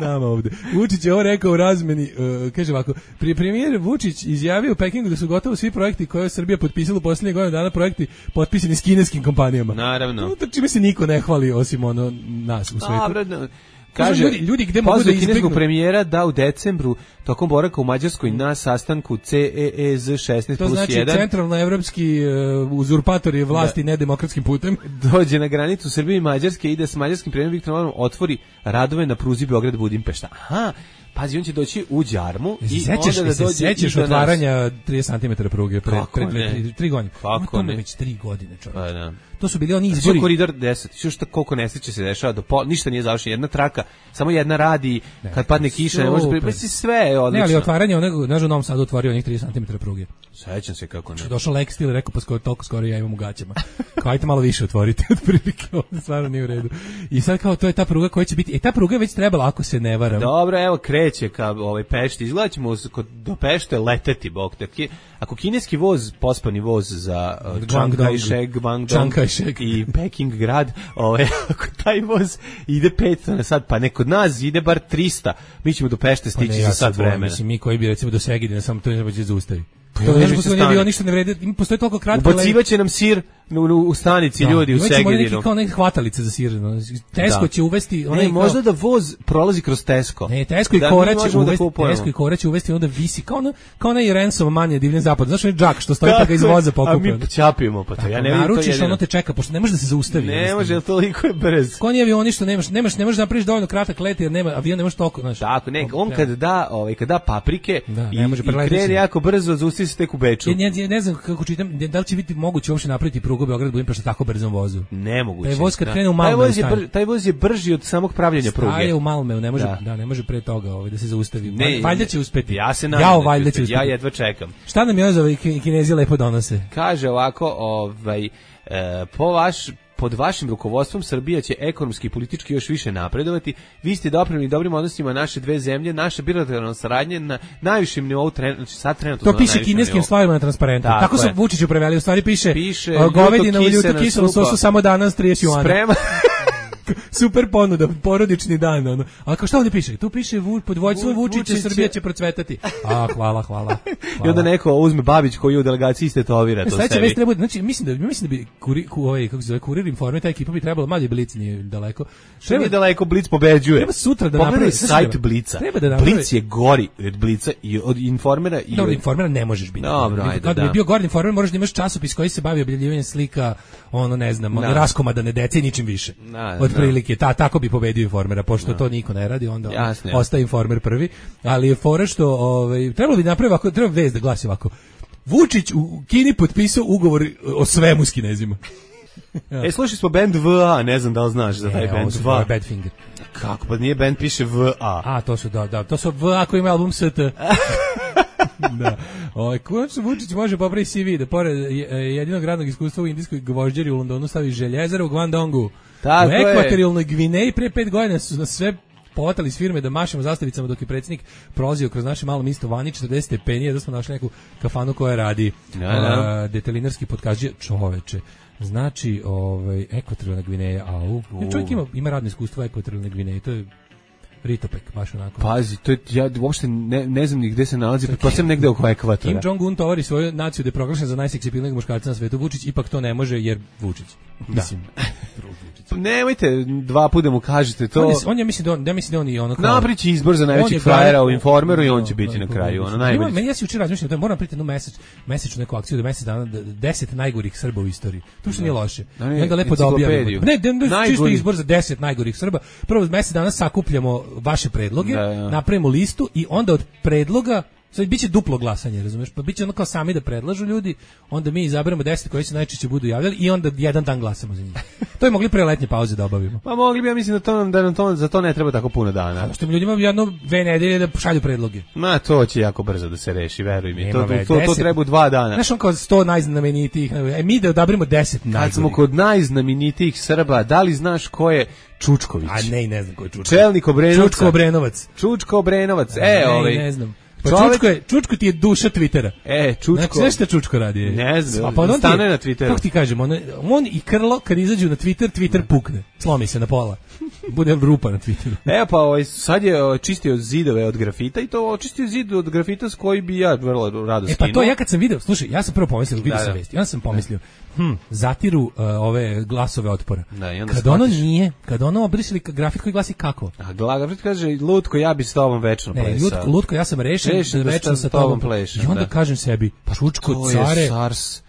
Speaker 7: Nama ovde. Vučić je ovo rekao u razmeni, e, kaže ovako, pri premijer Vučić izjavio u Pekingu da su gotovo svi projekti koje je Srbija potpisala u posljednjih godina dana, projekti potpisani s kineskim kompanijama.
Speaker 6: naravno.
Speaker 7: To čime se niko ne hvali osim ono nas u svetu.
Speaker 6: Dobro, no,
Speaker 7: Kaže,
Speaker 6: kaže,
Speaker 7: ljudi- ljudi gde mogu da
Speaker 6: pozvao kineskog
Speaker 7: izbegnu-
Speaker 6: premijera da u decembru tokom boravka u Mađarskoj na sastanku C E E Z šesnaest
Speaker 7: To
Speaker 6: plus
Speaker 7: znači
Speaker 6: jedan
Speaker 7: centralnoevropski uh, uzurpatori vlasti nedemokratskim putem.
Speaker 6: dođe na granicu Srbije i Mađarske i ide s mađarskim premijerom Viktorom Orbanom otvori radove na pruzi Beograd-Budimpešta. Aha, pazi, on će doći u Đarmu i
Speaker 7: Sećaš,
Speaker 6: onda da
Speaker 7: se
Speaker 6: dođe
Speaker 7: sećaš
Speaker 6: i do nas.
Speaker 7: otvaranja trideset centimetara pruge pre,
Speaker 6: Kako
Speaker 7: pre dve,
Speaker 6: ne?
Speaker 7: tri, tri godine.
Speaker 6: Kako
Speaker 7: Ma, to mu
Speaker 6: ne?
Speaker 7: već tri godine, čovječ.
Speaker 6: Pa da.
Speaker 7: To su bili oni
Speaker 6: Znači,
Speaker 7: izbori.
Speaker 6: koridor deset, što šta koliko nesreće se dešava, do pol, ništa nije završeno, jedna traka, samo jedna radi, kad padne kiša, ne može
Speaker 7: super.
Speaker 6: pripasti, sve je odlično.
Speaker 7: Ne, ali otvaranje onog, znaš, u Novom Sadu otvorio onih trideset centimetara pruge.
Speaker 6: Sećam se kako ne.
Speaker 7: Došao Lex Steel i rekao, pa skoro, toliko skoro ja imam u gaćama. Kao, ajte malo više otvorite, otprilike, ovo stvarno nije u redu. I sad kao, to je ta pruga koja će biti, e, ta pruga je već trebala, ako se ne varam.
Speaker 6: Dobro, evo kreće ka ovaj Pešti. Izgleda ćemo s- kod do Pešte leteti, bog te. Ki- Ako kineski voz, pospani voz za uh, Chiang
Speaker 7: Guangdong.
Speaker 6: Kai-shek, Guangdong
Speaker 7: Chiang Kai-shek.
Speaker 6: i Peking grad, ovaj, ako taj voz ide petsto na sat, pa ne kod nas ide bar trista, mi ćemo do Pešte
Speaker 7: Pa
Speaker 6: stići
Speaker 7: ne,
Speaker 6: za
Speaker 7: ja
Speaker 6: sat
Speaker 7: sad volim,
Speaker 6: vremena.
Speaker 7: mislim, mi koji bi recimo do Segedina, samo to ne treba da zaustavi.
Speaker 6: Pa ja
Speaker 7: To
Speaker 6: ne
Speaker 7: ne
Speaker 6: bi se
Speaker 7: postoji, ne
Speaker 6: stane.
Speaker 7: bi ništa ne vredi, ima postoji toliko kratko.
Speaker 6: Ubacivaće nam sir u, u, u stanici ljudi u
Speaker 7: Segedinu. Neki
Speaker 6: Segedinu.
Speaker 7: kao neke hvatalice za sir. no. Tesco
Speaker 6: Da.
Speaker 7: će uvesti...
Speaker 6: Ne,
Speaker 7: onaj
Speaker 6: možda
Speaker 7: kao,
Speaker 6: da voz prolazi kroz Tesco.
Speaker 7: Ne, Tesco i
Speaker 6: Da mi
Speaker 7: Kora će
Speaker 6: možemo da
Speaker 7: uvesti,
Speaker 6: kupujemo.
Speaker 7: Tesco i Kora će uvesti onda visi kao ono, kao onaj ransom manje divljen zapad. Znaš onaj džak što stoji pa
Speaker 6: Tako
Speaker 7: ga iz
Speaker 6: je,
Speaker 7: voza
Speaker 6: a
Speaker 7: pokupe.
Speaker 6: mi ćapimo, pa to ja ne vidim to
Speaker 7: Naručiš,
Speaker 6: jedino.
Speaker 7: ono te čeka, pošto ne može da se zaustavi.
Speaker 6: Ne
Speaker 7: jednostavno.
Speaker 6: može, jer toliko je brz.
Speaker 7: Ko oni avioni što nemaš, nemaš, ne možeš da napraviš dovoljno kratak let jer nema, avion ne može toliko, znaš.
Speaker 6: Tako, ne, on kad da, ovaj kad da paprike
Speaker 7: Da,
Speaker 6: i,
Speaker 7: ne može
Speaker 6: i
Speaker 7: preleteti
Speaker 6: krene
Speaker 7: se.
Speaker 6: jako brzo, zaustavi se tek u Beču.
Speaker 7: Ja, ja, ja ne znam kako čitam, da li će biti moguće uopšte napraviti prugu Beograd Budimpešta tako brzom vozu.
Speaker 6: Nemoguće.
Speaker 7: Taj voz kad
Speaker 6: da.
Speaker 7: krene u
Speaker 6: taj
Speaker 7: Malmö
Speaker 6: voz je
Speaker 7: stane.
Speaker 6: brž, taj voz je brži od samog pravljenja pruge.
Speaker 7: Staje u Malmeu, ne može, da.
Speaker 6: Da.
Speaker 7: ne može pre toga ovaj, da se zaustavi.
Speaker 6: Ne,
Speaker 7: valjda će uspeti.
Speaker 6: Ja se nadam.
Speaker 7: Jao,
Speaker 6: da će
Speaker 7: valjda će
Speaker 6: uspeti.
Speaker 7: uspeti.
Speaker 6: Ja jedva čekam.
Speaker 7: Šta nam još ovaj ki- Kinezi lepo donose?
Speaker 6: Kaže ovako, ovaj e, po vaš pod vašim rukovodstvom Srbija će ekonomski i politički još više napredovati. Vi ste doprineli dobrim odnosima naše dve zemlje, naša bilateralna saradnja na najvišem nivou, tren, znači sad trenutno
Speaker 7: To
Speaker 6: na
Speaker 7: piše
Speaker 6: najvišem
Speaker 7: kineskim
Speaker 6: nivou.
Speaker 7: stvarima na transparentu.
Speaker 6: Tako
Speaker 7: Tako su
Speaker 6: je.
Speaker 7: Vučiću preveli, u stvari piše,
Speaker 6: Piše,
Speaker 7: uh, govedina u
Speaker 6: ljuto
Speaker 7: ljuto
Speaker 6: kisena
Speaker 7: kiselom
Speaker 6: supa.
Speaker 7: sosu samo danas trideset juana.
Speaker 6: Sprema.
Speaker 7: Super ponuda, porodični dan. Ono. A kao šta ovdje piše? Tu piše vu, pod vođstvom
Speaker 6: Vu-
Speaker 7: Vučića
Speaker 6: Vučić
Speaker 7: Srbija
Speaker 6: će-
Speaker 7: će procvetati. A, hvala, hvala.
Speaker 6: I onda
Speaker 7: hvala.
Speaker 6: neko uzme Babić koji je u delegaciji istetovira to
Speaker 7: Sledeća
Speaker 6: sebi.
Speaker 7: vest treba, znači mislim da mislim da bi kuri, ku, ovaj kako se zove Kurir Informer, ta ekipa bi trebala, mali Blic nije daleko.
Speaker 6: Što nije daleko, Blic pobeđuje.
Speaker 7: Treba sutra da
Speaker 6: Pogledaj
Speaker 7: napravi
Speaker 6: sajt Blica.
Speaker 7: Treba da napravi.
Speaker 6: Blic je gori od Blica i od Informera i
Speaker 7: Dobro,
Speaker 6: od...
Speaker 7: Informera ne možeš biti.
Speaker 6: Dobro, ajde,
Speaker 7: Kad bi
Speaker 6: da.
Speaker 7: bio Gordon Informer, moraš da imaš časopis koji se bavi objavljivanjem slika, ono ne znam, ono
Speaker 6: Da.
Speaker 7: raskomadane dece i ničim više.
Speaker 6: Da,
Speaker 7: Od
Speaker 6: da.
Speaker 7: prilike, ta tako bi pobedio Informera, pošto to niko ne radi, onda
Speaker 6: Jasno,
Speaker 7: ostaje Informer prvi, ali je fora što ovaj trebalo bi napraviti ovako, treba vest da glasi ovako. Vučić u Kini potpisao ugovor o svemu s Kinezima.
Speaker 6: E, slušali smo band V A, ne znam da li znaš za taj
Speaker 7: E,
Speaker 6: band
Speaker 7: ovo su
Speaker 6: V A.
Speaker 7: Badfinger.
Speaker 6: Kako, pa nije band, piše V A.
Speaker 7: A, to su, da, da, to su V A koji ima album S T. Da. Ovaj konačno Vučić može popraviti C V da pored jedinog radnog iskustva u indijskoj gvožđeri u Londonu stavi željezaru u Guangdongu.
Speaker 6: Tako
Speaker 7: u ekvatorijalnoj Gvineji pre pet godina su nas sve povotali s firme da mašemo zastavicama dok je predsjednik prolazio kroz naše malo mesto vani četrdeset stepeni, da smo našli neku kafanu koja radi
Speaker 6: da, da.
Speaker 7: Uh, detelinarski podkažđe čoveče. Znači, ovaj, ekvatorijalna Gvineja, au. Uh. Čovjek ima, ima radno iskustvo u ekvatorijalnoj Gvineji, to je Ritopek, baš onako.
Speaker 6: Pazi, to je, ja uopšte ne, ne znam ni gde se nalazi, pretpostavljam negde oko ekvatora.
Speaker 7: Kim Jong-un tovari svoju naciju da je proglašen za najseksipilnijeg muškarca na svetu. Vučić ipak to ne može jer Vučić. Mislim,
Speaker 6: nemojte dva puta mu kažete to.
Speaker 7: On, je, on je mislim da on, ja mislim da on i ono kao
Speaker 6: napriči izbor za najvećeg frajera u Informeru i on će biti na kraju, ono najbolje.
Speaker 7: Meni ja se juče razmišljam da moram priti jednu mesec, mesečnu neku akciju da mesec dana deset najgorih Srba u istoriji. To što nije loše. I onda lepo da objavimo. Ne, ne, čisto izbor za deset najgorih Srba. Prvo mesec dana sakupljamo vaše predloge, da, ja. napravimo listu i onda od predloga sad biće duplo glasanje, razumeš? Pa biće ono kao sami da predlažu ljudi, onda mi izaberemo deset koji se najčešće budu javljali i onda jedan dan glasamo za njih. To je mogli pre letnje pauze da obavimo.
Speaker 6: Pa mogli bi, ja mislim da to da nam to za to ne treba tako puno dana.
Speaker 7: Što mi ljudima jedno dve nedelje da šalju predloge.
Speaker 6: Ma to će jako brzo da se reši, veruj mi. To, to, to, to treba dva dana.
Speaker 7: Znaš on kao sto najznamenitijih, e mi da odaberemo deset najgorih.
Speaker 6: Kad smo kod najznamenitijih Srba, da li znaš ko je Čučković?
Speaker 7: A ne, ne znam ko je Čučković.
Speaker 6: Čelnik Obrenovca.
Speaker 7: Čučko Obrenovac.
Speaker 6: Čučko Obrenovac. E, ovaj.
Speaker 7: Ne znam. Pa čovjek... Čučko, je, Čučko ti je duša Twittera.
Speaker 6: E, Čučko.
Speaker 7: Znači, znaš šta Čučko radi?
Speaker 6: Ne znam,
Speaker 7: pa on
Speaker 6: stane je, na Twitteru.
Speaker 7: Kako ti kažem, on, on i Krlo, kad izađu na Twitter, Twitter ne. pukne. Slomi se na pola. Bude rupa na Twitteru.
Speaker 6: E, pa ovaj, sad je čistio zidove od grafita i to očistio zid od grafita s koji bi ja vrlo rado skinuo.
Speaker 7: E, pa to ja kad sam video, slušaj, ja sam prvo pomislio, vidio sam vesti, ja sam pomislio, hm, zatiru uh, ove glasove otpora. Da, i onda kad shvatiš. Ono nije, kad ono obrisali grafit koji glasi kako?
Speaker 6: A grafit kaže, Lutko, ja bi s tobom večno plesao. Ne,
Speaker 7: Lutko, Lutko, ja sam rešen, rešen da večno sa tobom plešem. I onda da. kažem sebi, pa Čučko, care,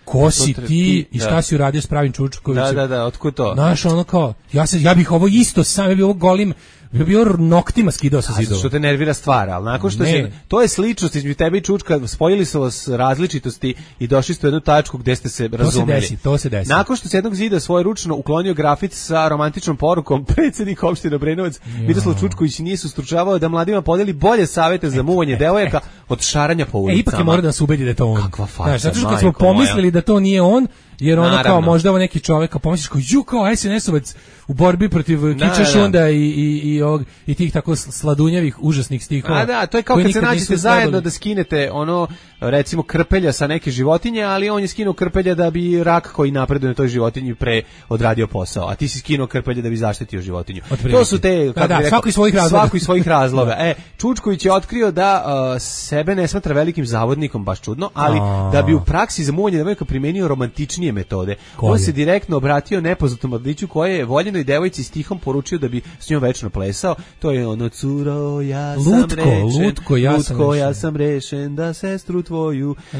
Speaker 7: ko si ti i šta da. si uradio s pravim Čučkovićem?
Speaker 6: Da, da, da, otkud to?
Speaker 7: Znaš, ono kao, ja, se, ja bih ovo isto sam, ja bih ovo golim, ja bih ovo noktima skidao sa zidova.
Speaker 6: Što te nervira stvar, ali nakon što ne, se, to je sličnost između tebe i Čučka, spojili su vas različitosti i došli ste u jednu tačku gde ste se razumeli.
Speaker 7: To se desi, to se desi.
Speaker 6: Nakon što se jednog zida svoje ručno uklonio grafit sa romantičnom porukom, predsjednik opštine Obrenovac, Miroslav Čučković nije se ustručavao da mladima podeli bolje savete za muvanje devojaka od šaranja po ulicama.
Speaker 7: E, ipak je mora da se ubedi da je to on.
Speaker 6: Kakva faca,
Speaker 7: zato što kad smo pomislili da to nije on, jer ono kao možda ovo neki čovjek, kao pomisliš kao ju kao es en es-ovac u borbi protiv Kiča Šunda i, i, i, ovog, i tih tako sladunjavih, užasnih stihova.
Speaker 6: A da, to je kao kad se nađete zajedno da skinete ono, recimo krpelja sa neke životinje, ali on je skinuo krpelja da bi rak koji napreduje na toj životinji pre odradio posao, a ti si skinuo krpelja da bi zaštitio životinju. To su te, kako
Speaker 7: da, da,
Speaker 6: bi rekao,
Speaker 7: svako iz svojih razloga.
Speaker 6: Svako iz svojih razloga. E, Čučković je otkrio da uh, sebe ne smatra velikim zavodnikom, baš čudno, ali a... da bi u praksi za muvanje devojaka primenio romantičnije metode. Koje? On se direktno obratio nepoznatom mladiću koji je voljenoj devojci stihom poručio da bi s njom večno plesao. To je ono curo, ja sam
Speaker 7: lutko,
Speaker 6: rešen,
Speaker 7: lutko, ja sam
Speaker 6: lutko,
Speaker 7: rešen.
Speaker 6: Ja sam rešen da sestru tvoju e,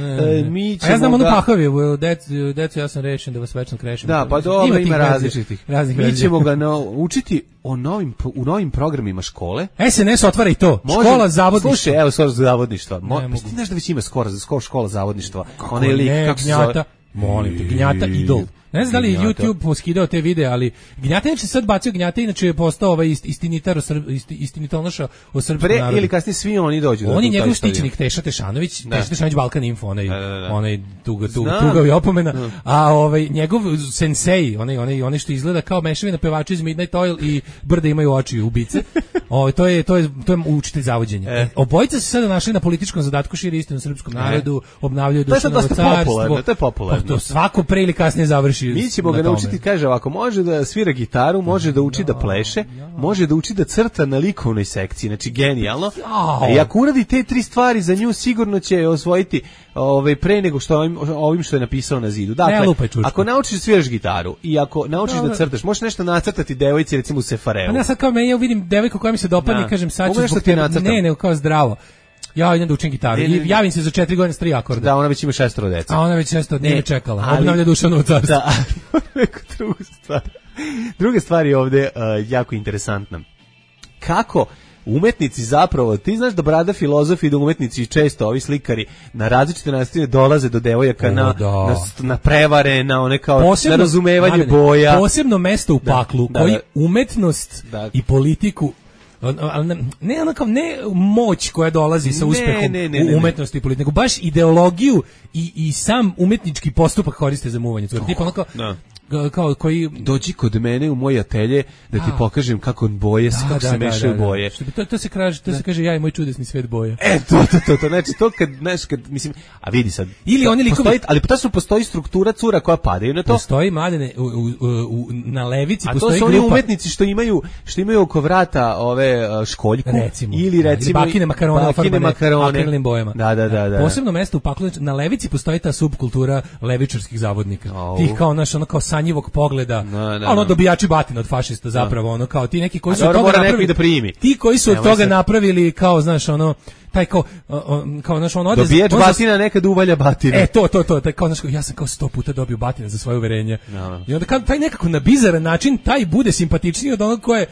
Speaker 6: mi ćemo
Speaker 7: a ja znam
Speaker 6: ga...
Speaker 7: onu Pahovi, decu, decu ja sam rešen da vas večno krešem.
Speaker 6: Da, pa dobro, ima, ima različitih. Raznih mi ćemo ga naučiti o novim, u novim programima škole.
Speaker 7: es en es otvara i to. Može, škola zavodništva.
Speaker 6: Slušaj, evo skoro zavodništva. Mo, pa ti znaš da već ima skoro, skoro škola zavodništva. Ona je lik, kako se zove?
Speaker 7: Molim te, Gnjata idol. Ne znam da li je YouTube poskidao te videe, ali Gnjata inače sad bacio Gnjata, inače je postao ovaj istinitar, isti, istinitonoša o srpskom
Speaker 6: Pre,
Speaker 7: narodu.
Speaker 6: Ili kasnije svi oni dođu.
Speaker 7: On je njegov štićenik Teša Tešanović, da. Teša Tešanović Balkan Info, onaj, da, da, da. onaj tuga, tuga, tugavi opomena, da. A ovaj, njegov sensei, onaj, onaj, onaj što izgleda kao mešavina pevača iz Midnight Oil i brde imaju oči ubice, ovaj, to, je, to, je, to je učitelj zavođenja. E. Obojica se sada našli na političkom zadatku, širi istinu srpskom narodu, obnavljaju Dušanovo carstvo.
Speaker 6: To je popularno.
Speaker 7: To svako pre ili kasnije završi.
Speaker 6: Mi ćemo ga naučiti, kaže ovako, može da svira gitaru, može da uči da pleše, može da uči da crta na likovnoj sekciji, znači genijalno. I ako uradi te tri stvari za nju, sigurno će osvojiti ovaj, pre nego što ovim, ovim što je napisao na zidu. Dakle, ako naučiš da sviraš gitaru i ako naučiš da crtaš, možeš nešto nacrtati devojci, recimo u sefareu.
Speaker 7: Pa ja sad kao me, ja vidim devojku koja mi se dopadne i kažem sad ću zbog tebe, ne, nego kao zdravo. Ja idem da učim gitaru. I javim se za četiri godine s tri akorda.
Speaker 6: Da, ona već ima šestoro dece.
Speaker 7: A ona već šestoro dnevno čekala. Ali, obnavlja Dušanovo carstvo.
Speaker 6: Da, neku drugu stvar. Druga stvar je ovde uh, jako interesantna. Kako umetnici zapravo, ti znaš da brada filozofi i da umetnici i često ovi slikari na različite načine dolaze do devojaka, na,
Speaker 7: da.
Speaker 6: na, na prevare, na one kao
Speaker 7: posebno,
Speaker 6: na razumevanje
Speaker 7: mladene,
Speaker 6: boja.
Speaker 7: Posebno mesto u paklu,
Speaker 6: da,
Speaker 7: koji
Speaker 6: da.
Speaker 7: umetnost
Speaker 6: Da.
Speaker 7: i politiku, ali ne, ne, ono kao, ne moć koja dolazi sa
Speaker 6: Ne,
Speaker 7: uspehom
Speaker 6: ne, ne, ne,
Speaker 7: u umetnosti i politiku, nego baš ideologiju i, i sam umetnički postupak koriste za muvanje. Oh, tipa ono kao,
Speaker 6: da.
Speaker 7: kao koji
Speaker 6: Dođi kod mene u moj atelje da ti
Speaker 7: Da.
Speaker 6: pokažem kako boje,
Speaker 7: Da,
Speaker 6: kako
Speaker 7: da,
Speaker 6: se
Speaker 7: da,
Speaker 6: mešaju
Speaker 7: da, da.
Speaker 6: boje.
Speaker 7: Što bi to, to se kaže, to se kaže ja i moj čudesni svet boja.
Speaker 6: E, to, to, to, to, znači, to kad, znaš, kad, mislim, a vidi sad,
Speaker 7: Ili oni likovi-
Speaker 6: postoji, ali tačno postoji struktura cura koja padaju na to,
Speaker 7: Postoji mladene u, u, u, na levici
Speaker 6: a to
Speaker 7: postoji
Speaker 6: su oni
Speaker 7: grupa
Speaker 6: umetnici što imaju, što imaju oko vrata ove uh, školjku,
Speaker 7: recimo
Speaker 6: ili recimo,
Speaker 7: ili bakine makarone
Speaker 6: bakine
Speaker 7: ofarbane
Speaker 6: makarone.
Speaker 7: akrilnim bojama.
Speaker 6: Da, da, da, da.
Speaker 7: Posebno mesto u paklu, znači, na levici postoji ta subkultura levičarskih zavodnika.
Speaker 6: Au.
Speaker 7: Tih kao naš ono kao sanjivog pogleda,
Speaker 6: Da, da,
Speaker 7: ono
Speaker 6: da.
Speaker 7: dobijači batina od fašista zapravo, ono kao ti neki koji
Speaker 6: A
Speaker 7: su od
Speaker 6: dobro,
Speaker 7: toga
Speaker 6: mora neko
Speaker 7: napravili
Speaker 6: i da primi.
Speaker 7: Ti koji su od
Speaker 6: Nemoj
Speaker 7: toga
Speaker 6: se-
Speaker 7: napravili kao znaš ono taj kao o, o, kao znaš on ode za-
Speaker 6: Dobijač
Speaker 7: on za-
Speaker 6: batina nekad uvalja batine.
Speaker 7: E, to, to, to, taj, kao, znaš, ja sam kao sto puta dobio batine za svoje uverenje.
Speaker 6: Da.
Speaker 7: I onda kad taj nekako na bizaran način, taj bude simpatičniji od onog ko je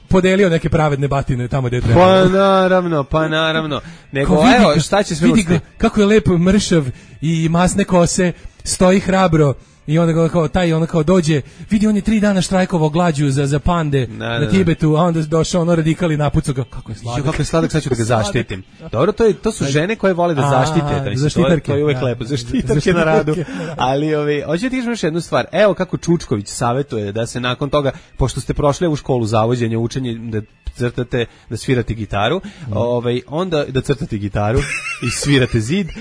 Speaker 7: podelio neke pravedne batine tamo gde je trebalo.
Speaker 6: Pa naravno, pa naravno. Nego,
Speaker 7: Kao, vidi
Speaker 6: evo,
Speaker 7: ga,
Speaker 6: šta će sve
Speaker 7: vidi
Speaker 6: ušte?
Speaker 7: ga, kako je lepo mršav i masne kose, stoji hrabro. I onda ga kao taj ono kao dođe, vidi on je tri dana štrajkovao glađu za za pande
Speaker 6: Da,
Speaker 7: na
Speaker 6: da, da.
Speaker 7: Tibetu, a onda došao ono radikali napucao ga, kako je
Speaker 6: Jo,
Speaker 7: sladak.
Speaker 6: kako je sladak, sad ću da ga
Speaker 7: Sladak.
Speaker 6: zaštitim. Dobro, to je to su žene koje vole da
Speaker 7: A,
Speaker 6: zaštite, da mislim, to je,
Speaker 7: zaštitarke,
Speaker 6: to je uvek
Speaker 7: da.
Speaker 6: lepo, zaštitarke na
Speaker 7: Zaštitarke
Speaker 6: radu.
Speaker 7: na radu.
Speaker 6: Ali ovi, hoću ti kažem još jednu stvar. Evo kako Čučković savetuje da se nakon toga, pošto ste prošli u školu zavođenja, učenje da crtate, da svirate gitaru, ovaj onda da crtate gitaru i svirate zid. Uh,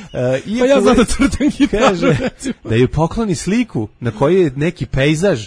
Speaker 7: Pa ja znam da crtam gitaru,
Speaker 6: kaže
Speaker 7: recimo.
Speaker 6: da ju pokloni sliku na kojoj je neki pejzaž.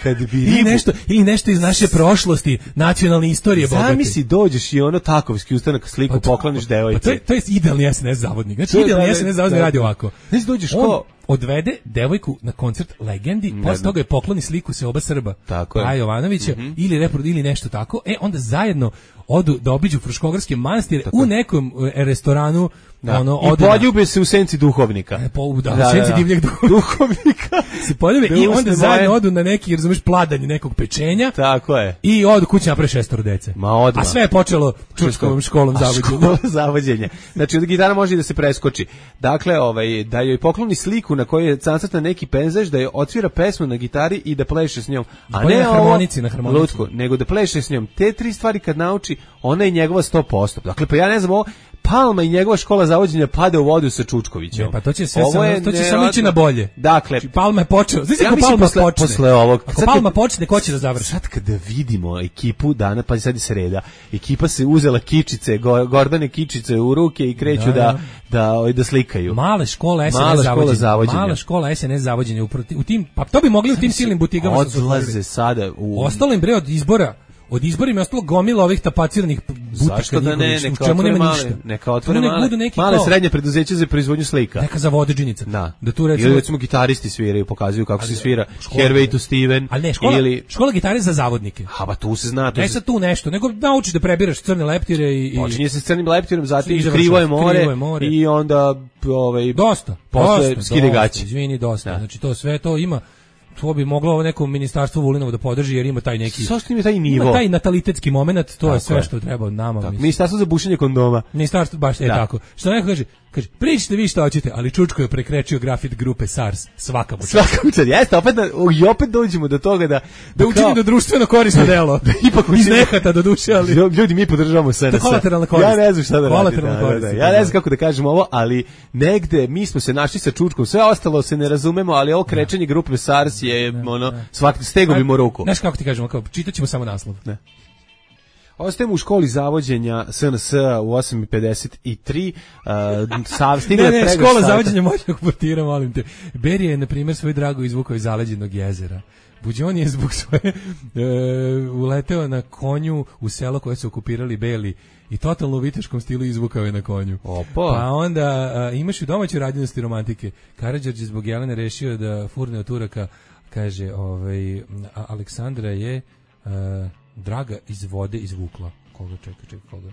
Speaker 6: Kad bi
Speaker 7: Ili
Speaker 6: ribu-
Speaker 7: nešto, ili nešto iz naše prošlosti, nacionalne istorije bogate.
Speaker 6: Zamisli, dođeš i ono takovski ustanak sliku
Speaker 7: Pa to-
Speaker 6: pokloniš
Speaker 7: Pa
Speaker 6: devojci.
Speaker 7: to je, to je idealni S N S zavodnik. Znači,
Speaker 6: To je,
Speaker 7: idealni
Speaker 6: da,
Speaker 7: S N S
Speaker 6: da,
Speaker 7: zavodnik
Speaker 6: da.
Speaker 7: radi ovako.
Speaker 6: Znači, dođeš
Speaker 7: On
Speaker 6: ko-
Speaker 7: odvede devojku na koncert Legendi,
Speaker 6: Ne
Speaker 7: posle
Speaker 6: znam.
Speaker 7: toga je pokloni sliku se oba Srba.
Speaker 6: Tako je.
Speaker 7: Paja Jovanovića, ili repro, ili nešto tako. E, onda zajedno odu da obiđu Fruškogorske manastire u nekom e, restoranu.
Speaker 6: Da.
Speaker 7: Ono,
Speaker 6: I
Speaker 7: ode na-
Speaker 6: poljube se u senci duhovnika.
Speaker 7: E, po, da, u senci divljeg duhovnika.
Speaker 6: duhovnika.
Speaker 7: se poljube
Speaker 6: Da
Speaker 7: i
Speaker 6: usne
Speaker 7: onda
Speaker 6: moje-
Speaker 7: zajedno odu na neki, razumeš, pladanje nekog pečenja.
Speaker 6: Tako je.
Speaker 7: I odu kući naprave šestoro dece.
Speaker 6: Ma odmah.
Speaker 7: A sve je počelo Čučkovom školom
Speaker 6: A
Speaker 7: zavođenja.
Speaker 6: škola zavođenja. Znači, od gitara može i da se preskoči. Dakle, ovaj, da joj pokloni sliku na kojoj je nacrtan neki pejzaž, da joj odsvira pesmu na gitari i da pleše s njom. A
Speaker 7: bolje
Speaker 6: ne
Speaker 7: na
Speaker 6: ovo,
Speaker 7: harmonici, na harmonici.
Speaker 6: lutku, nego da pleše s njom. Te tri stvari kad nauči, ona je njegova sto posto. Dakle, pa ja ne znam ovo, Palma i njegova škola zavođenja pada u vodu sa Čučkovićem.
Speaker 7: Ne, pa to će sve
Speaker 6: Ovo
Speaker 7: samo,
Speaker 6: je
Speaker 7: to će samo
Speaker 6: nevjerojatno.
Speaker 7: ići na bolje.
Speaker 6: Dakle,
Speaker 7: Znači, Palma je počeo. Znači,
Speaker 6: ja
Speaker 7: ako
Speaker 6: mislim
Speaker 7: Palma
Speaker 6: posle,
Speaker 7: počne,
Speaker 6: posle ovog.
Speaker 7: ako
Speaker 6: sad
Speaker 7: Palma
Speaker 6: kad-
Speaker 7: počne, ko će da završi?
Speaker 6: Sad kada vidimo ekipu dana, pa sad je sreda, ekipa se uzela kičice, go- Gordane kičice u ruke i kreću
Speaker 7: Da,
Speaker 6: da,
Speaker 7: da.
Speaker 6: da, ovaj, da slikaju.
Speaker 7: Male škole S N S
Speaker 6: Mala škola
Speaker 7: zavođenja.
Speaker 6: zavođenja.
Speaker 7: Mala škola S N S zavođenja. Upravo ti- U tim, pa to bi mogli u tim silnim butigama. što su
Speaker 6: Odlaze
Speaker 7: otvorili.
Speaker 6: sada u...
Speaker 7: Ostalo im bre od izbora. Od izbora im je ostalo gomila ovih tapaciranih butika.
Speaker 6: Zašto da ne,
Speaker 7: njihovih,
Speaker 6: neka
Speaker 7: u čemu
Speaker 6: otvore
Speaker 7: nema
Speaker 6: male,
Speaker 7: ništa.
Speaker 6: neka otvore
Speaker 7: Tu nek
Speaker 6: male,
Speaker 7: budu neki
Speaker 6: male
Speaker 7: kao-
Speaker 6: srednje preduzeće za proizvodnju slika.
Speaker 7: Neka zavodeđenica.
Speaker 6: Da.
Speaker 7: Da tu recimo...
Speaker 6: Ili recimo gitaristi sviraju, pokazuju kako se svira Hervey to Steven.
Speaker 7: Ali ne, škola,
Speaker 6: ili...
Speaker 7: škola gitare za zavodnike.
Speaker 6: Ha, ba tu se zna. Tu
Speaker 7: Ne
Speaker 6: se...
Speaker 7: sad tu nešto, nego naučiš da prebiraš crne leptire i... i...
Speaker 6: Počinje se s crnim leptirom, zatim
Speaker 7: I završava
Speaker 6: krivo je
Speaker 7: se,
Speaker 6: more,
Speaker 7: krivo je more.
Speaker 6: i onda ovaj,
Speaker 7: Dosta.
Speaker 6: posle
Speaker 7: dosta,
Speaker 6: skide
Speaker 7: dosta,
Speaker 6: gaće.
Speaker 7: Izvini, dosta.
Speaker 6: Da.
Speaker 7: Znači to sve to ima. To bi moglo ovo neko ministarstvo Vulinovo da podrži jer ima taj neki...
Speaker 6: Zašto ima taj nivo?
Speaker 7: Ima taj natalitetski moment, to je
Speaker 6: Tako
Speaker 7: sve
Speaker 6: je.
Speaker 7: što treba od nama.
Speaker 6: Tako,
Speaker 7: mislim.
Speaker 6: Ministarstvo za bušenje kondoma.
Speaker 7: Ministarstvo baš je
Speaker 6: Da.
Speaker 7: tako. Što neko kaže, kaže, pričajte vi šta hoćete, ali Čučko je prekrečio grafit grupe SARS. Svaka mu čast.
Speaker 6: Svaka učad, jeste, opet da, i opet dođemo do toga da...
Speaker 7: Da učini da društveno korisno delo.
Speaker 6: da ipak
Speaker 7: Iz
Speaker 6: učini-
Speaker 7: nehata do duše, ali...
Speaker 6: Ljudi, mi podržavamo S N S.
Speaker 7: To je kolateralna korist.
Speaker 6: Ja ne znam šta da radim.
Speaker 7: Kolateralna
Speaker 6: Da, da,
Speaker 7: korist,
Speaker 6: da.
Speaker 7: da,
Speaker 6: Ja ne
Speaker 7: da.
Speaker 6: znam kako da kažem ovo, ali negde mi smo se našli sa Čučkom, sve ostalo se ne razumemo, ali ovo krečenje grupe SARS je, ono, svaki stegobimo ruku.
Speaker 7: Znaš kako ti kažemo, kao, čitat ćemo samo naslov.
Speaker 6: Ne. Ostajemo u školi zavođenja S N S u osam i pedeset tri. Uh, sav, stigla
Speaker 7: Ne,
Speaker 6: je
Speaker 7: ne,
Speaker 6: pregršt
Speaker 7: škola
Speaker 6: sata.
Speaker 7: zavođenja moćnog portira, molim te. Berija je, na primjer, svoj drago izvukao iz zaleđenog jezera. Buđon je zbog svoje e, uleteo na konju u selo koje su okupirali Beli i totalno u viteškom stilu izvukao je na konju.
Speaker 6: Opa.
Speaker 7: Pa onda a, imaš i u domaćoj radnjenosti romantike. Karadžorđe je zbog Jelene rešio da furne od Turaka, kaže, ovaj, a, Aleksandra je a, draga iz vode izvukla. Koga čeka, čeka, koga?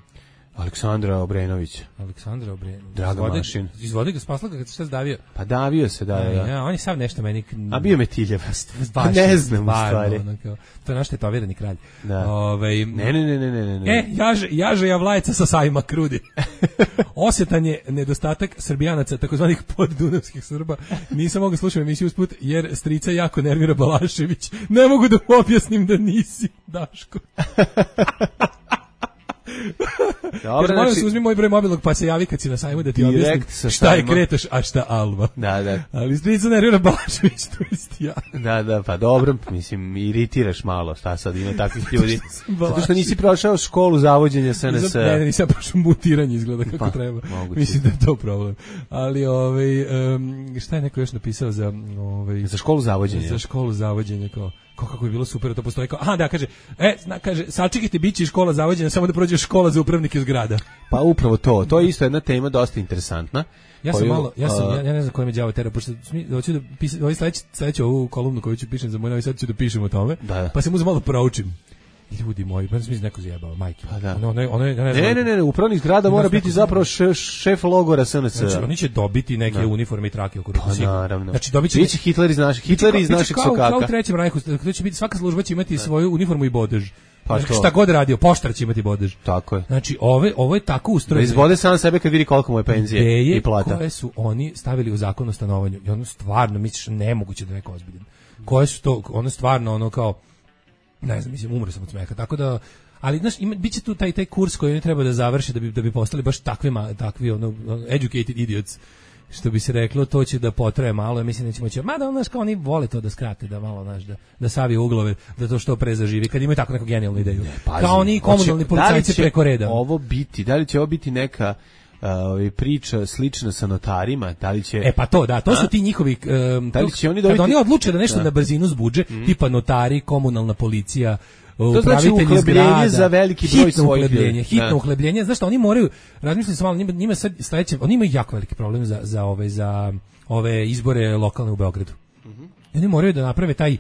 Speaker 6: Aleksandra Obrenović.
Speaker 7: Aleksandra Obrenović.
Speaker 6: Draga Mašin.
Speaker 7: Izvodi ga, spasla ga kad se šta zdavio.
Speaker 6: Pa davio se, da,
Speaker 7: ja.
Speaker 6: da.
Speaker 7: ja on je sav nešto meni...
Speaker 6: A bio Metiljevast. Ne znam u stvari.
Speaker 7: Ono, kao, to je naš tetovirani kralj.
Speaker 6: Da.
Speaker 7: Ove,
Speaker 6: ne, ne, ne, ne, ne, ne.
Speaker 7: E, jaže, jaže javlajeca sa sajma krudi. Osjetan je nedostatak Srbijanaca, takozvanih poddunavskih Srba. Nisam mogao slušati emisiju usput, jer strica jako nervira Balašević. Ne mogu da mu objasnim da nisi, Daško.
Speaker 6: Dobro,
Speaker 7: molim
Speaker 6: znači,
Speaker 7: se, uzmi moj broj mobilnog pa se javi kad si na sajmu da ti objasnim šta je Kretoš, a šta Alba.
Speaker 6: Da, da.
Speaker 7: Ali strica nervira Balašević, to jest ja.
Speaker 6: Da, da, pa dobro, mislim, iritiraš malo, šta sad ima takvih ljudi. Zato što nisi prošao školu zavođenja S N S.
Speaker 7: Ne, ne, nisam prošao mutiranje, izgleda kako
Speaker 6: pa,
Speaker 7: treba.
Speaker 6: Moguće.
Speaker 7: Mislim da je to problem. Ali, ovaj, um, šta je neko još napisao za... Ovaj,
Speaker 6: za školu zavođenja?
Speaker 7: Za školu zavođenja, kao... kako bi bilo super, to postoji kao, aha da, kaže, e, zna, kaže, sačekajte, bit će škola zavođenja, samo da prođe škola za upravnike zgrada.
Speaker 6: Pa upravo to, to je isto jedna tema dosta interesantna.
Speaker 7: Ja sam koju, malo, ja sam, uh, ja, ja ne znam koje me đavo tera, pošto hoću da pišem, ovaj sledeći, sledeći ovu kolumnu koju ću pišem za moj novi sad ću da pišem o tome,
Speaker 6: da.
Speaker 7: Pa sam uzeo malo proučim. Ljudi moji, pa sam neko zjebao, majke.
Speaker 6: Pa da.
Speaker 7: Ono, ono, ono, ja ne,
Speaker 6: znam, ne, ne, ne, ne, upravnik zgrada mora biti zapravo šef, šef logora S N S.
Speaker 7: Znači, oni će dobiti neke da. uniforme i trake oko ruku.
Speaker 6: Pa naravno.
Speaker 7: Znači, dobit će...
Speaker 6: Biće Hitler iz našeg, Hitler iz našeg sokaka.
Speaker 7: Kao u trećem rajhu, to će biti, svaka služba će imati da. svoju uniformu i bodež.
Speaker 6: Pa
Speaker 7: znači, šta god radio, poštar će imati bodež.
Speaker 6: Tako je.
Speaker 7: Znači, ove, ovo je tako ustrojeno.
Speaker 6: Da izbode sam sebe kad vidi koliko mu je penzije
Speaker 7: ideje
Speaker 6: i plata.
Speaker 7: Koje su oni stavili u zakon o stanovanju. I ono stvarno, misliš, nemoguće da neko ozbiljan. Koje su to, ono stvarno, ono kao, ne znam, mislim, umro sam od smeha, tako da, ali znaš, ima, biće tu taj taj kurs koji oni treba da završe da bi da bi postali baš takvima, takvi ono educated idiots, što bi se reklo, to će da potraje malo, ja mislim da ćemo će, mada znaš kao oni vole to da skrate, da malo znaš da da savije uglove, da to što pre zaživi, kad imaju tako neku genijalnu ideju. Ne, pazi, kao oni komunalni policajci da preko reda.
Speaker 6: Ovo biti, da li će ovo biti neka Uh, priča slična sa notarima, da li će...
Speaker 7: E pa to, da, to a? su ti njihovi... Um,
Speaker 6: da li će oni dobiti...
Speaker 7: Kad oni odluče da nešto da. na brzinu zbuđe, mm. tipa notari, komunalna policija, upravitelji znači zgrada,
Speaker 6: za veliki broj svojih
Speaker 7: uhlebljenje, hitno da. uhlebljenje, znaš što oni moraju, razmišljam se malo, njima, njima sad sledeće, oni imaju jako veliki problem za, za, ove, za ove izbore lokalne u Beogradu. Mm-hmm. Oni moraju da naprave taj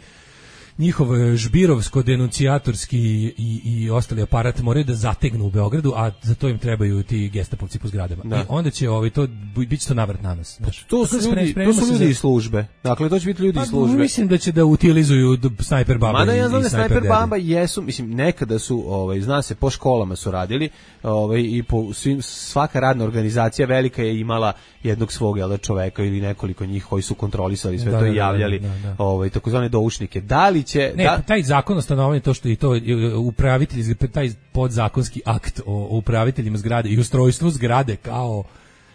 Speaker 7: njihov žbirovsko-denuncijatorski i, i ostali aparat moraju da zategnu u Beogradu, a za to im trebaju ti gestapovci po zgradama. Da. I onda će ovaj, to, bit će to navrat na nas. Znači,
Speaker 6: to su ljudi, to su ljudi iz službe. Dakle, to će biti ljudi
Speaker 7: pa,
Speaker 6: iz službe.
Speaker 7: Mislim da će da utilizuju snajper baba.
Speaker 6: Mada ja znam
Speaker 7: da
Speaker 6: snajper baba jesu, mislim, nekada su, ovaj, zna se, po školama su radili, ovaj, i po svim, svaka radna organizacija velika je imala jednog svog jel, čoveka ili nekoliko njih koji su kontrolisali sve da, to i javljali, da, da, da. Ovaj, takozvane doušnike. Da li će...
Speaker 7: Ne,
Speaker 6: da,
Speaker 7: taj zakon o stanovanju, to što i to upravitelji, taj podzakonski akt o upraviteljima zgrade i ustrojstvu zgrade kao,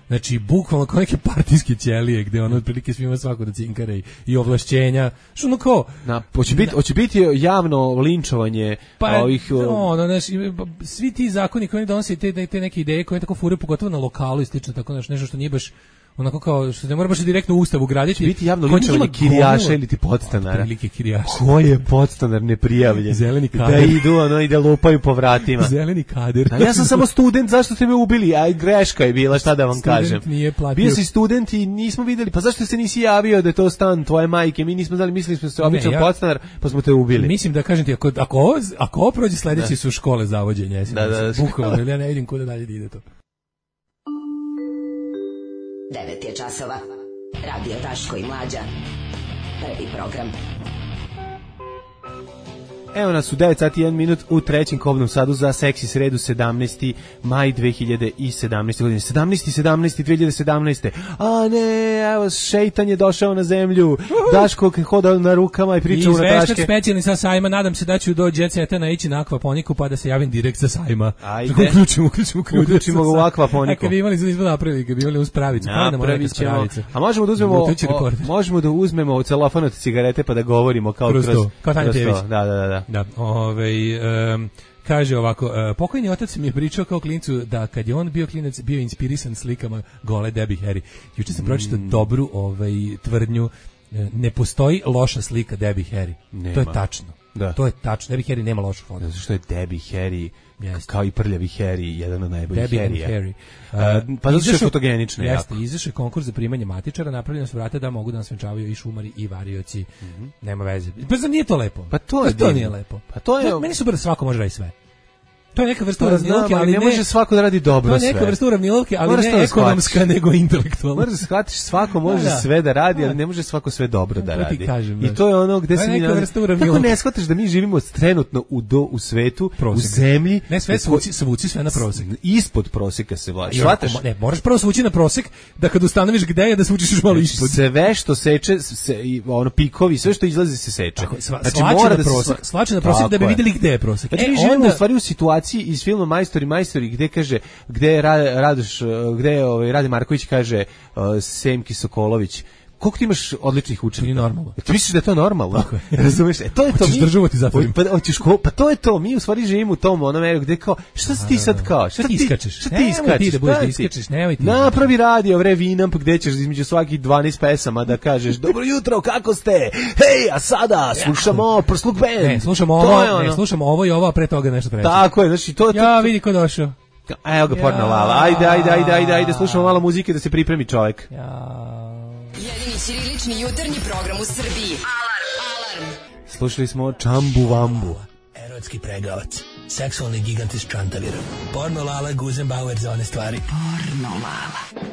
Speaker 7: znači, bukvalno kao neke partijske ćelije, gde ono otprilike svima svako da cinkara i, i ovlašćenja. Što ono kao...
Speaker 6: Na, hoće, biti, hoće biti javno linčovanje
Speaker 7: pa,
Speaker 6: ovih...
Speaker 7: ono, znaš, svi ti zakoni koji donose te, te neke ideje koje tako fure, pogotovo na lokalu i slično, tako znaš, nešto što nije baš onako kao što ne mora baš direktno u ustavu graditi.
Speaker 6: Biti javno linčovanje kirijaša ili ti podstanara.
Speaker 7: Prilike kirijaša.
Speaker 6: Ko je podstanar neprijavljen?
Speaker 7: Zeleni kader.
Speaker 6: Da idu, ono, i da lupaju po vratima.
Speaker 7: Zeleni kader.
Speaker 6: Da, ja sam samo student, zašto ste me ubili? Aj, greška je bila, šta da vam
Speaker 7: student
Speaker 6: kažem.
Speaker 7: Nije platio.
Speaker 6: Bio si student i nismo videli, pa zašto se nisi javio da je to stan tvoje majke? Mi nismo znali, mislili smo se običan ja, podstanar, pa smo te ubili.
Speaker 7: Mislim da kažem ti, ako, ako, ovo, ako ovo prođe sledeći da. su škole zavođenja.
Speaker 6: Da, da, da.
Speaker 7: Bukvalno, ja ne vidim kuda dalje da ide to.
Speaker 1: devet je časova. Radio Daško i Mlađa. Prvi program.
Speaker 6: Evo nas u devet sati i jedan minut u trećem kobnom sadu za seksi sredu sedamnaesti maj dve hiljade sedamnaeste. godine. sedamnaesti sedamnaesti dve hiljade sedamnaeste. A ne, evo šejtan je došao na zemlju. Uhu. Daško hoda na rukama i priča u Nataške.
Speaker 7: Izveštač specijalni sa sajma, nadam se da ću do Jet Seta naići na akvaponiku pa da se javim direkt sa sajma.
Speaker 6: Ajde.
Speaker 7: Uključimo, uključimo,
Speaker 6: uključimo ga u akvaponiku.
Speaker 7: A kad bi imali izbog napravili, kad bi imali uz pravicu.
Speaker 6: Napravit ćemo. A možemo da uzmemo, o, možemo da uzmemo celofan od cigarete pa da govorimo kao kroz,
Speaker 7: kroz, kao Tanja Tević.
Speaker 6: Da, da, da.
Speaker 7: Da, ovaj um, kaže ovako, uh, pokojni otac mi je pričao kao klincu da kad je on bio klinac bio inspirisan slikama gole Debbie Harry. Juče sam mm. pročitao dobru ovaj tvrdnju, ne postoji loša slika Debbie Harry. Nema. To je tačno. Da. To je tačno. Debbie Harry nema lošu fotu.
Speaker 6: Zato što je Debbie Harry Jeste. Kao i prljavi Harry, jedan od najboljih
Speaker 7: Harrya. Harry.
Speaker 6: Uh, pa zato što je fotogenična.
Speaker 7: Jeste, izašao je konkurs za primanje matičara, napravljeno su vrata da mogu da nas venčavaju i šumari i varioci. Mm-hmm. Nema veze. Pa zar nije to lepo?
Speaker 6: Pa to je
Speaker 7: pa to nije lepo.
Speaker 6: Pa to je...
Speaker 7: To, meni super da svako može raditi sve. To je neka vrsta uravnilovke, ali
Speaker 6: ne,
Speaker 7: ne
Speaker 6: može svako da radi dobro sve.
Speaker 7: To je neka vrsta uravnilovke, ali
Speaker 6: Moraš
Speaker 7: ne
Speaker 6: to da
Speaker 7: ekonomska,
Speaker 6: shvatiš.
Speaker 7: nego intelektualna.
Speaker 6: Moraš da shvatiš, svako može
Speaker 7: Da, da.
Speaker 6: sve da radi, ali ne može svako sve dobro da
Speaker 7: To ti
Speaker 6: radi.
Speaker 7: kažem,
Speaker 6: I
Speaker 7: znaš.
Speaker 6: to je ono gde
Speaker 7: To je
Speaker 6: se mi
Speaker 7: neka
Speaker 6: nalazi-
Speaker 7: vrsta
Speaker 6: Kako
Speaker 7: uravnilovke.
Speaker 6: ne shvataš da mi živimo trenutno u do u svetu,
Speaker 7: Prosek.
Speaker 6: u zemlji,
Speaker 7: Ne, sve
Speaker 6: u ko-
Speaker 7: svuci, svuci sve na prosek.
Speaker 6: ispod proseka se vlada.
Speaker 7: Još
Speaker 6: Shvataš?
Speaker 7: ako mo- Ne, moraš prvo svući na prosek, da kad ustanoviš gde je, da svučiš još malo ispod.
Speaker 6: Sve što seče, se, i ono pikovi, sve što izlazi se seče.
Speaker 7: Tako, sva,
Speaker 6: Znači,
Speaker 7: slače
Speaker 6: mora
Speaker 7: na
Speaker 6: da se
Speaker 7: prosek,
Speaker 6: sva-
Speaker 7: slače na prosek
Speaker 6: Tako
Speaker 7: da bi
Speaker 6: je.
Speaker 7: videli gde je prosek.
Speaker 6: Znači,
Speaker 7: E,
Speaker 6: mi živimo
Speaker 7: onda-
Speaker 6: u stvari u situaciji iz filma Majstori, Majstori, gde kaže, gde je Ra- Radoš, gde je ovaj, Rade Marković kaže uh, Semki Sokolović, koliko ti imaš odličnih učenika?
Speaker 7: Nije normalno.
Speaker 6: Ti misliš da je to normalno? Razumeš? E, to je to.
Speaker 7: Hoćeš
Speaker 6: mi-
Speaker 7: državu ti zatvorim.
Speaker 6: Pa, hoćeš ko, pa to je to. Mi u stvari živimo u tom onom eru gde kao, šta si ti sad kao? Šta
Speaker 7: Šta ti
Speaker 6: ti
Speaker 7: iskačeš?
Speaker 6: Šta ti
Speaker 7: Nemoj
Speaker 6: iskačeš?
Speaker 7: ti da budeš
Speaker 6: Šta
Speaker 7: da
Speaker 6: ti?
Speaker 7: iskačeš, nemoj ti.
Speaker 6: Napravi radio, vre, Vinamp, gde ćeš između svakih dvanaest pesama da kažeš dobro jutro, kako ste? Hej, a sada slušamo Prsluk Band.
Speaker 7: Ne, slušamo
Speaker 6: To
Speaker 7: ovo,
Speaker 6: je ono.
Speaker 7: ne, slušamo ovo i ovo, a pre toga nešto treće.
Speaker 6: Tako je, znači to... to
Speaker 7: Ja, vidi ko došao.
Speaker 6: Evo ga porna lala. Ajde, ajde, ajde, ajde, ajde, slušamo malo muzike da se pripremi čovek.
Speaker 7: Ja.
Speaker 8: Jedini ćirilični jutarnji program u Srbiji. Alarm! Alarm!
Speaker 6: Slušali smo Čambu Vambu.
Speaker 9: Erotski pregavac, seksualni gigant iz Čantavira, porno Lala Guzenbauer za one stvari.
Speaker 5: Porno Lala.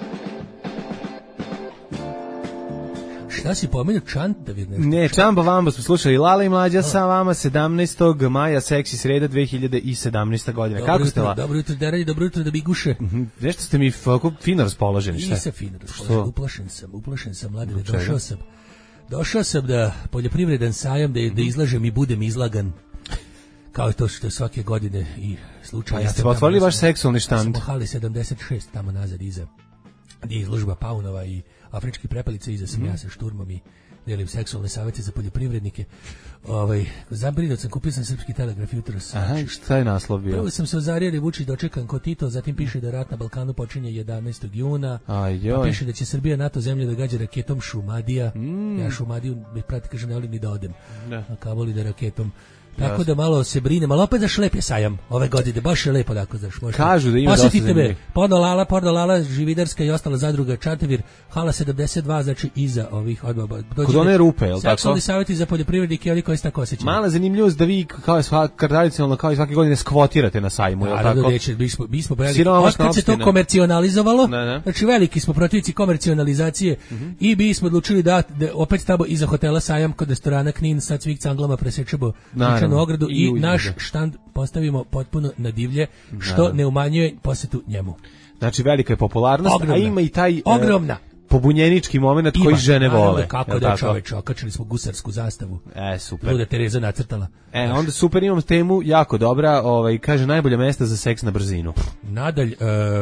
Speaker 7: Šta si pomenuo Čantavir? nešto?
Speaker 6: Ne, Čamba Vamba smo slušali Lala i Mlađa sa vama sedamnaestog maja, seksi sreda dve hiljade sedamnaesta godina.
Speaker 7: Dobro
Speaker 6: Kako ste
Speaker 7: jutro,
Speaker 6: la?
Speaker 7: Dobro jutro, Deranje, dobro jutro da biguše.
Speaker 6: Nešto ste mi ovako fino raspoloženi, šta?
Speaker 7: Nisam fino
Speaker 6: Što?
Speaker 7: raspoložen, uplašen sam, uplašen sam, mladine,
Speaker 6: Zbog čega?
Speaker 7: došao sam. Došao sam da poljoprivredan sajam, da, da izlažem i budem izlagan. Kao to što je svake godine i slučaj.
Speaker 6: Pa
Speaker 7: Ja
Speaker 6: jeste
Speaker 7: sam tamo,
Speaker 6: otvorili
Speaker 7: ja
Speaker 6: vaš
Speaker 7: sam-
Speaker 6: seksualni
Speaker 7: Ja sam
Speaker 6: štand?
Speaker 7: u hali sedamdeset šest tamo nazad iza, gdje je izložba paunova i afrički prepelica, iza sam ja sa šturmom i delim seksualne savjete za poljoprivrednike. Ovaj, zabrinut sam, kupio sam Srpski telegraf jutros.
Speaker 6: Aha, šta je naslov bio?
Speaker 7: Prvo sam se ozario da je Vučić dočekan ko Tito, zatim piše da rat na Balkanu počinje jedanaestog juna.
Speaker 6: Aj,
Speaker 7: Pa
Speaker 6: joj.
Speaker 7: piše da će Srbija NATO zemlju da gađa raketom Šumadija. Ja Šumadiju, me prati, kažem, ne volim ni da odem.
Speaker 6: Da.
Speaker 7: A kamoli da raketom. Tako da malo se brinem, ali opet zaš lep je sajam ove godine, baš je lepo, dakle, znaš, možete.
Speaker 6: Kažu da ima dosta
Speaker 7: Posjetite me,
Speaker 6: zanimljivih.
Speaker 7: Porno Lala, Porno Lala, Žividarska i ostala zadruga Čantavir, hala sedamdeset dva, znači iza ovih odmah.
Speaker 6: Kod one rupe, jel tako?
Speaker 7: Seksualni savjeti za poljoprivrednike i oni koji se tako osjećaju.
Speaker 6: Mala zanimljivost da vi kao i svaka tradicionalno kao i svake godine skvotirate na sajmu, je l'
Speaker 7: Naravno,
Speaker 6: tako?
Speaker 7: neće, mi smo, mi smo veliki.
Speaker 6: Siromašna
Speaker 7: Otkad se to
Speaker 6: opština.
Speaker 7: komercionalizovalo,
Speaker 6: Ne, ne.
Speaker 7: znači veliki smo protivnici komercionalizacije i mi smo odlučili da, da opet tamo iza hotela Sajam kod restorana Knin sad svih canglama presečemo
Speaker 6: Naravno.
Speaker 7: Ničanu ogradu
Speaker 6: I
Speaker 7: i,
Speaker 6: uđe.
Speaker 7: naš štand postavimo potpuno na divlje, što ne umanjuje posetu njemu.
Speaker 6: Znači velika je popularnost,
Speaker 7: Ogromna.
Speaker 6: a ima i taj e,
Speaker 7: Ogromna.
Speaker 6: pobunjenički moment koji
Speaker 7: Ima,
Speaker 6: žene
Speaker 7: naravno,
Speaker 6: vole.
Speaker 7: Kako
Speaker 6: jel
Speaker 7: da
Speaker 6: tako?
Speaker 7: čoveče, okačili smo gusarsku zastavu.
Speaker 6: E, super.
Speaker 7: Luda Tereza nacrtala.
Speaker 6: E, onda super, imam temu jako dobra, ovaj, kaže najbolje mesta za seks na brzinu.
Speaker 7: Nadalj, e,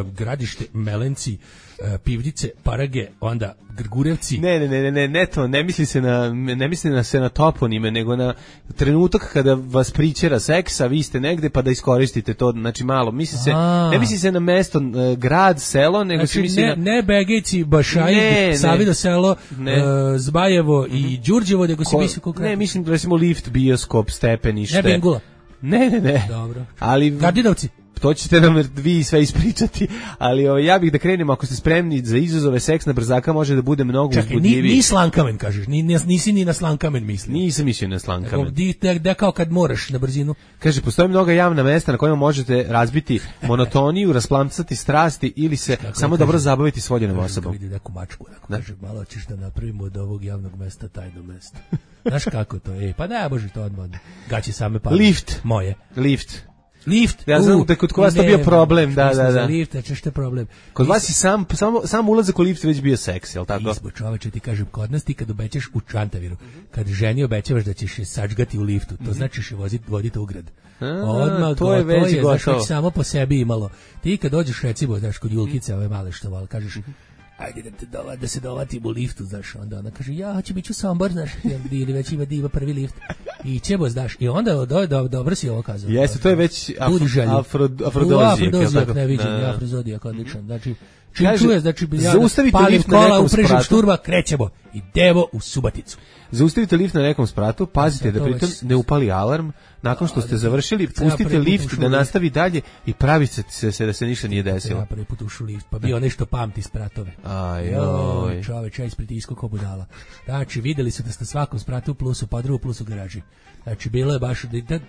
Speaker 7: gradište, Melenci, e, Pivnice, Parage, onda Grgurevci.
Speaker 6: Ne, ne, ne, ne, ne, ne to, ne misli se na, ne misli na se na toponime, nego na trenutak kada vas pričera seks, a vi ste negde pa da iskoristite to, znači malo, misli se,
Speaker 7: A.
Speaker 6: ne misli se na mesto, e, grad, selo, nego se
Speaker 7: Znači,
Speaker 6: misli
Speaker 7: ne,
Speaker 6: na...
Speaker 7: ne Begejci, Bašaj,
Speaker 6: Ne, ne.
Speaker 7: Savido selo,
Speaker 6: Ne.
Speaker 7: e, Zbajevo i Đurđevo, nego se
Speaker 6: Ko-
Speaker 7: misli konkretno.
Speaker 6: ne, mislim recimo lift, bioskop, stepenište.
Speaker 7: Ne Bengula.
Speaker 6: Ne, ne, ne.
Speaker 7: Dobro.
Speaker 6: Ali
Speaker 7: Gardinovci.
Speaker 6: to ćete nam vi sve ispričati, ali ovaj, ja bih da krenemo, ako ste spremni za izazove, seks na brzaka može da bude mnogo
Speaker 7: Čekaj, ni,
Speaker 6: uzbudljiviji.
Speaker 7: ni slankamen, kažeš, ni, ni- nisi ni na slankamen mislio.
Speaker 6: Nisam mislio na
Speaker 7: Nego,
Speaker 6: slankamen.
Speaker 7: di, da, da kao kad moraš na brzinu.
Speaker 6: Kaže, postoje mnoga javna mesta na kojima možete razbiti monotoniju, rasplamcati strasti ili se samo
Speaker 7: da
Speaker 6: dobro
Speaker 7: kažem?
Speaker 6: zabaviti s voljenom
Speaker 7: Kažem,
Speaker 6: osobom.
Speaker 7: vidi neku mačku, onako, kaže, malo ćeš da napravimo od ovog javnog mesta tajno mesto. Znaš kako to je? Pa ne, bože, to odmah. Gaći same pa.
Speaker 6: Lift.
Speaker 7: Moje.
Speaker 6: Lift.
Speaker 7: Lift.
Speaker 6: Ja znam
Speaker 7: u,
Speaker 6: da je kod vas to
Speaker 7: ne,
Speaker 6: bio problem, da,
Speaker 7: nismo
Speaker 6: da,
Speaker 7: za
Speaker 6: da.
Speaker 7: Lift, znači što je problem.
Speaker 6: Kod
Speaker 7: Mi
Speaker 6: vas je sam, samo, sam ulazak u lift već bio seks, jel tako?
Speaker 7: Mi smo, čoveče, ti kažem, kod nas ti kad obećaš u Čantaviru, kad ženi obećavaš da ćeš je sačgati u liftu, to znači ćeš je voziti, voditi u grad.
Speaker 6: A,
Speaker 7: Odmah,
Speaker 6: to je već
Speaker 7: znaš,
Speaker 6: gotovo.
Speaker 7: već samo po sebi imalo. Ti kad dođeš, recimo, znaš, kod Julkice, ove male što val, kažeš, ajde da, te dova, da se dovatim u liftu, znaš, onda ona kaže, ja hoću biti u Sombor, znaš, ili već ima diva prvi lift, i ćemo, znaš, i onda, do, do, dobro si ovo kazao.
Speaker 6: Jeste, to je već
Speaker 7: Budi
Speaker 6: afro,
Speaker 7: želju.
Speaker 6: afro,
Speaker 7: U,
Speaker 6: afrodozijak, jel
Speaker 7: afrodozijak,
Speaker 6: tako?
Speaker 7: ne vidim,
Speaker 6: Da, da.
Speaker 7: afrodozijak, odličan, znači, čim
Speaker 6: Kaže,
Speaker 7: čuješ, znači, ja
Speaker 6: zaustavite
Speaker 7: palim
Speaker 6: lift na
Speaker 7: kola,
Speaker 6: nekom
Speaker 7: uprežem
Speaker 6: spratu.
Speaker 7: šturma, krećemo, idemo u Subaticu.
Speaker 6: Zaustavite lift na nekom spratu, pazite
Speaker 7: Sad
Speaker 6: da
Speaker 7: to
Speaker 6: pritom
Speaker 7: već-
Speaker 6: ne upali alarm, nakon što
Speaker 7: A,
Speaker 6: ste
Speaker 7: da,
Speaker 6: završili,
Speaker 7: treba
Speaker 6: pustite
Speaker 7: prvi put
Speaker 6: lift
Speaker 7: ušao
Speaker 6: da
Speaker 7: u lift.
Speaker 6: nastavi dalje i pravite se, se da se ništa nije desilo.
Speaker 7: Ja prvi put ušao u lift, pa bio nešto pamti spratove.
Speaker 6: Aj,
Speaker 7: Joj,
Speaker 6: oj.
Speaker 7: čoveč, ja ispred isko ko budala. Znači, videli su da ste svakom spratu u plusu, pa drugu plus u garaži. Znači, bilo je baš... Da, da,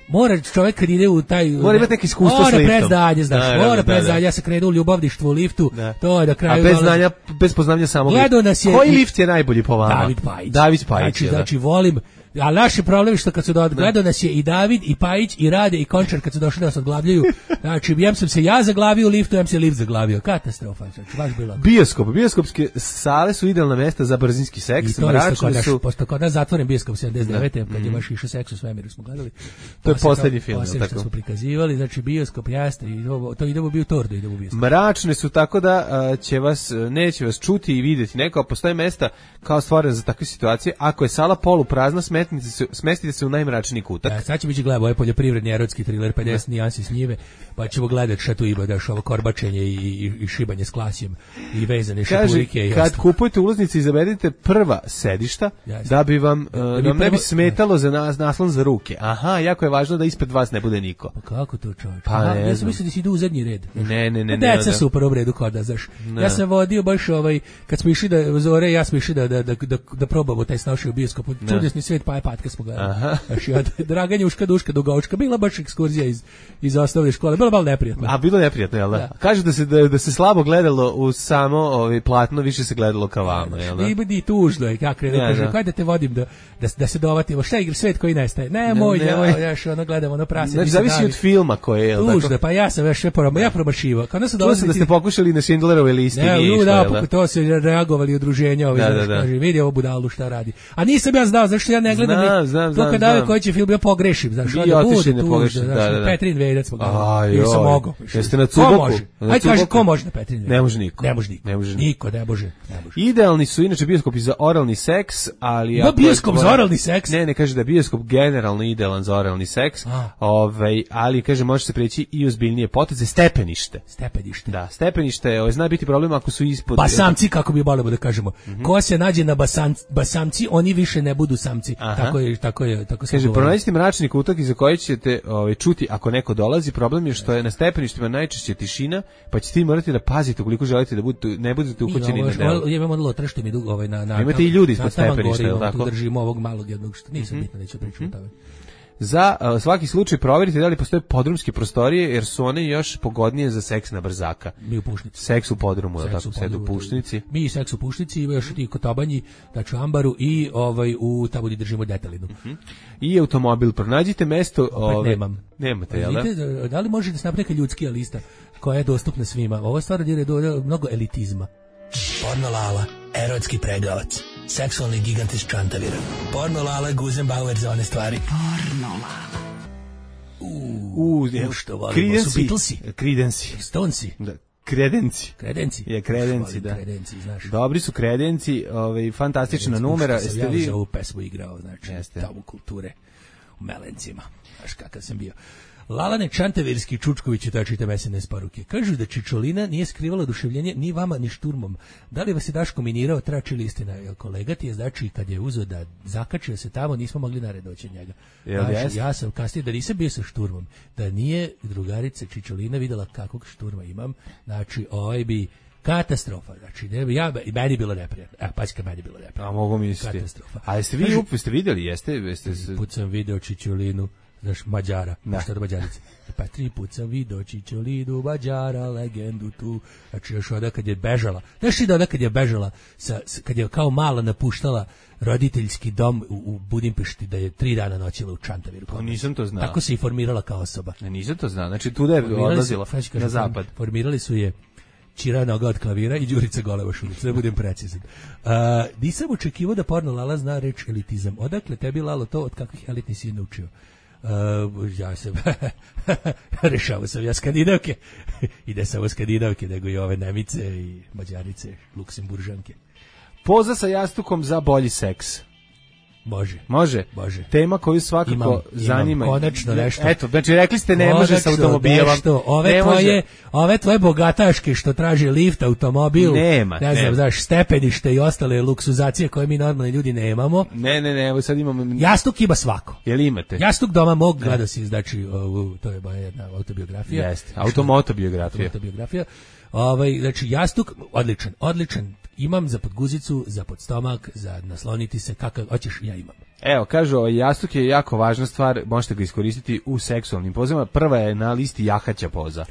Speaker 7: Mora čovjek kad ide u taj...
Speaker 6: Mora imati neki iskustvo
Speaker 7: mora
Speaker 6: s liftom.
Speaker 7: Mora prezdanje, znaš,
Speaker 6: Da, da,
Speaker 7: mora
Speaker 6: da,
Speaker 7: prezdanje.
Speaker 6: da.
Speaker 7: Ja sam krenuo u ljubavništvo u liftu,
Speaker 6: Da.
Speaker 7: to je na kraju...
Speaker 6: A bez
Speaker 7: dolazi-
Speaker 6: znanja, bez poznavanja samog
Speaker 7: Gledao
Speaker 6: lifta.
Speaker 7: nas je
Speaker 6: Koji
Speaker 7: i-
Speaker 6: lift je najbolji po vama?
Speaker 7: David Pajić.
Speaker 6: David Pajić,
Speaker 7: Znači,
Speaker 6: je, da.
Speaker 7: znači volim, a naš je problem što kad su do, gledao nas je i David, i Pajić, i Rade, i Končar kad su došli da nas odglavljaju. Znači, jem sam se ja zaglavio u liftu, jem se lift zaglavio. Katastrofa, znači, baš bilo.
Speaker 6: Bioskop, bioskopske sale su idealna mesta za brzinski
Speaker 7: I
Speaker 6: seks,
Speaker 7: to je isto kod
Speaker 6: mračne
Speaker 7: naš,
Speaker 6: su...
Speaker 7: pošto kod nas zatvoren bioskop sedamdeset devete kad je baš išao seks u svemiru smo gledali.
Speaker 6: To je
Speaker 7: Posle
Speaker 6: poslednji film,
Speaker 7: posle
Speaker 6: jel
Speaker 7: što
Speaker 6: tako?
Speaker 7: smo prikazivali, znači bioskop jeste, i ovo, to idemo bio u Tordu, idemo u bioskop.
Speaker 6: Mračne su tako da a, će vas, neće vas čuti i vidjeti neko, a postoje mesta kao stvorene za takve situacije. Ako je sala poluprazna, smetnite se, smestite se u najmračniji kutak.
Speaker 7: Da, sad ćemo ići gledati ovaj poljoprivredni erotski triler pedeset nijansi s njive, pa ćemo gledati šta tu ima, daš ovo korbačenje i, i, i šibanje s klasjem i vezane
Speaker 6: Kaže,
Speaker 7: šapurike. I
Speaker 6: kad
Speaker 7: ostalo.
Speaker 6: kupujete ulaznice, izaberite prva sedišta,
Speaker 7: Jeste.
Speaker 6: da bi vam,
Speaker 7: Da
Speaker 6: da
Speaker 7: bi
Speaker 6: vam ne bi
Speaker 7: prvo-
Speaker 6: smetalo za nas, naslon za ruke. Aha, jako je važno da ispred vas ne bude niko.
Speaker 7: Pa kako to čovječ?
Speaker 6: Pa
Speaker 7: Aha,
Speaker 6: ne
Speaker 7: ja sam
Speaker 6: znam.
Speaker 7: mislio da si idu u zadnji red. znaš.
Speaker 6: Ne, ne, ne,
Speaker 7: A
Speaker 6: ne,
Speaker 7: Deca
Speaker 6: da.
Speaker 7: su u prvom redu kod da, znaš.
Speaker 6: Ne.
Speaker 7: Ja sam vodio baš ovaj, kad smo išli da, Zore i ja smo išli da, da, da, da, da probamo taj snašao bioskop. Čudesni svijet pa je patka smo gledali.
Speaker 6: Aha.
Speaker 7: Znaš, i od Draganja Uška Duška do Gaučka. Bila baš ekskurzija iz, iz osnovne škole. Bilo malo neprijatno.
Speaker 6: A bilo je neprijatno, jel da?
Speaker 7: Da.
Speaker 6: Kažu da se da, da se slabo gledalo u samo ovaj platno, više se gledalo ka vama, jel da?
Speaker 7: I i tužno je kako krenu
Speaker 6: Ja,
Speaker 7: kaže,
Speaker 6: da.
Speaker 7: hajde da te vodim da da da se dovatimo. Šta igra svet koji nestaje? Ne, moj,
Speaker 6: ne,
Speaker 7: ne,
Speaker 6: moj.
Speaker 7: moj, ja što ono gledamo ono prase.
Speaker 6: Znači,
Speaker 7: mi se
Speaker 6: zavisi
Speaker 7: davi.
Speaker 6: od filma koje je, jel
Speaker 7: Tužno,
Speaker 6: tako?
Speaker 7: pa ja sam već sve promašio, ja promašivao. Kada su
Speaker 6: Čuo sam
Speaker 7: dolazili
Speaker 6: da
Speaker 7: ti-
Speaker 6: ste pokušali na Schindlerove listi,
Speaker 7: Ne,
Speaker 6: nije
Speaker 7: u,
Speaker 6: išlo,
Speaker 7: da,
Speaker 6: jel da?
Speaker 7: pa to se reagovali udruženja, ovi,
Speaker 6: Da,
Speaker 7: znaš,
Speaker 6: da, da.
Speaker 7: kaže, vidi ovo budalu šta radi. A nisam ja znao, zašto ja ne gledam.
Speaker 6: Znam,
Speaker 7: ni-
Speaker 6: znam,
Speaker 7: to
Speaker 6: znam,
Speaker 7: kad dave
Speaker 6: znam.
Speaker 7: koji će film, ja pogrešim, znaš,
Speaker 6: Vi
Speaker 7: onda
Speaker 6: otišli
Speaker 7: bude
Speaker 6: na
Speaker 7: tužno,
Speaker 6: pogrešan,
Speaker 7: znaš,
Speaker 6: da, da, da.
Speaker 7: Petrin Vedac smo gledali.
Speaker 6: Aj,
Speaker 7: Nisam
Speaker 6: oj.
Speaker 7: mogao.
Speaker 6: Jeste na
Speaker 7: Ko
Speaker 6: Cuboku?
Speaker 7: može?
Speaker 6: Na
Speaker 7: Aj, kaže,
Speaker 6: Cuboku?
Speaker 7: ko može na Petrin Vedac?
Speaker 6: Ne može niko.
Speaker 7: Ne može niko.
Speaker 6: Ne može
Speaker 7: niko, ne može. Ne može.
Speaker 6: Idealni su inače bioskopi za oralni seks, ali...
Speaker 7: Ima
Speaker 6: ako je
Speaker 7: bioskop za
Speaker 6: tvoja-
Speaker 7: oralni seks?
Speaker 6: Ne, ne kaže da je bioskop generalno idealan za oralni seks,
Speaker 7: A.
Speaker 6: ovaj, ali kaže može se preći i ozbiljnije poteze, stepenište.
Speaker 7: Stepenište.
Speaker 6: Da, stepenište, ovaj, zna biti problem ako su ispod...
Speaker 7: Basamci, kako bi volimo da kažemo. Ko se nađe na basan, basamci, oni više ne budu samci.
Speaker 6: Aha.
Speaker 7: Tako je, tako je, tako se
Speaker 6: Kaže,
Speaker 7: govori.
Speaker 6: pronađite mračni kutak iza koji ćete ovaj, čuti ako neko dolazi. Problem je što je na stepeništima najčešće tišina, pa ćete vi morati da pazite ukoliko želite da budete, ne budete uhoćeni na delu.
Speaker 7: Ja imam ono lotre mi dugo ovaj na na.
Speaker 6: Imate i ljudi ispod
Speaker 7: na Taman
Speaker 6: stepeništa,
Speaker 7: Gori,
Speaker 6: jel
Speaker 7: ono, tu
Speaker 6: tako?
Speaker 7: držimo ovog malog jednog što nisam bitno neću pričati o tome.
Speaker 6: Za uh, svaki slučaj provjerite da li postoje podrumske prostorije, jer su one još pogodnije za seks na brzaka.
Speaker 7: Mi u Pušnici.
Speaker 6: Seks u podrumu, je li
Speaker 7: Seks
Speaker 6: tako
Speaker 7: u
Speaker 6: sede u
Speaker 7: podrumu,
Speaker 6: Pušnici.
Speaker 7: Mi seks u Pušnici, ima još ti Kotobanji, znači u Ambaru i ovaj u tamo gdje držimo Detelinu.
Speaker 6: I automobil, pronađite mesto... Ove,
Speaker 7: nemam.
Speaker 6: Nemate, jel da?
Speaker 7: Vidite, da li može da se napravi neka ljudskija lista koja je dostupna svima? Ovo je stvar jer je do, mnogo elitizma.
Speaker 9: Porno Lala, erotski pregavac, seksualni gigant iz Čantavira. Porno Lala, Guzenbauer za one stvari.
Speaker 5: Porno Lala.
Speaker 6: U,
Speaker 7: u, što volimo, su Beatlesi.
Speaker 6: Credenci.
Speaker 7: Stonesi.
Speaker 6: Da. Kredenci.
Speaker 7: Kredenci.
Speaker 6: Je kredenci, da.
Speaker 7: Kredenci, znaš.
Speaker 6: Dobri su kredenci, ovaj, fantastična numera.
Speaker 7: Što sam
Speaker 6: Jeste
Speaker 7: ja
Speaker 6: vi...
Speaker 7: za ovu pesmu igrao, znači,
Speaker 6: Jeste.
Speaker 7: tamo kulture u Melencima. Znaš kakav sam bio. Lalane Čantavirski Čučković je ta čita mesene poruke. Kažu da Čičolina nije skrivala oduševljenje ni vama ni šturmom. Da li vas je Daško minirao, trači li istina? Jel kolega ti je znači kad je uzeo da zakačio se tamo, nismo mogli nared doći njega.
Speaker 6: Jel
Speaker 7: Znači,
Speaker 6: jest?
Speaker 7: ja sam kasnije da nisam bio sa šturmom, da nije drugarica Čičolina videla kakvog šturma imam, znači ovaj bi katastrofa, znači ne bi ja i meni bilo neprijatno. Evo, pazi kad meni bilo neprijatno.
Speaker 6: A mogu misliti.
Speaker 7: Katastrofa.
Speaker 6: A jeste vi,
Speaker 7: Kaže-
Speaker 6: up, jeste vidjeli, jeste? jeste s-
Speaker 7: Put sam video Čičolinu, znaš, Mađara,
Speaker 6: Da.
Speaker 7: šta do Mađarice. Pa tri put sam video Čičolinu, Mađara, legendu tu, znači još onda kad je bežala, znaš ti da onda kad je bežala, sa, s- kad je kao mala napuštala roditeljski dom u, u Budimpešti, da je tri dana noćila u Čantaviru.
Speaker 6: Pa nisam to znao.
Speaker 7: Tako se i formirala kao osoba.
Speaker 6: Ne, nisam to znao. Znači, tu da je
Speaker 7: Formirali su-
Speaker 6: odlazila
Speaker 7: sad ću kažem,
Speaker 6: na zapad.
Speaker 7: Formirali su je Čira noga od klavira i Đurica Goleva šulica, da budem precizan. Uh, nisam očekivao da porno Lala zna reč elitizam. Odakle tebi, Lalo, to od kakvih elitni si naučio? Uh, ja sam rešavao sam ja skandinavke i ne samo skandinavke, nego i ove Nemice i Mađarice, Luksemburžanke.
Speaker 6: Poza sa jastukom za bolji seks.
Speaker 7: Može.
Speaker 6: Može?
Speaker 7: Može.
Speaker 6: Tema koju svakako
Speaker 7: Imam, imam,
Speaker 6: zanima.
Speaker 7: konačno nešto.
Speaker 6: Eto, znači rekli ste ne može sa
Speaker 7: Konačno
Speaker 6: automobilom.
Speaker 7: nešto. Ove
Speaker 6: Ne
Speaker 7: tvoje,
Speaker 6: može.
Speaker 7: ove tvoje bogataške što traže lift, automobil,
Speaker 6: Nema,
Speaker 7: ne znam,
Speaker 6: nema.
Speaker 7: znaš, stepenište i ostale luksuzacije koje mi normalni ljudi nemamo.
Speaker 6: Ne, ne, ne, evo sad imamo...
Speaker 7: Jastuk ima svako.
Speaker 6: Jel imate?
Speaker 7: Jastuk doma mog, gledao si, znači, ovu, to je moja jedna autobiografija.
Speaker 6: Jeste, automotobiografija.
Speaker 7: Autobiografija. Ovaj, znači, jastuk, odličan, odličan. Imam za podguzicu, za podstomak, za nasloniti se, kakav hoćeš, ja imam.
Speaker 6: Evo, kažu, ovaj jastuk je jako važna stvar, možete ga iskoristiti u seksualnim pozama. Prva je na listi jahaća poza.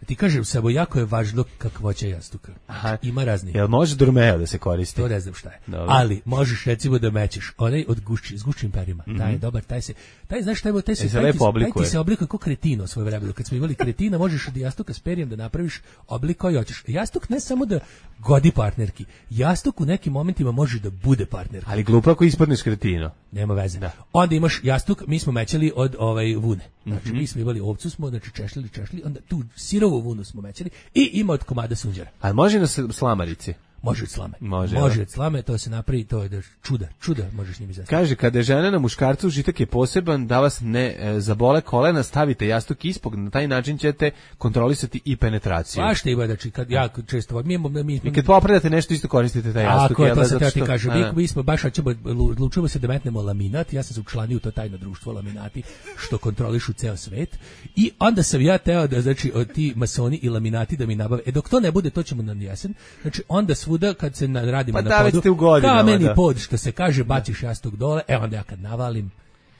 Speaker 7: Ti kažem samo, jako je važno kakvoća jastuka. Aha. Ima razni.
Speaker 6: Jel može Durmeo da se koristi?
Speaker 7: To ne znam šta je.
Speaker 6: Dobro.
Speaker 7: Ali možeš recimo da mećeš onaj od gušći, s gušćim perima. Mm-hmm. Taj je dobar, taj se, taj znaš šta je, taj se,
Speaker 6: e, se
Speaker 7: taj, ti,
Speaker 6: taj
Speaker 7: ti se oblikuje kao kretino svoje vremena. Kad smo imali kretina, možeš od jastuka s perijem da napraviš oblik koji hoćeš. Jastuk ne samo da godi partnerki, jastuk u nekim momentima može da bude partnerka.
Speaker 6: Ali glupo ako ispadneš kretino.
Speaker 7: Nema veze. Da. Onda imaš jastuk, mi smo mećali od ovaj vune. Znači mm-hmm. mi smo imali ovcu, smo znači češljali, češljali, onda tu sirovu vunu smo mećali i ima od komada sunđera.
Speaker 6: A može na slamarici?
Speaker 7: Može od slame.
Speaker 6: Može,
Speaker 7: može od slame, to se napravi, to je da čuda, čuda možeš njim izvesti.
Speaker 6: Kaže, kada je žena na muškarcu, užitak je poseban, da vas ne e, zabole kolena, stavite jastuk ispod, na taj način ćete kontrolisati i penetraciju.
Speaker 7: Pa što ima, znači, kad ja često, mi, mi, mi,
Speaker 6: I kad popredate nešto, isto koristite taj jastuk.
Speaker 7: Ako je, to sam te ti kažem, mi, mi smo baš, ćemo, odlučujemo se da metnemo laminat, ja sam se učlanio u to tajno društvo laminati, što kontrolišu ceo svet, i onda sam ja teo da, znači, ti masoni i laminati da mi nabave, e dok to ne bude, to ćemo na jesen, znači, onda svuda kad se radimo
Speaker 6: pa
Speaker 7: na podu,
Speaker 6: godinama,
Speaker 7: kameni
Speaker 6: da.
Speaker 7: pod, što se kaže, baciš jastuk dole, e onda ja kad navalim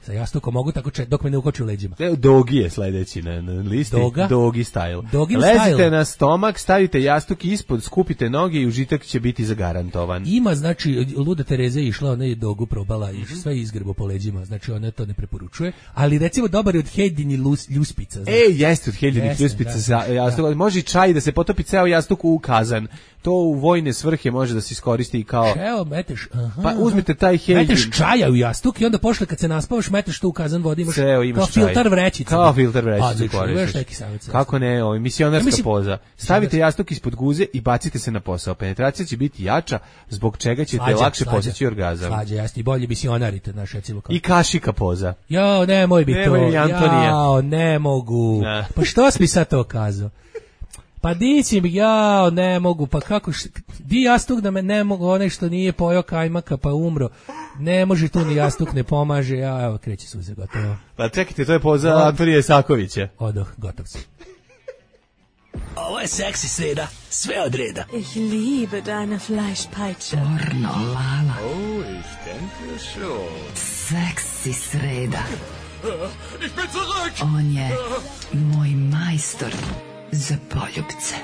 Speaker 7: sa jastukom mogu tako če, dok me ne ukoči u leđima.
Speaker 6: Dogi je sledeći na, na listi.
Speaker 7: Doga?
Speaker 6: Dogi style.
Speaker 7: Dogi
Speaker 6: Lezite
Speaker 7: style.
Speaker 6: na stomak, stavite jastuk ispod, skupite noge i užitak će biti zagarantovan.
Speaker 7: Ima, znači, Luda Tereza je išla, ona je dogu probala i mm-hmm. sve izgrebo po leđima, znači ona to ne preporučuje, ali recimo dobar je od Hejdini ljuspica. Znači.
Speaker 6: E, jeste od Hejdini ljuspica za jastuk. Da. Može i čaj da se potopi ceo jastuk u kazan. To u vojne svrhe može da se iskoristi i kao...
Speaker 7: Evo, meteš, aha,
Speaker 6: pa uzmite taj Hejdin.
Speaker 7: Meteš čaja u jastuk i onda pošle kad se naspavaš, meteš to u kazan vode, imaš,
Speaker 6: Ceo, imaš
Speaker 7: kao
Speaker 6: čaj.
Speaker 7: filtar vrećica.
Speaker 6: Kao filtar vrećica koristiš. Kako ne, ovo, misionarska ja, mislim, poza. Stavite jastuk ispod guze i bacite se na posao. Penetracija će biti jača, zbog čega ćete slađa, lakše slađa, postići orgazam.
Speaker 7: Slađa, jasni, bolje misionarite, naš recimo kao.
Speaker 6: I kašika poza.
Speaker 7: Jao, nemoj bi to.
Speaker 6: Antonija.
Speaker 7: Jao, ne mogu. Ne. Pa što si mi sad to kazao? Pa di si mi, jao, ne mogu, pa kako, š, di jastuk da me ne mogu, onaj što nije pojao kajmaka pa umro, ne može tu ni jastuk, ne pomaže, ja, evo, kreće suze, gotovo.
Speaker 6: Pa čekajte, to je poza Antonije Sakovića.
Speaker 7: Odoh, gotov si.
Speaker 9: Ovo je seksi sreda, sve od reda.
Speaker 10: Ich liebe deine Fleischpeitsche.
Speaker 5: Pornolala.
Speaker 3: Oh, ich denke schon.
Speaker 5: Seksi sreda.
Speaker 3: Ich bin zurück!
Speaker 5: On je moj majstor za poljubce.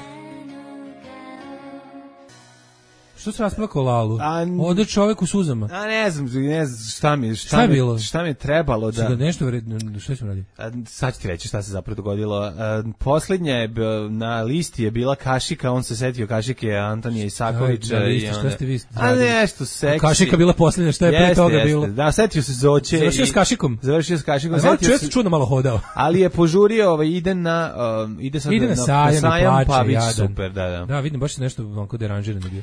Speaker 7: Što se rasplakao Lalu? Ode čovjek u suzama.
Speaker 6: A ne znam, ne znam šta mi, šta,
Speaker 7: šta,
Speaker 6: mi,
Speaker 7: bilo?
Speaker 6: šta mi je trebalo da...
Speaker 7: Šta nešto vredno, šta ćemo raditi?
Speaker 6: Sad ću ti reći šta se zapravo dogodilo. A, posljednja je na listi je bila kašika, on se setio kašike Antonija Isakovića.
Speaker 7: Na listi, šta ste vi
Speaker 6: A nešto seksi.
Speaker 7: Kašika bila posljednja, šta je pre toga
Speaker 6: jeste.
Speaker 7: bilo?
Speaker 6: Da, setio se Zoće.
Speaker 7: Završio s kašikom?
Speaker 6: Završio s kašikom.
Speaker 7: A znači, često čudno malo hodao.
Speaker 6: Ali je požurio, ovaj, ide na, um, ide sad
Speaker 7: ide na,
Speaker 6: na
Speaker 7: sajam,
Speaker 6: na sajam
Speaker 7: plače,
Speaker 6: pa biće
Speaker 7: jadan.
Speaker 6: super, da, da.
Speaker 7: Da, vidim, baš se nešto onako deranžirano bio.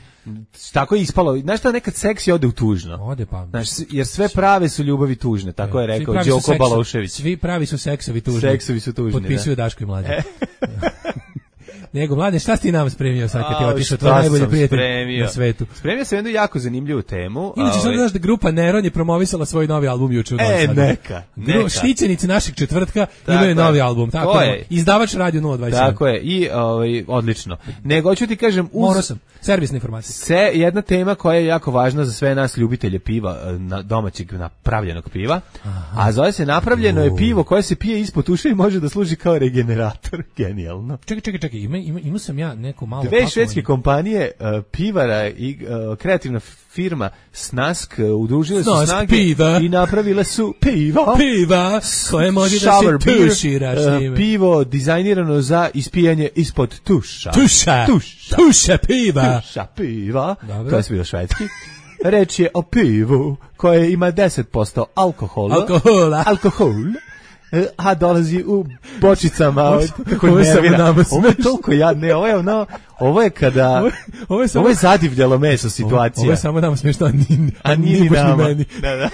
Speaker 6: Tako je ispalo. Znaš šta, nekad seksi ode u tužno.
Speaker 7: Ode pa.
Speaker 6: Znaš, jer sve prave su ljubavi tužne, tako je rekao Đoko Balošević.
Speaker 7: Svi pravi su seksovi tužni.
Speaker 6: Seksovi su tužni,
Speaker 7: potpisuju
Speaker 6: da.
Speaker 7: Daško i Mlađa. E. Nego, Mladen, šta si ti nam spremio sad kad ti otišao, tvoj najbolji prijatelj
Speaker 6: spremio.
Speaker 7: Na svetu?
Speaker 6: Spremio sam jednu jako zanimljivu temu.
Speaker 7: Inače, sad znaš da grupa Neron je promovisala svoj novi album juče u Novom
Speaker 6: E,
Speaker 7: Sadu.
Speaker 6: neka, neka.
Speaker 7: Štićenici našeg četvrtka
Speaker 6: tako
Speaker 7: imaju
Speaker 6: je.
Speaker 7: novi album. Tako je. Izdavač Radio nula dvadeset sedam.
Speaker 6: Tako je, i ovaj, odlično. Nego, ću ti kažem... Uz...
Speaker 7: Morao sam. Servisna informacija.
Speaker 6: Se, jedna tema koja je jako važna za sve nas ljubitelje piva, na, domaćeg napravljenog piva, aha. A zove se napravljeno je pivo koje se pije ispod uša i može da služi kao regenerator. Genijalno.
Speaker 7: Čekaj, čekaj, čekaj, ima, ima, ima sam ja neko malo...
Speaker 6: Dve pakovanje. Švedske kompanije, uh, pivara i uh, kreativna firma Snask uh, udružile su
Speaker 7: Snask
Speaker 6: snage
Speaker 7: piva.
Speaker 6: I napravile su pivo.
Speaker 7: Piva koje može da se tuširaš
Speaker 6: uh, pivo dizajnirano za ispijanje ispod tuša.
Speaker 7: Tuša. Tuša. Tuša piva.
Speaker 6: Tuša piva.
Speaker 7: Dobro.
Speaker 6: To je bilo švedski. Reč je o pivu koje ima deset posto alkohola.
Speaker 7: Alkohola.
Speaker 6: Alkohol. A dolazi u bočicama od, kako
Speaker 7: ovo
Speaker 6: nervira. Ovo je toliko jadne, ovo je ono, ovo je kada, ovo, ovo je, samo, ovo je zadivljalo meso situacija.
Speaker 7: Ovo je samo nama smiješno, a nije,
Speaker 6: a nije ni nama. Meni. Da, da.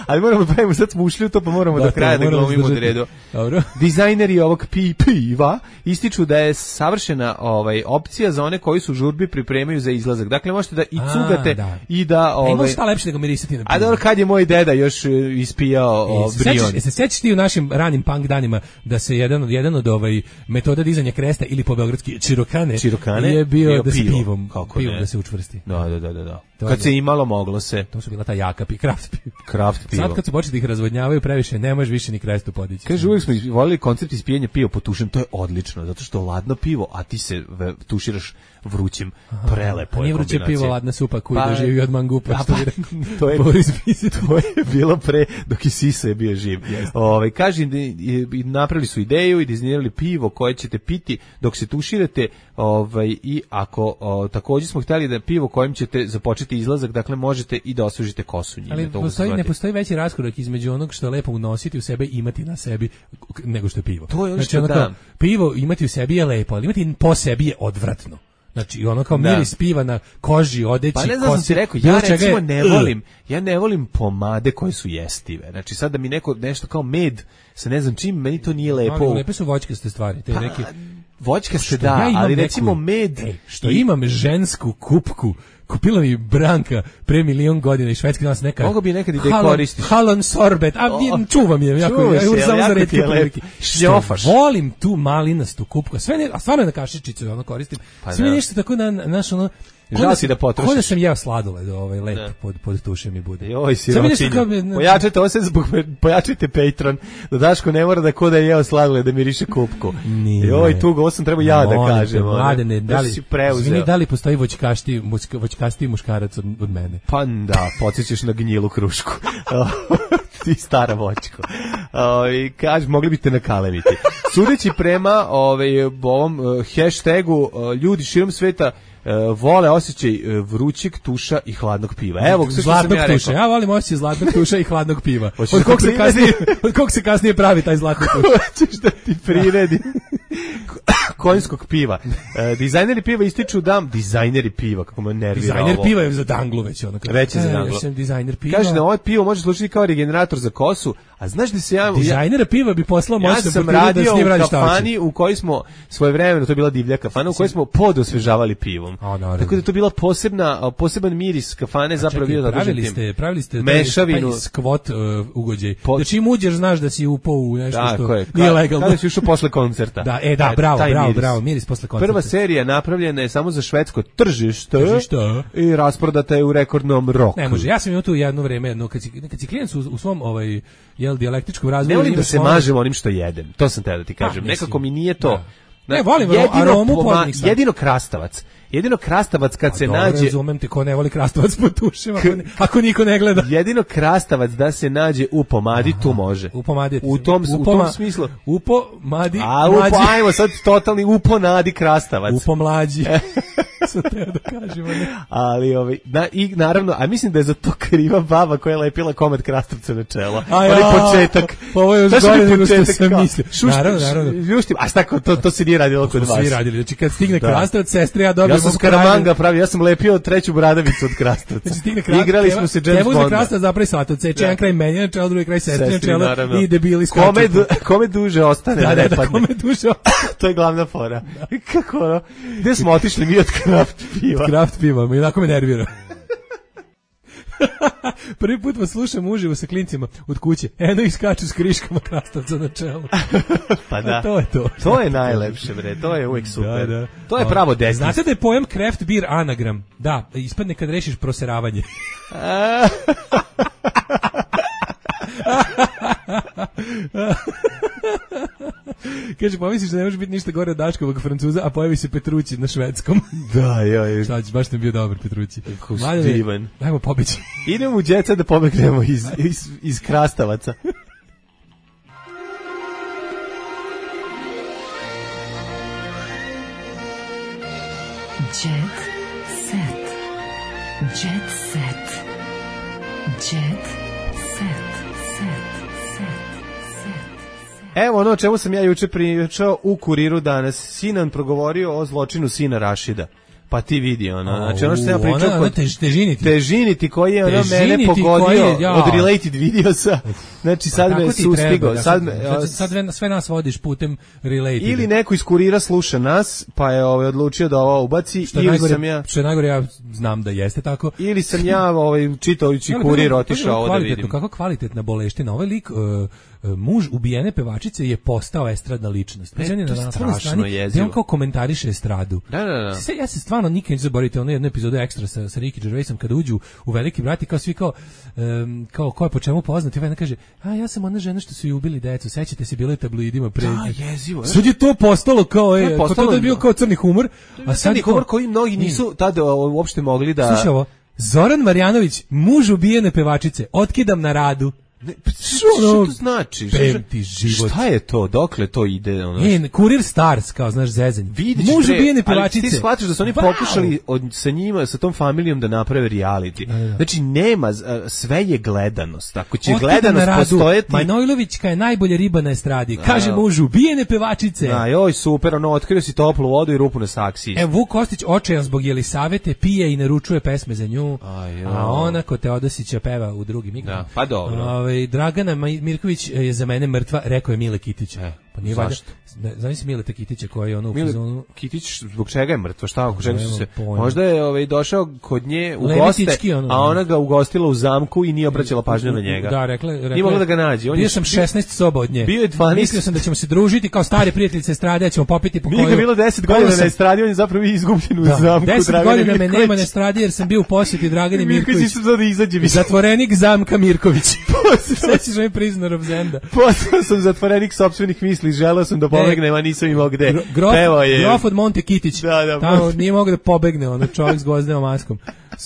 Speaker 6: Ali moramo pravimo sad smo ušli u to, pa moramo da, do kraja da glumimo od redu.
Speaker 7: Dobro.
Speaker 6: Dizajneri ovog pi, piva ističu da je savršena ovaj, opcija za one koji su žurbi pripremaju za izlazak. Dakle, možete da i cugate a, da. I da...
Speaker 7: Ovaj,
Speaker 6: ima
Speaker 7: šta lepše nego mirisati na pivu.
Speaker 6: A dobro, kad je moj deda još ispijao e, brion.
Speaker 7: E, se sećaš ti u našim ranim punk danima da se jedan od, jedan od ovaj, metoda dizanja kresta ili po beogradski čirokane,
Speaker 6: čirokane
Speaker 7: je bio, bio da se
Speaker 6: pivo.
Speaker 7: pivom,
Speaker 6: Kako
Speaker 7: pivom
Speaker 6: ne?
Speaker 7: Da se učvrsti.
Speaker 6: Da, da, da, da.
Speaker 7: To
Speaker 6: kad
Speaker 7: je,
Speaker 6: se imalo, moglo se.
Speaker 7: To su bila ta jaka pi, kraft piva.
Speaker 6: Kraft pivo.
Speaker 7: Sad kad su počeli da ih razvodnjavaju previše, ne možeš više ni krestu podići.
Speaker 6: Kaže, uvijek smo volili koncept ispijanja piva po tušem, to je odlično, zato što ladno pivo, a ti se ve, tuširaš vrućim, prelepo je.
Speaker 7: Nije vruće pivo, ladna supa koju pa, doživi od mangupa.
Speaker 6: Pa, pa, to, je, to je bilo pre, dok i Sisa je bio živ. Ove, kaže, napravili su ideju i dizajnirali pivo koje ćete piti dok se tuširate, ovaj, i ako o, također smo htjeli da pivo kojim ćete započeti izlazak, dakle možete i da osvežite kosu njime.
Speaker 7: Ali postoji, ne postoji veći raskorak između onog što je lepo unositi u sebe i imati na sebi nego što je pivo.
Speaker 6: To je ono
Speaker 7: znači,
Speaker 6: što
Speaker 7: ono
Speaker 6: da.
Speaker 7: Kao, pivo imati u sebi je lepo, ali imati po sebi je odvratno. Znači, ono kao miris da. Piva na koži, odeći,
Speaker 6: pa ne znam,
Speaker 7: kosi.
Speaker 6: Sam ti rekao, ja recimo ne volim, ja ne volim pomade koje su jestive. Znači, sad da mi neko nešto kao med, sa ne znam čim, meni to nije lepo.
Speaker 7: Ali lepe su voćkaste stvari, te pa, neke...
Speaker 6: Voćkaste da, ja ali recimo neku, med...
Speaker 7: Ej, što i... imam žensku kupku, kupila mi Branka pre milion godina i švedski nas neka...
Speaker 6: Mogu bi nekad i da je koristiš.
Speaker 7: Halon sorbet, a oh, čuvam je, jako, ja,
Speaker 6: se,
Speaker 7: samo za retke
Speaker 6: prilike. Šnjofaš.
Speaker 7: Volim tu malinastu kupku, sve ne, a stvarno je na kašičicu, ono koristim.
Speaker 6: Pa
Speaker 7: sve da. Nešto tako na, naš ono...
Speaker 6: Žal si da potrošiš.
Speaker 7: Ko da sam jeo sladoled, ovaj lep da. pod pod tušem mi bude.
Speaker 6: Joj, siročinja. Pojačajte ovo se zbog pojačajte Patreon. Da Daško ne mora da ko da je jeo sladoled da miriše kupku. Joj, tugo, ovo sam treba ja da kažem.
Speaker 7: Mladene, da li izvini, da li postoji voćkasti, voćkasti muškarac od, od mene?
Speaker 6: Pa da, podsjećaš na gnjilu krušku. Ti stara voćko. I kaže, mogli biste nakalemiti. Sudeći prema ovaj ovom hashtagu, ljudi širom sveta Uh, vole osjećaj uh, vrućeg tuša i hladnog piva. Evo, sve što sam ja rekao.
Speaker 7: Ja volim osjećaj zlatnog tuša i hladnog piva. Od kog se kasnije, od kog se kasnije pravi taj zlatni tuš?
Speaker 6: Hoćeš da ti priredi konjskog piva. Uh, dizajneri piva ističu da dizajneri piva, kako me nervira
Speaker 7: dizajner
Speaker 6: ovo.
Speaker 7: Piva je za danglu već ono.
Speaker 6: Već je za danglu.
Speaker 7: Ja sam dizajner piva.
Speaker 6: Kaže da ovo pivo može služiti kao regenerator za kosu, a znaš da se ja...
Speaker 7: Dizajnera piva bi poslao
Speaker 6: ja
Speaker 7: moćno
Speaker 6: sam radio u kafani u kojoj smo svojevremeno, to je bila divlja kafana, u kojoj smo podosvežavali pivom.
Speaker 7: A,
Speaker 6: tako da je to bila posebna, poseban miris kafane, zapravo bio zadužen
Speaker 7: pravili ste, pravili ste
Speaker 6: mešavinu,
Speaker 7: taj skvot uh, ugođaj. Po... Da čim uđeš znaš da si upao u nešto da, što
Speaker 6: je,
Speaker 7: nije legalno.
Speaker 6: Kada si ušao posle koncerta.
Speaker 7: Da, e da, bravo, bravo, miris. bravo, miris posle koncerta.
Speaker 6: Prva serija napravljena je samo za švedsko tržište,
Speaker 7: tržište.
Speaker 6: I rasprodata je u rekordnom roku.
Speaker 7: Ne može, ja sam imao tu jedno vreme, no kad si, kad si klijent u, u svom ovaj, jel, dijalektičkom razvoju...
Speaker 6: Ne volim da se mažem onim što jedem, to sam te da ti kažem. Pa, nekako mi nije to...
Speaker 7: Da. Ne, volim aromu podnih sad.
Speaker 6: Jedino krastavac. Jedino krastavac kad
Speaker 7: a
Speaker 6: se
Speaker 7: dobro,
Speaker 6: nađe...
Speaker 7: razumem te ko ne voli krastavac po tušima, ako, ako niko ne gleda.
Speaker 6: Jedino krastavac da se nađe u pomadi, aha, tu može.
Speaker 7: U pomadi.
Speaker 6: U tom, u, u tom smislu.
Speaker 7: U pomadi.
Speaker 6: A, upo, ajmo sad totalni u ponadi krastavac.
Speaker 7: U pomlađi. Sad treba da kažemo. Ne?
Speaker 6: Ali, ovaj, na, i naravno, a mislim da je za to kriva baba koja je lepila komad krastavca na čelo.
Speaker 7: A ja,
Speaker 6: početak.
Speaker 7: Ovo je još gore nego što sam mislio.
Speaker 6: Naravno, naravno. Ljuštim, a šta, to, to se nije radilo kod vas.
Speaker 7: Svi radili, znači kad stigne da. Krastavac, sestre, ja dobijem...
Speaker 6: Ja sam Skaramanga pravi, ja sam lepio treću bradavicu od krastavca.
Speaker 7: Znači,
Speaker 6: igrali smo se James Bonda.
Speaker 7: Evo za krastavac zapravi salatu, ceče jedan kraj menja na čelo, drugi kraj sestre na čelo i debili skaču.
Speaker 6: Kome, du, kome duže ostane,
Speaker 7: da,
Speaker 6: da ne
Speaker 7: da,
Speaker 6: padne.
Speaker 7: Kome duže ostane.
Speaker 6: To je glavna fora. Da. Kako ono? Gde smo otišli mi od kraft piva?
Speaker 7: Kraft piva, mi onako me nervira. Prvi put vas slušam uživo sa klincima od kuće. Eno iskaču s kriškama krastavca na čelu.
Speaker 6: Pa da.
Speaker 7: A to je to.
Speaker 6: To je najlepše, bre. To je uvijek super. Da, da. To je
Speaker 7: o,
Speaker 6: pravo detinjstvo.
Speaker 7: Znate da je pojam craft beer anagram? Da, ispadne kad rešiš proseravanje. Kaže, pomisliš da ne može biti ništa gore od Daškovog Francuza, a pojavi se Petrući na švedskom.
Speaker 6: Da, joj.
Speaker 7: Šta ćeš, baš ne bio dobar Petrući.
Speaker 6: Divan.
Speaker 7: Dajmo pobeći.
Speaker 6: Idemo u djeca da pobegnemo iz, iz, iz krastavaca.
Speaker 5: Jet set. Jet set. Jet set.
Speaker 6: Evo ono o čemu sam ja juče pričao u Kuriru danas. Sinan progovorio o zločinu sina Rašida. Pa ti vidi ono. Znači ono što sam ja pričao
Speaker 7: ona,
Speaker 6: kod
Speaker 7: tež, težiniti.
Speaker 6: Težiniti koji je ono mene pogodio je, ja. Od related videosa. Znači sad pa me sustigao. Sad,
Speaker 7: sad, sad sve nas vodiš putem related.
Speaker 6: Ili neko iz Kurira sluša nas, pa je ovaj odlučio da ovo ubaci.
Speaker 7: Što
Speaker 6: ili
Speaker 7: najgore,
Speaker 6: sam ja...
Speaker 7: Što je najgore, ja znam da jeste tako.
Speaker 6: Ili sam ja ovaj, čitajući Kurir otišao ovo da vidim.
Speaker 7: Kako kvalitetna boleština. Ovaj lik... Uh, muž ubijene pevačice je postao estradna ličnost.
Speaker 6: E,
Speaker 7: on je
Speaker 6: to je
Speaker 7: na
Speaker 6: strašno
Speaker 7: strani
Speaker 6: jezivo.
Speaker 7: gde on kao komentariše estradu.
Speaker 6: Da, da, da.
Speaker 7: Se, ja se stvarno nikad neću zaboraviti ono jednu epizodu Ekstra sa, sa Ricky Gervaisom kada uđu u Veliki brat i kao svi kao, um, kao ko je po čemu poznat i ovaj kaže, a ja sam ona žena što su ju ubili decu, sećate se, bilo je tabloidima pre.
Speaker 6: Da, jezivo.
Speaker 7: Sad je to postalo kao, e,
Speaker 6: postalo,
Speaker 7: kao to je bio kao crni humor, a sad
Speaker 6: crni humor koji mnogi nisu tada uopšte mogli da...
Speaker 7: Slušaj ovo, Zoran Marjanović, muž ubijene pevačice, otkidam na radu.
Speaker 6: Ne, što to znači?
Speaker 7: Pemti život.
Speaker 6: Šta je to? Dokle to ide? Ono?
Speaker 7: E, Kurir Stars, kao znaš zezanj.
Speaker 6: Vidiš,
Speaker 7: muž
Speaker 6: pre,
Speaker 7: ubijene pevačice.
Speaker 6: Ali ti shvatiš da su oni
Speaker 7: wow.
Speaker 6: pokušali od, sa njima, sa tom familijom da naprave reality. Da, da. Znači, nema, sve je gledanost. Ako će
Speaker 7: Otkida
Speaker 6: gledanost postojati...
Speaker 7: Manojlovićka je najbolje riba na estradi. Kaže muž ubijene pevačice.
Speaker 6: Da, joj, super, ono, otkrio si toplu vodu i rupu na saksiji.
Speaker 7: E, Vuk Kostić, očajan zbog Jelisavete, pije i naručuje pesme za nju.
Speaker 6: Aj,
Speaker 7: a ona kod Teodosića peva u drugim mikrofonu.
Speaker 6: Da, pa dobro.
Speaker 7: Ove, Dragana Mirković je za mene mrtva, rekao je Mile Kitić.
Speaker 6: E,
Speaker 7: pa nije valjda. Znaš si Mileta Kitića koji je ono u
Speaker 6: Mile
Speaker 7: fazonu...
Speaker 6: Kitić zbog čega je mrtva? Šta oko čega su se... Možda je ovaj, došao kod nje u goste,
Speaker 7: ono,
Speaker 6: a ona ga ugostila u zamku i nije obraćala pažnju na njega.
Speaker 7: Da, rekla, rekla
Speaker 6: nije mogla da ga nađe. On
Speaker 7: bio
Speaker 6: je,
Speaker 7: sam šesnaest soba od nje.
Speaker 6: Bio je dvanaest.
Speaker 7: Mislio sam da ćemo se družiti kao stare prijateljice estrade, ćemo popiti po koju...
Speaker 6: Nije ga bilo deset godina na estradi, on je zapravo izgubljen u da, zamku.
Speaker 7: deset godina me nema na estradi jer sam bio u posjeti Dragani Mirković.
Speaker 6: Mirković sam da izađe.
Speaker 7: Zatvorenik zamka Mirković. Sećaš me Prisoner of Zenda.
Speaker 6: Postao sam zatvorenik sopstvenih misli, želeo sam da pobegnem, a nisam imao gde.
Speaker 7: Grof, grof od Monte Kitić.
Speaker 6: Da, da,
Speaker 7: tamo nije mogao da pobegne, ono čovjek s gvozdenom maskom.